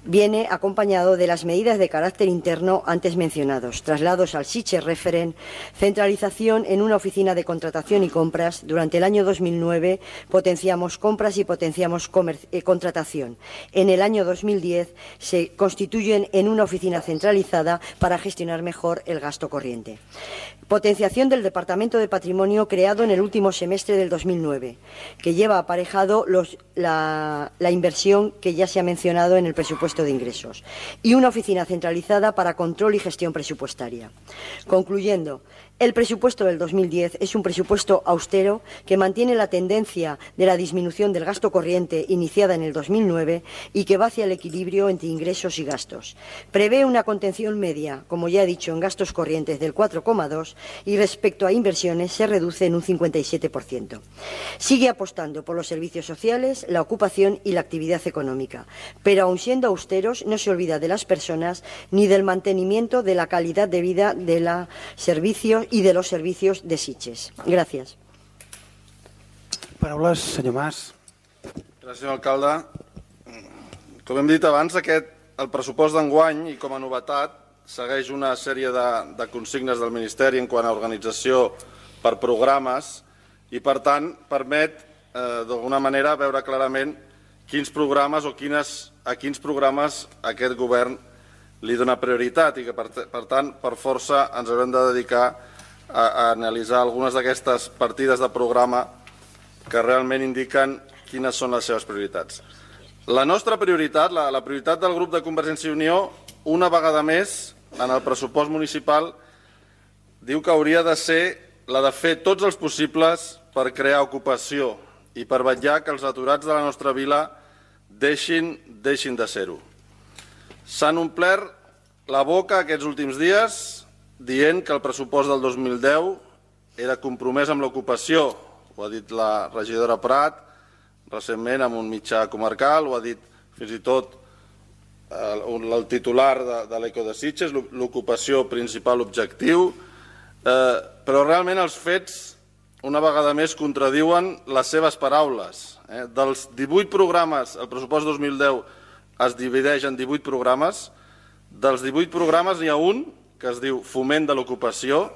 Viene acompañado de las medidas de carácter interno antes mencionados, traslados al Sitges Referent, centralización en una oficina de contratación y compras. Durante el año 2009 potenciamos compras y potenciamos contratación. En el año 2010 se constituyen en una oficina centralizada para gestionar mejor el gasto corriente. Potenciación del Departamento de Patrimonio creado en el último semestre del 2009, que lleva aparejado la inversión que ya se ha mencionado en el presupuesto de ingresos, y una oficina centralizada para control y gestión presupuestaria. Concluyendo, el presupuesto del 2010 es un presupuesto austero que mantiene la tendencia de la disminución del gasto corriente iniciada en el 2009 y que va hacia el equilibrio entre ingresos y gastos. Prevé una contención media, como ya he dicho, en gastos corrientes del 4,2 y respecto a inversiones se reduce en un 57%. Sigue apostando por los servicios sociales, la ocupación y la actividad económica, pero aun siendo austeros no se olvida de las personas ni del mantenimiento de la calidad de vida de los servicios y de los servicios de Sitges. Gràcies. Paraules, senyor Mas. Gràcies, senyor alcalde. Com hem dit abans, el pressupost d'enguany, i com a novetat, segueix una sèrie de consignes del Ministeri en quant a organització per programes i, per tant, permet, d'alguna manera, veure clarament quins programes o a quins programes aquest govern li dona prioritat i que, per tant, per força ens haurem de dedicar a analitzar algunes d'aquestes partides de programa que realment indiquen quines són les seves prioritats. La nostra prioritat, la prioritat del grup de Convergència i Unió, una vegada més, en el pressupost municipal, diu que hauria de ser la de fer tots els possibles per crear ocupació i per vetllar que els aturats de la nostra vila deixin de ser-ho. S'han omplert la boca aquests últims dies dient que el pressupost del 2010 era compromès amb l'ocupació. Ho ha dit la regidora Prat recentment en un mitjà comarcal, ho ha dit fins i tot el titular de l'Eco de Sitges, l'ocupació principal objectiu, però realment els fets una vegada més contradiuen les seves paraules. Dels 18 programes, el pressupost 2010 es divideix en 18 programes. Dels 18 programes n'hi ha un que es diu Foment de l'Ocupació.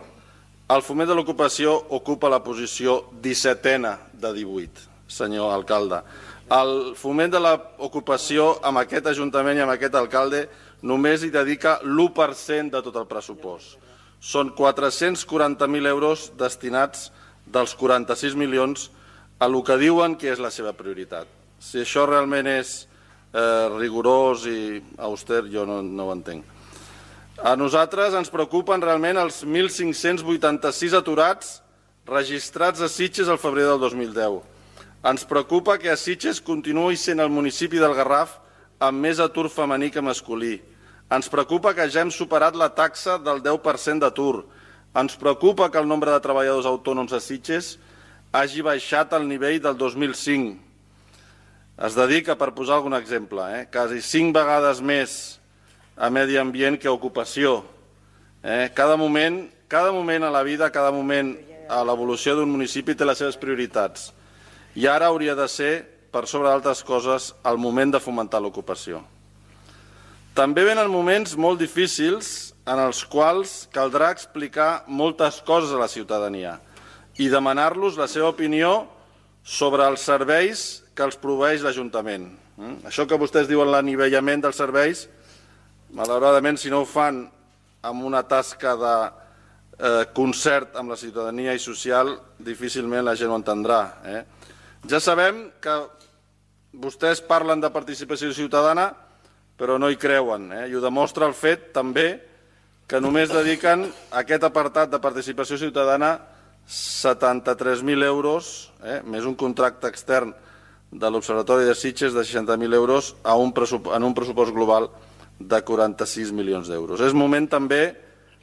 El Foment de l'Ocupació ocupa la posició 17a de 18, senyor alcalde. El Foment de l'Ocupació amb aquest Ajuntament i amb aquest alcalde només hi dedica l'1% de tot el pressupost. Són 440.000 euros destinats dels 46 milions a el que diuen que és la seva prioritat. Si això realment és rigorós i auster, jo no ho entenc. A nosaltres ens preocupen realment els 1.586 aturats registrats a Sitges al febrer del 2010. Ens preocupa que a Sitges continuï sent el municipi del Garraf amb més atur femení que masculí. Ens preocupa que ja hem superat la taxa del 10% d'atur. Ens preocupa que el nombre de treballadors autònoms a Sitges hagi baixat al nivell del 2005. Es dedica, per posar algun exemple, quasi 5 vegades més a medi ambient que a ocupació. Cada moment a la vida, cada moment a l'evolució d'un municipi té les seves prioritats. I ara hauria de ser, per sobre d'altres coses, el moment de fomentar l'ocupació. També venen moments molt difícils en els quals caldrà explicar moltes coses a la ciutadania i demanar-los la seva opinió sobre els serveis que els proveeix l'Ajuntament. Això que vostès diuen l'anivellament dels serveis, malauradament, si no ho fan amb una tasca de concert amb la ciutadania i social, difícilment la gent ho entendrà. Ja sabem que vostès parlen de participació ciutadana, però no hi creuen, i ho demostra el fet també que només dediquen a aquest apartat de participació ciutadana 73.000 euros, més un contracte extern de l'Observatori de Sitges de 60.000 euros en un pressupost global de 46 milions d'euros. És moment també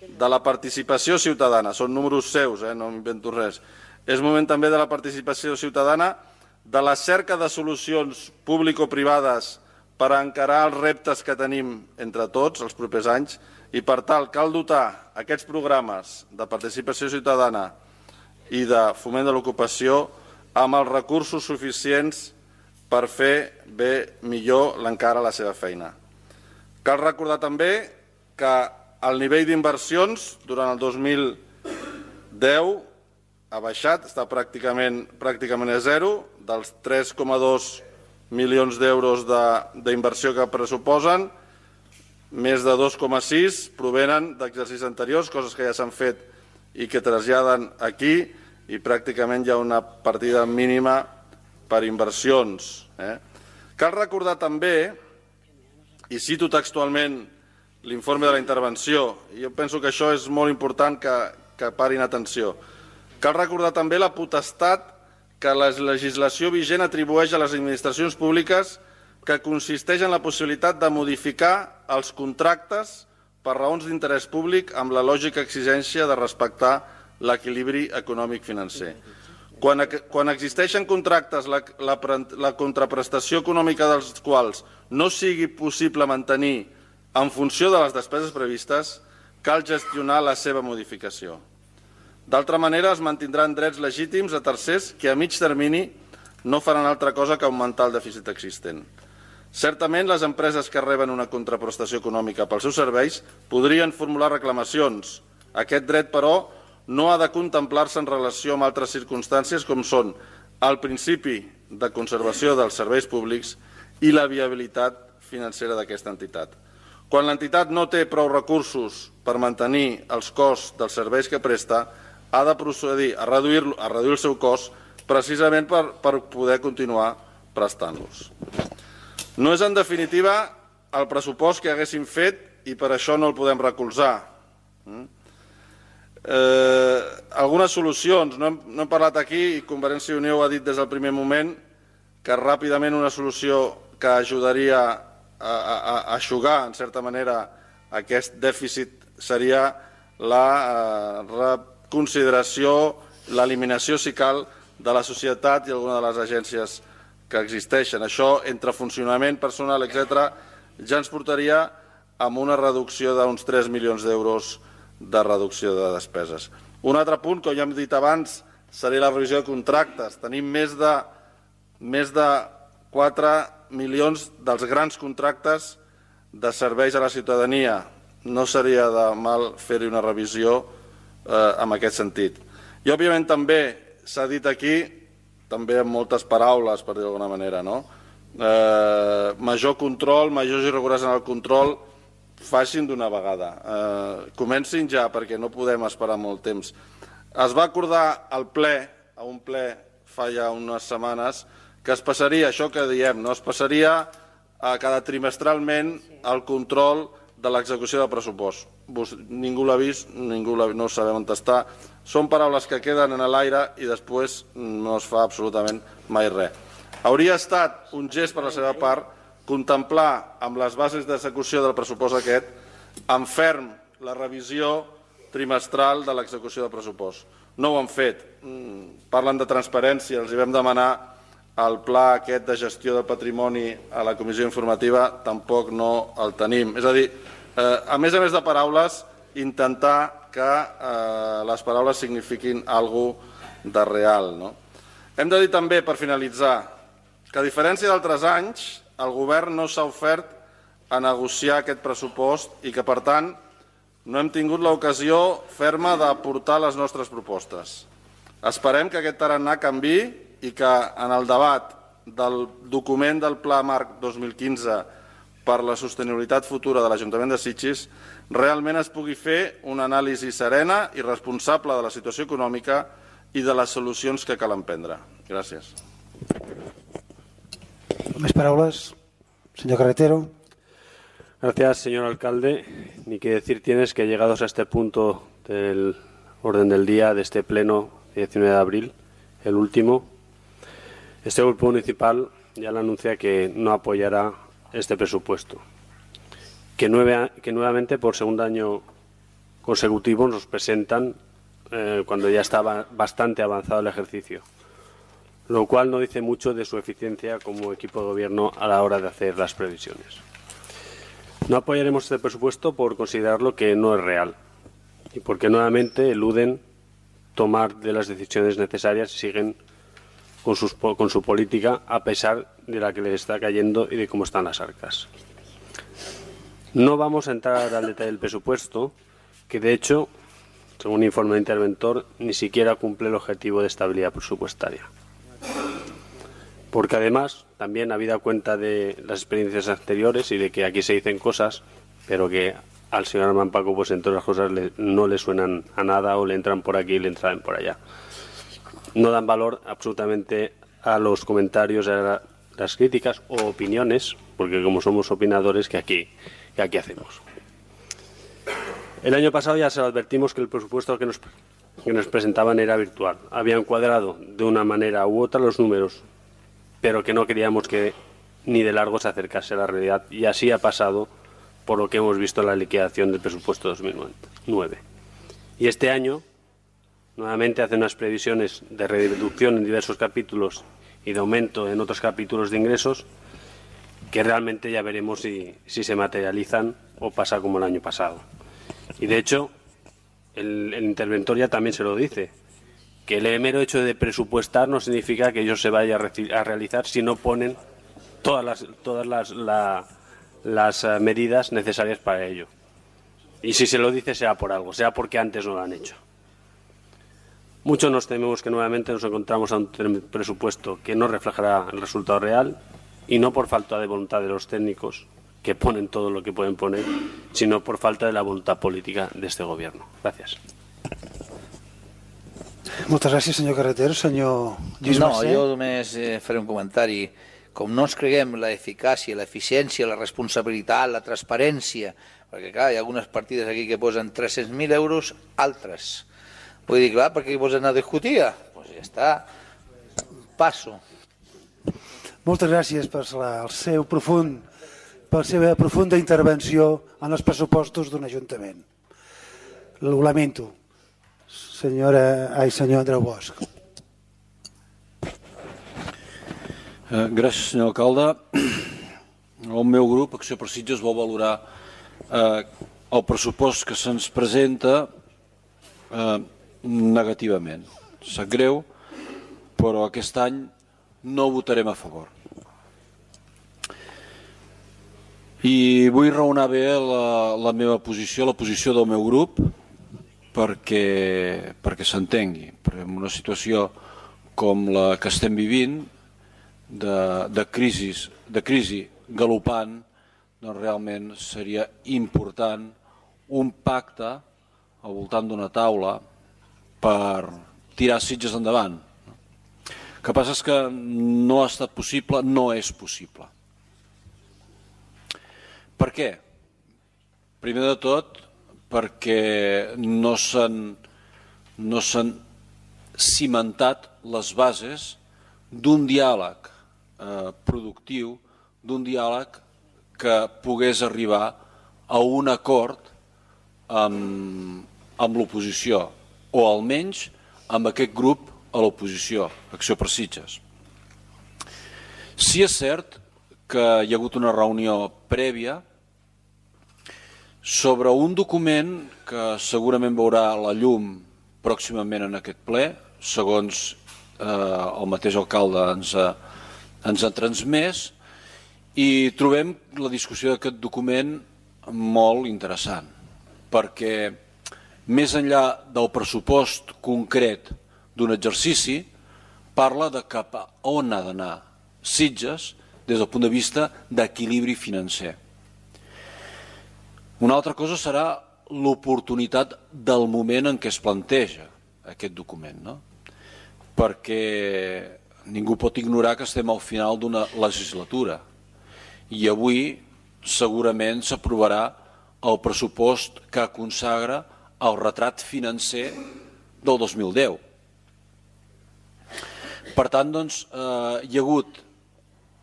de la participació ciutadana, són números seus, no m'invento res. És moment també de la participació ciutadana, de la cerca de solucions público-privades per encarar els reptes que tenim entre tots els propers anys i per tal cal dotar aquests programes de participació ciutadana i de foment de l'ocupació amb els recursos suficients per fer bé millor l'encara la seva feina. Cal recordar també que el nivell d'inversions durant el 2010 ha baixat, està pràcticament a zero, dels 3,2 milions d'euros d'inversió que pressuposen, més de 2,6 provenen d'exercicis anteriors, coses que ja s'han fet i que traslladen aquí, i pràcticament hi ha una partida mínima per inversions. Cal recordar també, i cito textualment l'informe de la intervenció, i jo penso que això és molt important que parin atenció, cal recordar també la potestat que la legislació vigent atribueix a les administracions públiques que consisteix en la possibilitat de modificar els contractes per raons d'interès públic amb la lògica exigència de respectar l'equilibri econòmic-financer. Quan existeixen contractes la contraprestació econòmica dels quals no sigui possible mantenir en funció de les despeses previstes, cal gestionar la seva modificació. D'altra manera, es mantindran drets legítims a tercers que a mig termini no faran altra cosa que augmentar el dèficit existent. Certament, les empreses que reben una contraprestació econòmica pels seus serveis podrien formular reclamacions. Aquest dret, però, no ha de contemplar-se en relació amb altres circumstàncies com són el principi de conservació dels serveis públics i la viabilitat financera d'aquesta entitat. Quan l'entitat no té prou recursos per mantenir els costs dels serveis que presta, ha de procedir a reduir el seu cost precisament per poder continuar prestant-los. No és, en definitiva, el pressupost que haguéssim fet i per això no el podem recolzar. Algunes solucions, no hem parlat aquí i Convergència i Unió ho ha dit des del primer moment, que ràpidament una solució que ajudaria a eixugar, en certa manera, aquest dèficit seria la reconsideració, l'eliminació, si cal, de la societat i alguna de les agències que existeixen. Això, entre funcionament, personal, etc., ja ens portaria a una reducció d'uns 3 milions d'euros de reducció de despeses. Un altre punt, com ja hem dit abans, seria la revisió de contractes. Tenim més de 4 milions dels grans contractes de serveis a la ciutadania. No seria de mal fer-hi una revisió en aquest sentit. I, òbviament, també s'ha dit aquí, també amb moltes paraules, per dir d'alguna manera, major control, majors irregularitats en el control, facin d'una vegada. Comencin ja, perquè no podem esperar molt temps. Es va acordar a un ple fa ja unes setmanes, que es passaria, això que diem, es passaria cada trimestralment el control de l'execució del pressupost. Ningú l'ha vist, no sabem on està. Són paraules que queden en l'aire i després no es fa absolutament mai res. Hauria estat un gest per la seva part contemplar amb les bases d'execució del pressupost aquest en ferm la revisió trimestral de l'execució del pressupost. No ho han fet. Parlen de transparència, els hi vam demanar el pla aquest de gestió del patrimoni a la comissió informativa, tampoc no el tenim. És a dir, a més de paraules, intentar que les paraules signifiquin alguna cosa de real. Hem de dir també, per finalitzar, que a diferència d'altres anys, el govern no s'ha ofert a negociar aquest pressupost i que, per tant, no hem tingut l'ocasió ferma d'aportar les nostres propostes. Esperem que aquest tarannà canviï i que en el debat del document del Pla Marc 2015 per la sostenibilitat futura de l'Ajuntament de Sitges realment es pugui fer una anàlisi serena i responsable de la situació econòmica i de les solucions que cal emprendre. Gràcies. Més paraules. Señor Carretero. Gracias, señor alcalde. Ni que decir tienes que llegados a este punto del orden del día de este pleno 19 de abril, el último, este grupo municipal ya le anuncia que no apoyará este presupuesto, que nuevamente por segundo año consecutivo nos presentan cuando ya estaba bastante avanzado el ejercicio, lo cual no dice mucho de su eficiencia como equipo de gobierno a la hora de hacer las previsiones. No apoyaremos este presupuesto por considerarlo que no es real y porque nuevamente eluden tomar de las decisiones necesarias y siguen con su política a pesar de la que les está cayendo y de cómo están las arcas. No vamos a entrar al detalle del presupuesto, que de hecho, según informe del interventor, ni siquiera cumple el objetivo de estabilidad presupuestaria. Porque además, también habida cuenta de las experiencias anteriores y de que aquí se dicen cosas, pero que al señor Armand Paco, pues entre otras cosas, no le suenan a nada o le entran por aquí y le entran por allá. No dan valor absolutamente a los comentarios, a las críticas o opiniones, porque como somos opinadores, que aquí hacemos. El año pasado ya se lo advertimos que el presupuesto que nos presentaban era virtual. Habían cuadrado de una manera u otra los números, pero que no queríamos que ni de largo se acercase a la realidad. Y así ha pasado por lo que hemos visto en la liquidación del presupuesto 2009. Y este año, nuevamente, hace unas previsiones de reducción en diversos capítulos y de aumento en otros capítulos de ingresos, que realmente ya veremos si se materializan o pasa como el año pasado. Y de hecho, el interventor ya también se lo dice, que el mero hecho de presupuestar no significa que ello se vaya a realizar si no ponen todas las medidas necesarias para ello. Y si se lo dice será por algo, será porque antes no lo han hecho. Muchos nos tememos que nuevamente nos encontramos ante un presupuesto que no reflejará el resultado real, y no por falta de voluntad de los técnicos, que ponen todo lo que pueden poner, sino por falta de la voluntad política de este gobierno. Gracias. Moltes gràcies, senyor Carretero. Senyor Lluís Mercè. Jo només faré un comentari. Com no ens creguem l'eficàcia, l'eficiència, la responsabilitat, la transparència, perquè clar, hi ha algunes partides aquí que posen 300.000 euros, altres. Vull dir, clar, perquè hi posen a discutir? Doncs ja està. Passo. Moltes gràcies per la seva profunda intervenció en els pressupostos d'un ajuntament. Ho lamento. Senyor Andreu Bosch. Gràcies, senyor alcalde. El meu grup, Acció per Sitges, vol valorar el pressupost que se'ns presenta negativament. Sap greu, però aquest any no votarem a favor. I vull raonar bé la meva posició, la posició del meu grup, perquè s'entengui. En una situació com la que estem vivint, de crisi galopant, doncs realment seria important un pacte al voltant d'una taula per tirar Sitges endavant. El que passa és que no ha estat possible, no és possible. Per què? Primer de tot, perquè no s'han cimentat les bases d'un diàleg productiu, d'un diàleg que pogués arribar a un acord amb l'oposició, o almenys amb aquest grup a l'oposició, Acció per Sitges. Sí és cert que hi ha hagut una reunió prèvia sobre un document que segurament veurà la llum pròximament en aquest ple, segons el mateix alcalde ens ha transmès, i trobem la discussió d'aquest document molt interessant, perquè més enllà del pressupost concret d'un exercici, parla de cap a on ha d'anar Sitges des del punt de vista d'equilibri financer. Una altra cosa serà l'oportunitat del moment en què es planteja aquest document, no? Perquè ningú pot ignorar que estem al final d'una legislatura i avui segurament s'aprovarà el pressupost que consagra el retrat financer del 2010. Per tant, doncs, hi ha hagut,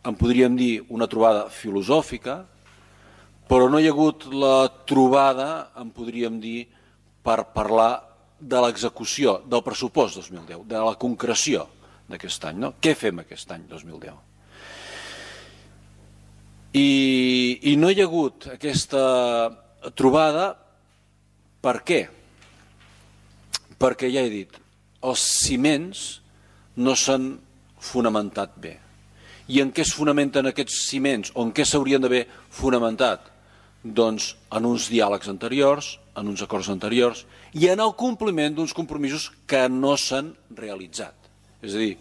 en podríem dir, una trobada filosòfica, però no hi ha hagut la trobada, en podríem dir, per parlar de l'execució del pressupost 2010, de la concreció d'aquest any. No? Què fem aquest any 2010? I no hi ha hagut aquesta trobada, per què? Perquè ja he dit, els ciments no s'han fonamentat bé. I en què es fonamenten aquests ciments, o en què s'haurien d'haver fonamentat? Doncs en uns diàlegs anteriors, en uns acords anteriors, i en el compliment d'uns compromisos que no s'han realitzat. És a dir,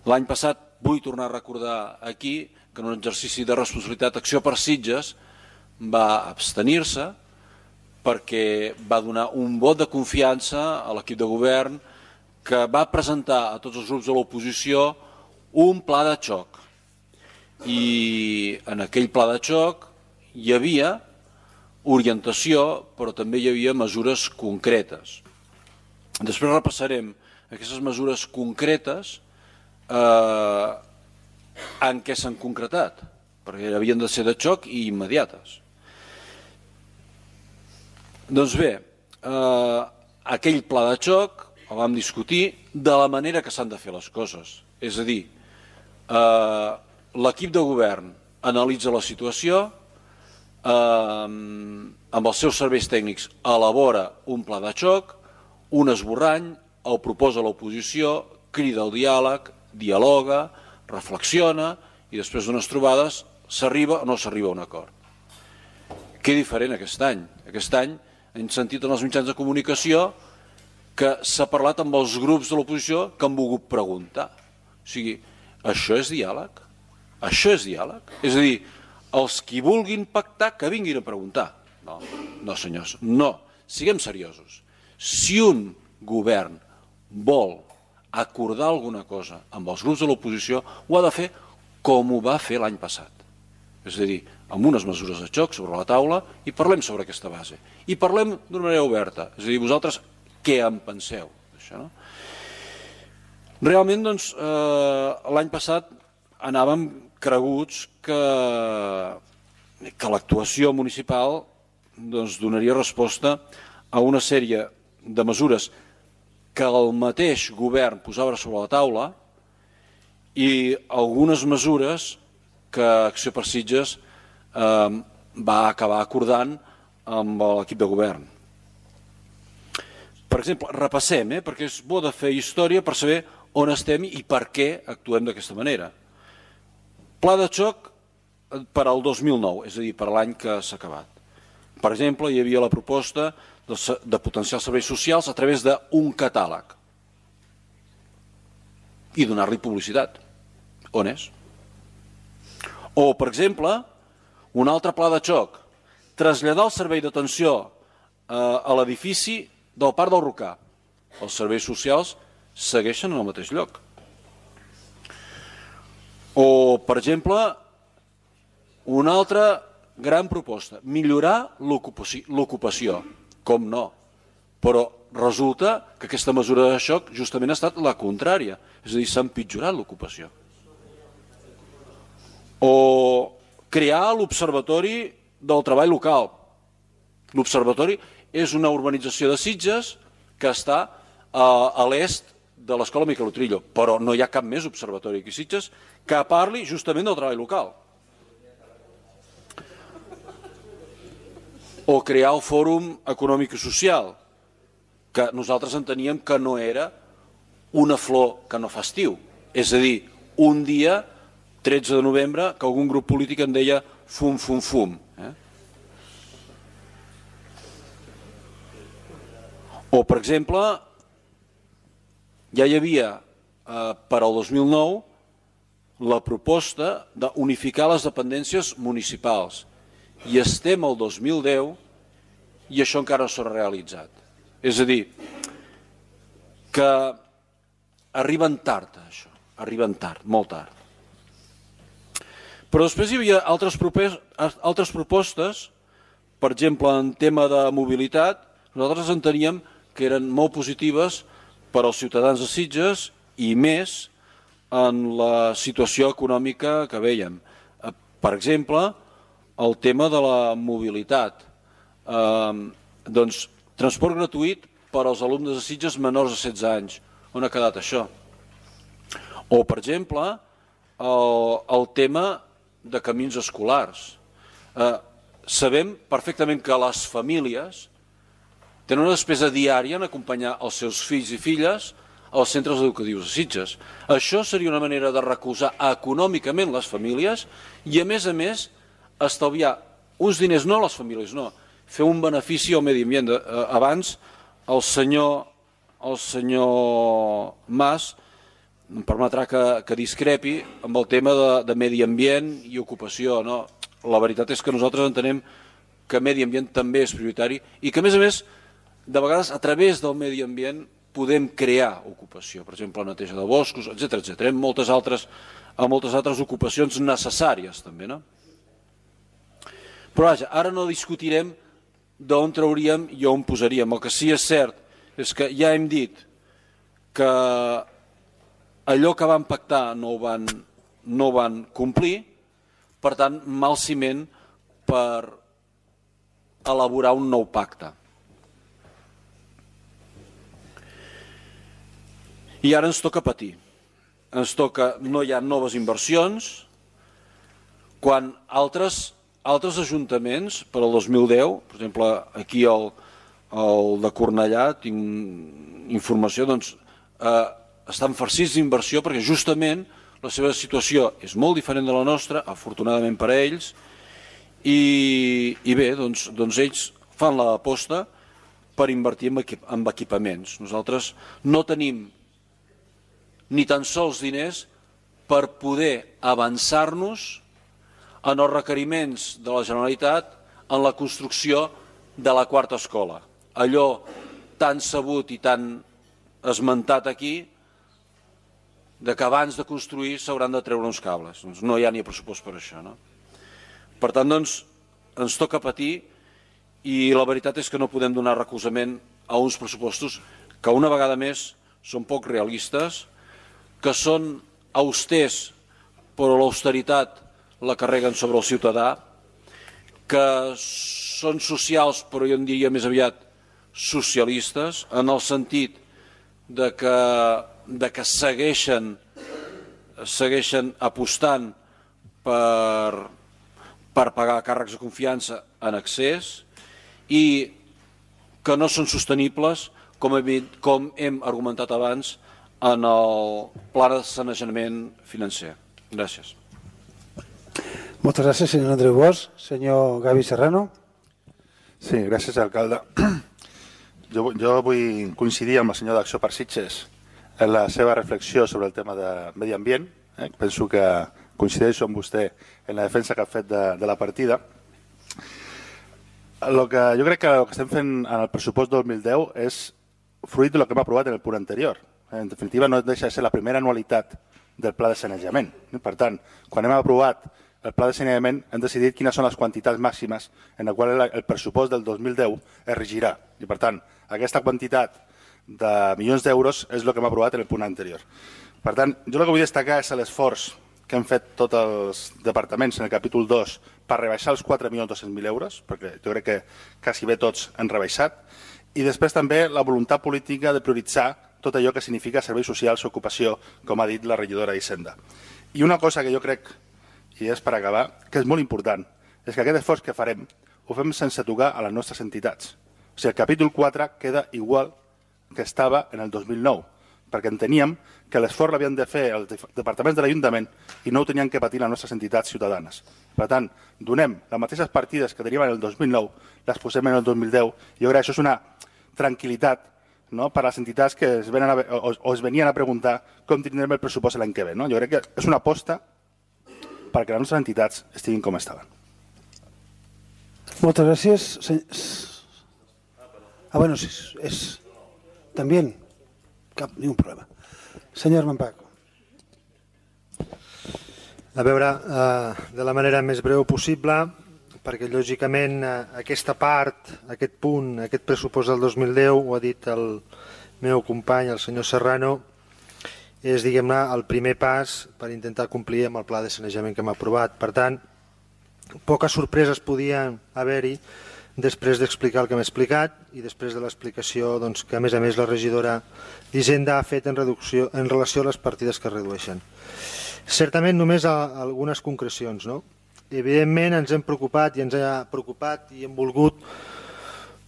l'any passat vull tornar a recordar aquí que en un exercici de responsabilitat Acció per Sitges va abstenir-se perquè va donar un vot de confiança a l'equip de govern que va presentar a tots els grups de l'oposició un pla de xoc. I en aquell pla de xoc hi havia orientació, però també hi havia mesures concretes. Després repassarem aquestes mesures concretes en què s'han concretat, perquè havien de ser de xoc i immediates. Doncs bé, aquell pla de xoc el vam discutir de la manera que s'han de fer les coses. És a dir, l'equip de govern analitza la situació, amb els seus serveis tècnics elabora un pla de xoc, un esborrany, el proposa a l'oposició, crida al diàleg, dialoga, reflexiona i després d'unes trobades s'arriba o no s'arriba a un acord. Què diferent aquest any? Aquest any hem sentit en els mitjans de comunicació que s'ha parlat amb els grups de l'oposició que han volgut preguntar. O sigui, això és diàleg? Això és diàleg? És a dir, els qui vulguin pactar que vinguin a preguntar. No, senyors, no. Siguem seriosos. Si un govern vol acordar alguna cosa amb els grups de l'oposició, ho ha de fer com ho va fer l'any passat. És a dir, amb unes mesures de xoc sobre la taula i parlem sobre aquesta base. I parlem d'una manera oberta. És a dir, vosaltres què en penseu d'això, no? Realment, doncs, l'any passat anàvem creguts que l'actuació municipal donaria resposta a una sèrie de mesures que el mateix govern posava sobre la taula i algunes mesures que Acció per Sitges va acabar acordant amb l'equip de govern. Per exemple, repassem, perquè és bo de fer història per saber on estem i per què actuem d'aquesta manera. Pla de xoc per al 2009, és a dir, per l'any que s'ha acabat. Per exemple, hi havia la proposta de potenciar els serveis socials a través d'un catàleg i donar-li publicitat. On és? O, per exemple, un altre pla de xoc, traslladar el servei d'atenció a l'edifici del Parc del Rocà. Els serveis socials segueixen en el mateix lloc. O, per exemple, un altre gran proposta, millorar l'ocupació, com no, però resulta que aquesta mesura de xoc justament ha estat la contrària, és a dir, s'ha empitjorat l'ocupació. O crear l'Observatori del Treball Local. L'Observatori és una urbanització de Sitges que està a l'est de l'Escola Miquel Utrillo, però no hi ha cap més observatori aquí a Sitges que parli justament del treball local. O crear el Fòrum Econòmic i Social, que nosaltres enteníem que no era una flor que no fa estiu. És a dir, un dia, 13 de novembre, que algun grup polític en deia fum, fum, fum. O, per exemple, ja hi havia per al 2009 la proposta d'unificar les dependències municipals i estem al 2010 i això encara no s'ha realitzat. És a dir, que arriben tard, això, arriben tard, molt tard. Però després hi havia altres propostes, per exemple, en tema de mobilitat, nosaltres enteníem que eren molt positives per als ciutadans de Sitges i més en la situació econòmica que veiem. Per exemple, el tema de la mobilitat. Doncs, transport gratuït per als alumnes de Sitges menors de 16 anys. On ha quedat això? O, per exemple, el tema de camins escolars. Sabem perfectament que les famílies tenen una despesa diària en acompanyar els seus fills i filles als centres educatius de Sitges. Això seria una manera de recolzar econòmicament les famílies i, a més, estalviar uns diners, no a les famílies, no, fer un benefici al medi ambient. Abans, el senyor Mas em permetrà que discrepi amb el tema de medi ambient i ocupació. La veritat és que nosaltres entenem que medi ambient també és prioritari i que, a més, de vegades, a través del medi ambient podem crear ocupació, per exemple, la neteja de boscos, etc. Hem moltes altres ocupacions necessàries, també, no? Però, vaja, ara no discutirem d'on trauríem i on posaríem. El que sí és cert és que ja hem dit que allò que van pactar no ho van complir, per tant, mal ciment per elaborar un nou pacte. I ara ens toca patir. Ens toca, no hi ha noves inversions, quan altres ajuntaments, per al 2010, per exemple, aquí el de Cornellà, tinc informació, doncs estan farcits d'inversió perquè justament la seva situació és molt diferent de la nostra, afortunadament per a ells, i bé, doncs ells fan l'aposta per invertir en equipaments. Nosaltres no tenim ni tan sols diners per poder avançar-nos en els requeriments de la Generalitat en la construcció de la quarta escola. Allò tan sabut i tan esmentat aquí de que abans de construir s'hauran de treure uns cables. Doncs no hi ha ni pressupost per això. No? Per tant, doncs, ens toca patir i la veritat és que no podem donar recolzament a uns pressupostos que una vegada més són poc realistes, que són austers però l'austeritat la carreguen sobre el ciutadà, que són socials però jo en diria més aviat socialistes, en el sentit de que segueixen apostant per pagar càrrecs de confiança en excés i que no són sostenibles, com hem argumentat abans, en el pla de sanejament financer. Gràcies. Moltes gràcies, senyor Andreu Bosch. Senyor Gavi Serrano. Sí, gràcies, alcalde. Jo vull coincidir amb el senyor d'Acció per Sitges en la seva reflexió sobre el tema de medi ambient. Penso que coincideixo amb vostè en la defensa que ha fet de la partida. Jo crec que el que estem fent en el pressupost 2010 és fruit del que hem aprovat en el punt anterior. En definitiva, no deixa de ser la primera anualitat del pla de sanejament. Per tant, quan hem aprovat el pla de saneament hem decidit quines són les quantitats màximes en la qual el pressupost del 2010 es regirà. I, per tant, aquesta quantitat de milions d'euros és el que hem aprovat en el punt anterior. Per tant, jo el que vull destacar és l'esforç que han fet tots els departaments en el capítol 2 per rebaixar els 4.200.000 euros, perquè jo crec que quasi bé tots han rebaixat, i després també la voluntat política de prioritzar tot allò que significa serveis socials o ocupació, com ha dit la regidora d'Hisenda. I una cosa que jo crec, i és per acabar, que és molt important, és que aquest esforç que farem ho fem sense tocar a les nostres entitats. O sigui, el capítol 4 queda igual que estava en el 2009, perquè enteníem que l'esforç l'havien de fer els departaments de l'Ajuntament i no ho tenien que patir les nostres entitats ciutadanes. Per tant, donem les mateixes partides que teníem en el 2009, les posem en el 2010, i jo crec que això és una tranquil·litat, no?, per a les entitats que es venien a preguntar com tindrem el pressupost l'any que ve. No? Jo crec que és una aposta perquè les nostres entitats estiguin com estaven. Moltes gràcies. Bueno, és... També? Ni un problema. Senyor Mampaco. A veure, de la manera més breu possible, perquè lògicament aquesta part, aquest punt, aquest pressupost del 2010, ho ha dit el meu company, el senyor Serrano, és, diguem-ne, el primer pas per intentar complir amb el pla de sanejament que hem aprovat. Per tant, poques sorpreses podien haver-hi després d'explicar el que hem explicat i després de l'explicació que, a més, la regidora d'Hisenda ha fet en relació a les partides que es redueixen. Certament, només algunes concrecions. Evidentment, ens hem preocupat i ens ha preocupat i hem volgut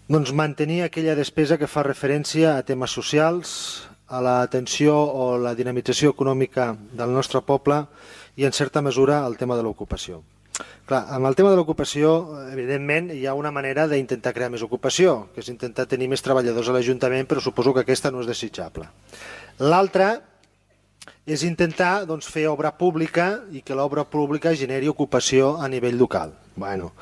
mantenir aquella despesa que fa referència a temes socials, a l'atenció o la dinamització econòmica del nostre poble i, en certa mesura, al tema de l'ocupació. Clar, amb el tema de l'ocupació, evidentment, hi ha una manera d'intentar crear més ocupació, que és intentar tenir més treballadors a l'Ajuntament, però suposo que aquesta no és desitjable. L'altra és intentar fer obra pública i que l'obra pública generi ocupació a nivell local. Bueno,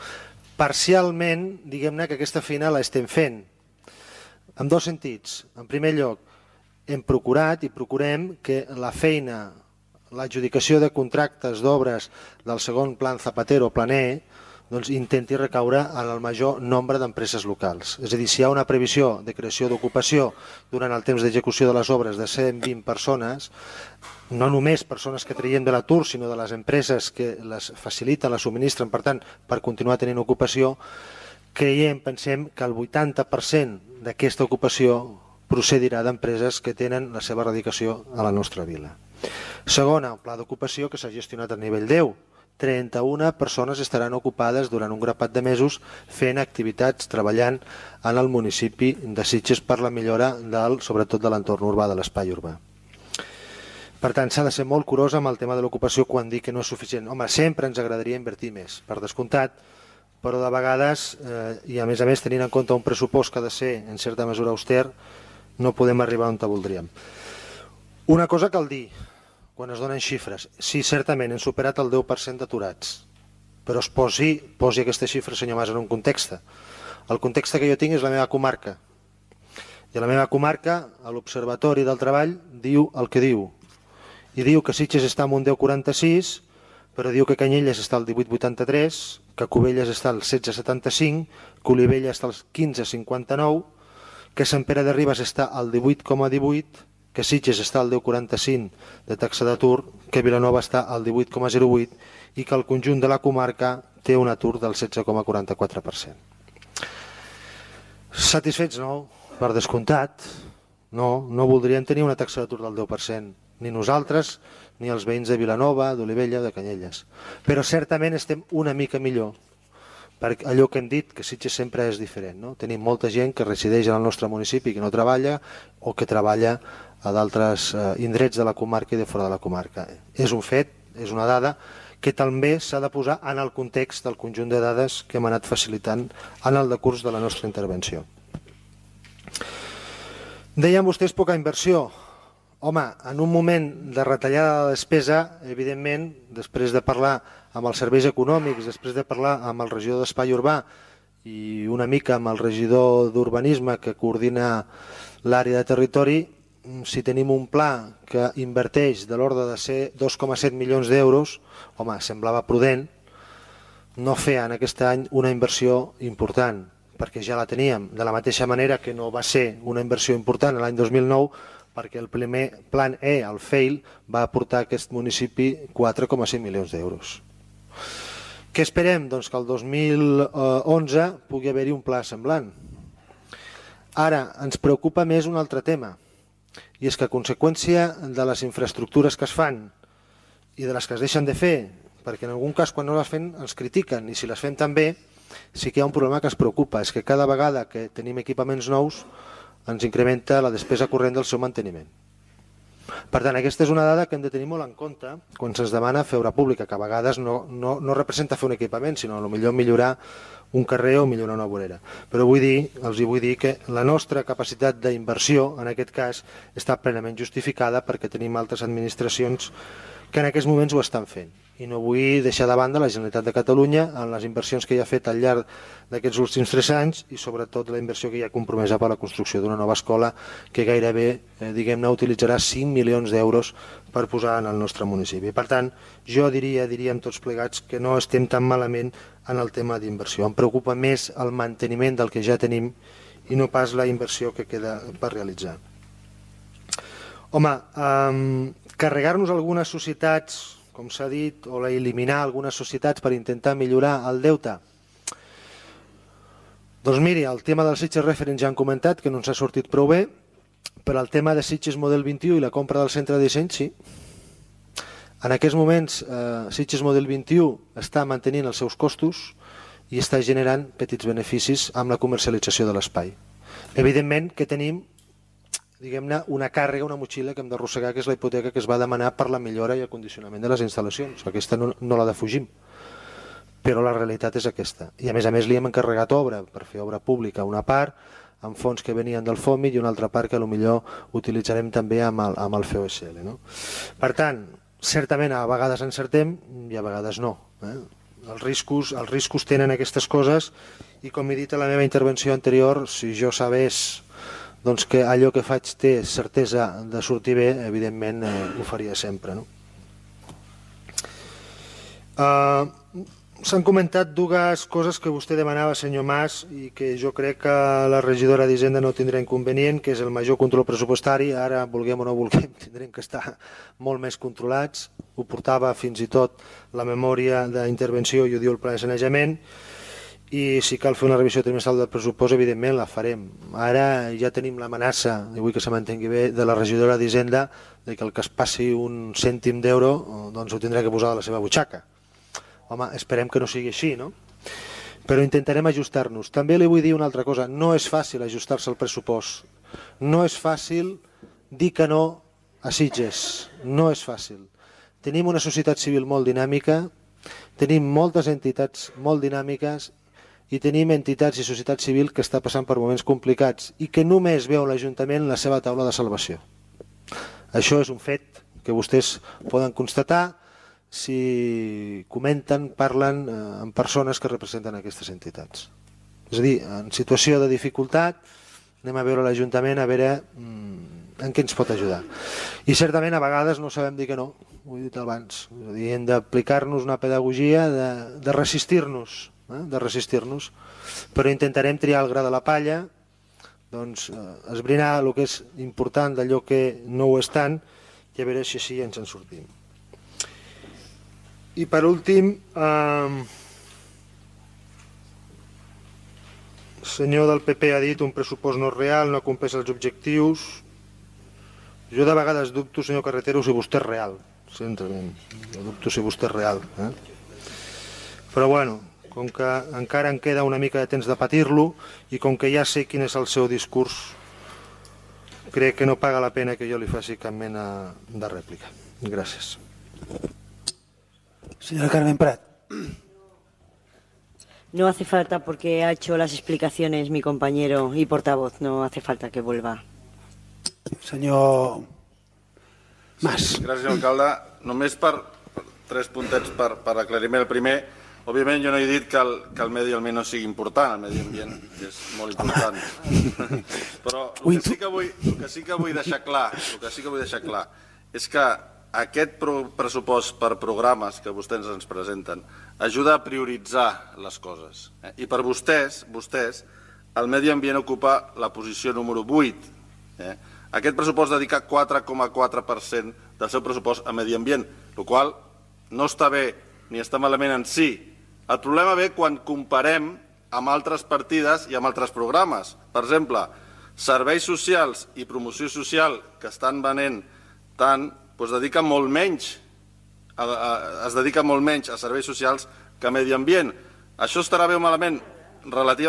parcialment, diguem-ne que aquesta feina l'estem fent, en dos sentits. En primer lloc, hem procurat i procurem que la feina, l'adjudicació de contractes d'obres del segon plan Zapatero, plan E, intenti recaure en el major nombre d'empreses locals. És a dir, si hi ha una previsió de creació d'ocupació durant el temps d'execució de les obres de 120 persones, no només persones que traiem de l'atur, sinó de les empreses que les faciliten, les subministren, per tant, per continuar tenint ocupació, pensem que el 80% d'aquesta ocupació procedirà d'empreses que tenen la seva radicació a la nostra vila. Segona, el pla d'ocupació que s'ha gestionat a nivell 10. 31 persones estaran ocupades durant un grapat de mesos fent activitats, treballant en el municipi de Sitges per la millora, sobretot de l'entorn urbà, de l'espai urbà. Per tant, s'ha de ser molt curós amb el tema de l'ocupació quan dic que no és suficient. Home, sempre ens agradaria invertir més, per descomptat, però de vegades, i a més tenint en compte un pressupost que ha de ser en certa mesura auster, no podem arribar on voldríem. Una cosa cal dir, quan es donen xifres, sí, certament hem superat el 10% d'aturats, però es posi aquesta xifra, senyor Mas, en un context. El context que jo tinc és la meva comarca, i a la meva comarca l'Observatori del Treball diu el que diu, i diu que Sitges està en un 10,46, però diu que Canyelles està al 18,83, que Cubelles està al 16,75, que Olivella està al 15,59, que Sant Pere de Ribes està al 18,18, que Sitges està al 10,45 de taxa d'atur, que Vilanova està al 18,08 i que el conjunt de la comarca té un atur del 16,44%. Satisfets no, per descomptat, no voldríem tenir una taxa d'atur del 10%, ni nosaltres ni els veïns de Vilanova, d'Olivella, de Canyelles. Però certament estem una mica millor, perquè allò que hem dit, que Sitges sempre és diferent. Tenim molta gent que resideix en el nostre municipi que no treballa o que treballa a d'altres indrets de la comarca i de fora de la comarca. És un fet, és una dada que també s'ha de posar en el context del conjunt de dades que hem anat facilitant en el decurs de la nostra intervenció. Deien vostès poca inversió. Home, en un moment de retallada de despesa, evidentment, després de parlar amb els serveis econòmics, després de parlar amb el regidor d'Espai Urbà i una mica amb el regidor d'Urbanisme que coordina l'àrea de territori, si tenim un pla que inverteix de l'ordre de ser 2,7 milions d'euros, home, semblava prudent no fer en aquest any una inversió important, perquè ja la teníem, de la mateixa manera que no va ser una inversió important l'any 2009, perquè el primer plan E, el FEIL, va aportar a aquest municipi 4,5 milions d'euros. Què esperem? Doncs que el 2011 pugui haver-hi un pla semblant. Ara, ens preocupa més un altre tema, i és que a conseqüència de les infraestructures que es fan i de les que es deixen de fer, perquè en algun cas quan no les fem ens critiquen, i si les fem tan bé sí que hi ha un problema que ens preocupa, és que cada vegada que tenim equipaments nous ens incrementa la despesa corrent del seu manteniment. Per tant, aquesta és una dada que hem de tenir molt en compte quan se'ns demana fer obra pública, que a vegades no representa fer un equipament, sinó potser millorar un carrer o millorar una vorera. Però els vull dir que la nostra capacitat d'inversió, en aquest cas, està plenament justificada perquè tenim altres administracions que en aquests moments ho estan fent. I no vull deixar de banda la Generalitat de Catalunya en les inversions que hi ha fet al llarg d'aquests últims 3 anys i sobretot la inversió que hi ha compromesa per a la construcció d'una nova escola que gairebé, diguem-ne, utilitzarà 5 milions d'euros per posar en el nostre municipi. Per tant, jo diríem tots plegats que no estem tan malament en el tema d'inversió. Em preocupa més el manteniment del que ja tenim i no pas la inversió que queda per realitzar. Home, carregar-nos algunes societats, com s'ha dit, o eliminar algunes societats per intentar millorar el deute. Doncs miri, el tema del Sitges Referent ja han comentat que no ens ha sortit prou bé, però el tema de Sitges Model 21 i la compra del centre de disseny, sí. En aquests moments, Sitges Model 21 està mantenint els seus costos i està generant petits beneficis amb la comercialització de l'espai. Evidentment que tenim, diguem-ne, una càrrega, una motxilla que hem d'arrossegar, que és la hipoteca que es va demanar per la millora i el condicionament de les instal·lacions. Aquesta no la defugim, però la realitat és aquesta. I a més li hem encarregat obra per fer obra pública, una part amb fons que venien del FOMI i una altra part que potser utilitzarem també amb el FOSL. No? Per tant, certament a vegades encertem i a vegades no. Els riscos tenen aquestes coses i com he dit a la meva intervenció anterior, si jo sabés doncs que allò que faig té certesa de sortir bé, evidentment ho faria sempre. No? S'han comentat dues coses que vostè demanava, senyor Mas, i que jo crec que la regidora d'Hisenda no tindrà inconvenient, que és el major control pressupostari. Ara, vulguem o no vulguem, tindrem que estar molt més controlats. Ho portava fins i tot la memòria d'intervenció i ho diu el pla de sanejament. I si cal fer una revisió trimestral del pressupost, evidentment la farem. Ara ja tenim l'amenaça, i vull que se m'entengui bé, de la regidora d'Hisenda que el que es passi un cèntim d'euro doncs ho tindrà que posar a la seva butxaca. Home, esperem que no sigui així, no? Però intentarem ajustar-nos. També li vull dir una altra cosa, no és fàcil ajustar-se al pressupost. No és fàcil dir que no a Sitges, no és fàcil. Tenim una societat civil molt dinàmica, tenim moltes entitats molt dinàmiques i tenim entitats i societat civil que està passant per moments complicats i que només veu l'Ajuntament la seva taula de salvació. Això és un fet que vostès poden constatar si comenten, parlen amb persones que representen aquestes entitats. És a dir, en situació de dificultat anem a veure l'Ajuntament a veure en què ens pot ajudar. I certament a vegades no sabem dir que no, ho he dit abans. És a dir, hem d'aplicar-nos una pedagogia de resistir-nos, però intentarem triar el gra de la palla, doncs esbrinar el que és important d'allò que no ho és tant i a veure si així ens en sortim. I per últim, el senyor del PP ha dit un pressupost no real, no compleix els objectius. Jo de vegades dubto, senyor Carretero, si vostè és real. Sincerament, jo dubto si vostè és real. Però bueno, com que encara em queda una mica de temps de patir-lo i com que ja sé quin és el seu discurs, crec que no paga la pena que jo li faci cap mena de rèplica. Gràcies. Señora Carmen Prat. No hace falta porque ha hecho las explicaciones mi compañero y portavoz. No hace falta que vuelva. Senyor Mas. Gràcies, alcalde. Només per 3 puntets per aclariment. El primer, òbviament jo no he dit que el medi ambient no sigui important, el medi ambient és molt important. Però el que sí que vull deixar clar és que aquest pressupost per programes que vostès ens presenten ajuda a prioritzar les coses. I per vostès, el medi ambient ocupa la posició número 8. Aquest pressupost dedica 4,4% del seu pressupost a medi ambient, el qual no està bé ni està malament en si. El problema ve quan comparem amb altres partides i amb altres programes. Per exemple, serveis socials i promoció social que estan venent tant, es dedica molt menys a serveis socials que a medi ambient. Això estarà bé o malament?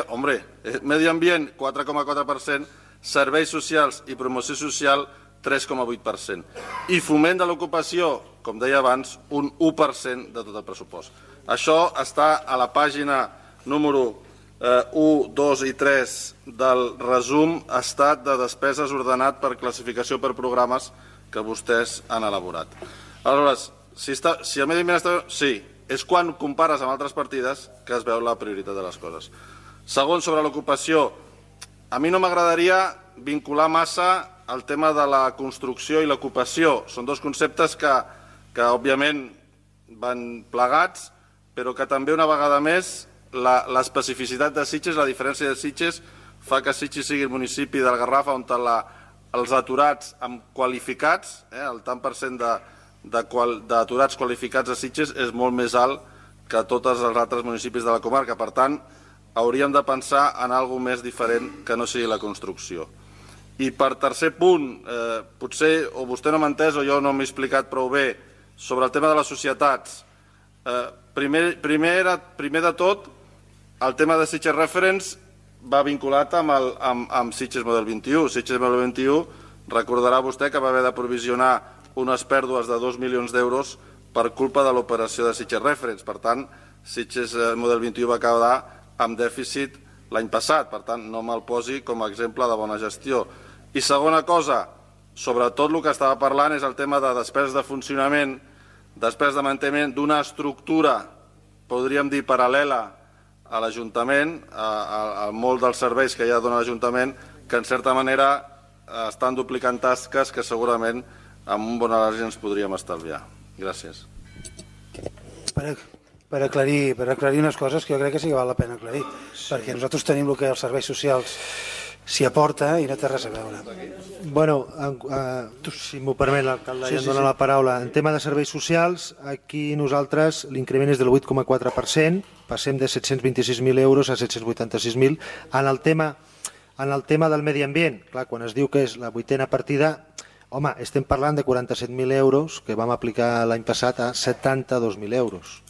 Hombre, medi ambient 4,4%, serveis socials i promoció social 3,8%. I foment de l'ocupació, com deia abans, un 1% de tot el pressupost. Això està a la pàgina número 1, 2 i 3 del resum estat de despeses ordenat per classificació per programes que vostès han elaborat. Aleshores, si el medi ambient està... Sí, és quan compares amb altres partides que es veu la prioritat de les coses. Segon, sobre l'ocupació, a mi no m'agradaria vincular massa el tema de la construcció i l'ocupació. Són dos conceptes que òbviament van plegats, però que també una vegada més l'especificitat de Sitges, la diferència de Sitges, fa que Sitges sigui el municipi del Garraf on els aturats qualificats, el tant per cent d'aturats qualificats a Sitges és molt més alt que tots els altres municipis de la comarca. Per tant, hauríem de pensar en alguna més diferent que no sigui la construcció. I per tercer punt, potser o vostè no m'ha entès o jo no m'he explicat prou bé sobre el tema de les societats. Primer de tot, el tema de Sitges Reference va vinculat amb Sitges Model 21. Sitges Model 21, recordarà vostè que va haver de provisionar unes pèrdues de 2 milions d'euros per culpa de l'operació de Sitges Reference. Per tant, Sitges Model 21 va quedar amb dèficit l'any passat. Per tant, no me'l posi com a exemple de bona gestió. I segona cosa, sobretot el que estava parlant és el tema de despeses de funcionament, despeses de manteniment d'una estructura, podríem dir, paral·lela a l'Ajuntament, a molts dels serveis que ja dona l'Ajuntament, que en certa manera estan duplicant tasques que segurament amb un bon anàlisi ens podríem estalviar. Gràcies. Per aclarir unes coses que jo crec que sí que val la pena aclarir, perquè nosaltres tenim el que els serveis socials s'hi aporta i no té res a veure. Bueno, si m'ho permet, l'alcalde ja em dona la paraula. En tema de serveis socials, aquí nosaltres l'increment és del 8,4%, passem de 726.000 euros a 786.000. En el tema del medi ambient, clar, quan es diu que és la 8a partida, home, estem parlant de 47.000 euros que vam aplicar l'any passat a 72.000 euros.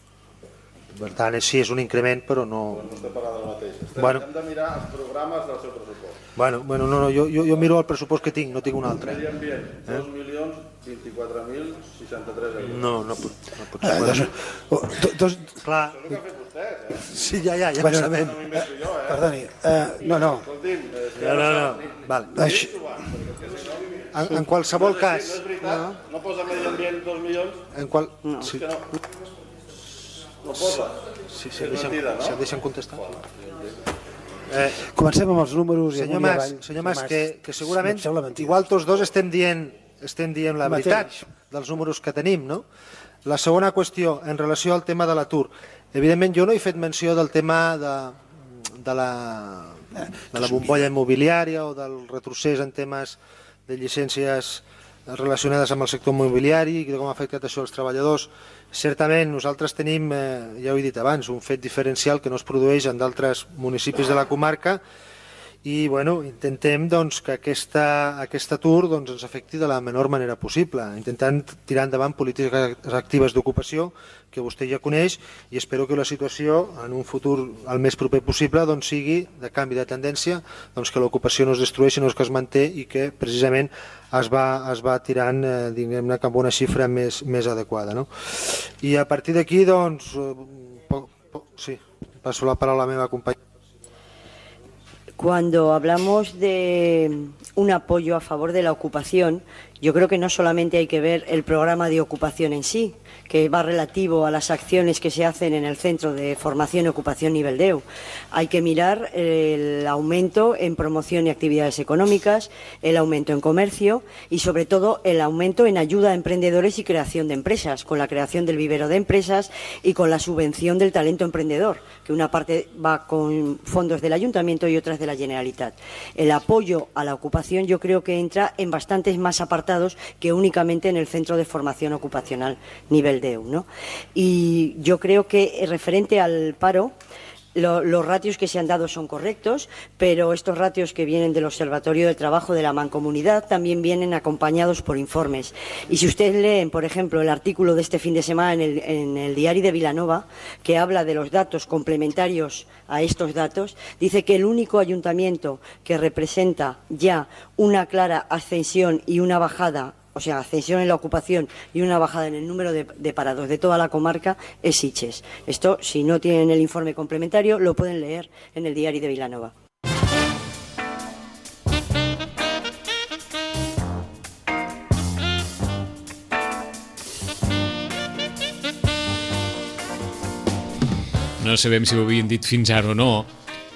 Per tant, sí, és un increment, però no... No estem parlant del mateix. Hem de mirar els programes del seu pressupost. Bueno, no, jo miro el pressupost que tinc, no tinc un altre. Medi ambient, 2.024.063 euros. No pot ser. Clar. Això és el que ha fet vostè, Sí, ja ho sabem. No m'invento jo, Perdoni, no. En qualsevol cas... No és veritat, no posa medi ambient 2 milions? No posa? Sí, em deixen contestar. Comencem amb els números. Senyor Mas, que segurament igual tots dos estem dient la veritat dels números que tenim, no? La segona qüestió, en relació al tema de l'atur. Evidentment, jo no he fet menció del tema de la bombolla immobiliària o del retrocés en temes de llicències relacionades amb el sector immobiliari i de com ha afectat això als treballadors. Certament, nosaltres tenim, ja ho he dit abans, un fet diferencial que no es produeix en d'altres municipis de la comarca i intentem que aquest atur ens afecti de la menor manera possible, intentant tirar endavant polítiques actives d'ocupació que vostè ja coneix i espero que la situació en un futur el més proper possible sigui de canvi de tendència, que l'ocupació no es destrueixi, no que es manté i que precisament es va tirant diguem-ne cap a una xifra més adequada. I a partir d'aquí, sí, passo la paraula a la meva companya. Cuando hablamos de un apoyo a favor de la ocupación, yo creo que no solamente hay que ver el programa de ocupación en sí, que va relativo a las acciones que se hacen en el Centro de Formación y Ocupación Nivel 10. Hay que mirar el aumento en promoción y actividades económicas, el aumento en comercio y, sobre todo, el aumento en ayuda a emprendedores y creación de empresas, con la creación del vivero de empresas y con la subvención del talento emprendedor, que una parte va con fondos del Ayuntamiento y otras de la Generalitat. El apoyo a la ocupación yo creo que entra en bastantes más apartados que únicamente en el Centro de Formación Ocupacional Nivel 10, ¿no? Y yo creo que referente al paro, los ratios que se han dado son correctos, pero estos ratios que vienen del Observatorio del Trabajo de la Mancomunidad también vienen acompañados por informes. Y si ustedes leen, por ejemplo, el artículo de este fin de semana en el Diario de Vilanova, que habla de los datos complementarios a estos datos, dice que el único ayuntamiento que representa ya una clara ascensión y una bajada, o sea, ascensión en la ocupación y una bajada en el número de parados de toda la comarca, es Sitges. Esto, si no tienen el informe complementario, lo pueden leer en el Diario de Vilanova. No sabem si ho havien dit fins ara o no,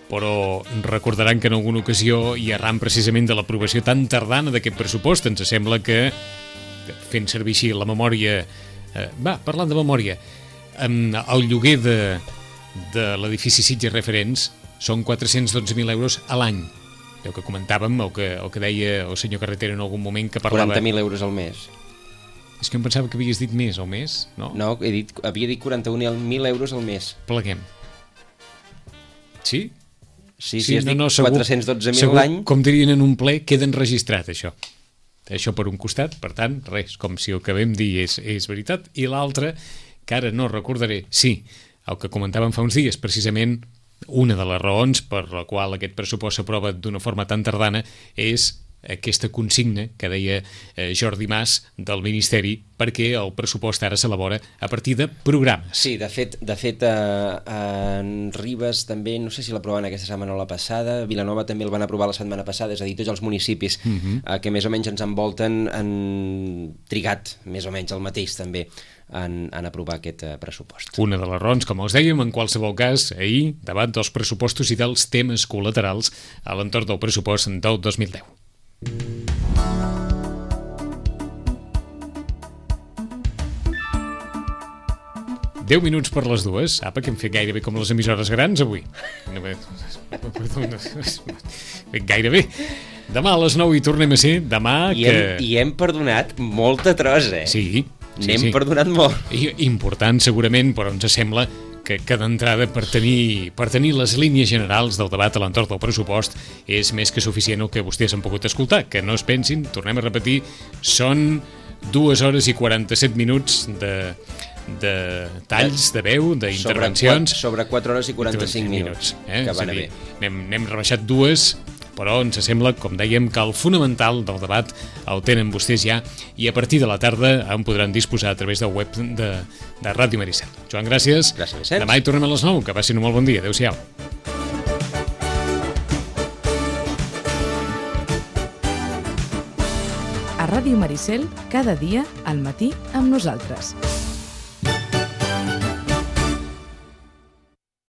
però recordaran que en alguna ocasió, i arran precisament de l'aprovació tan tardana d'aquest pressupost, ens sembla que, fent servir així la memòria, parlant de memòria, el lloguer de l'edifici Sitges Referents són 412.000 euros a l'any. El que comentàvem, o que deia el senyor Carretero en algun moment, que parlava... 40.000 euros al mes. És que em pensava que havies dit més al mes, no? No, havia dit 41.000 euros al mes. Pleguem. Sí? Sí, has dit 412.000 l'any. Com dirien en un ple, queda enregistrat, això. Això per un costat, per tant, res, com si el que vam dir és veritat. I l'altre, que ara no recordaré, sí, el que comentàvem fa uns dies, precisament una de les raons per la qual aquest pressupost s'aprova d'una forma tan tardana és aquesta consigna que deia Jordi Mas del Ministeri, perquè el pressupost ara s'elabora a partir de programes. Sí, de fet en Ribes també, no sé si l'aproven aquesta setmana o la passada, Vilanova també el van aprovar la setmana passada, és a dir, tots els municipis que més o menys ens envolten han trigat més o menys el mateix també en aprovar aquest pressupost. Una de les raons, com els dèiem, en qualsevol cas, ahir, debat dels pressupostos i dels temes col·laterals a l'entorn del pressupost del 2010. 10 minuts per les dues. Apa, que hem fet gairebé com les emissores grans avui. Gairebé. Demà a les 9 hi tornem a ser. Demà I hem perdonat molta trosa, eh? Sí. N'hem perdonat molt. Important, segurament, però ens sembla que d'entrada per tenir les línies generals del debat a l'entorn del pressupost és més que suficient el que vostès han pogut escoltar. Que no es pensin, tornem a repetir, són 2 hores i 47 minuts de talls de veu, d'intervencions. Sobre 4 hores i 45 minuts. Que van bé. N'hem rebaixat 2, però ens sembla, com dèiem, que el fonamental del debat el tenen vostès ja i a partir de la tarda en podran disposar a través del web de Ràdio Maricel. Joan, gràcies. Gràcies, Vicenç. Demà hi tornem a les 9. Que passin un molt bon dia. Adéu-siau. A Ràdio Maricel, cada dia al matí amb nosaltres.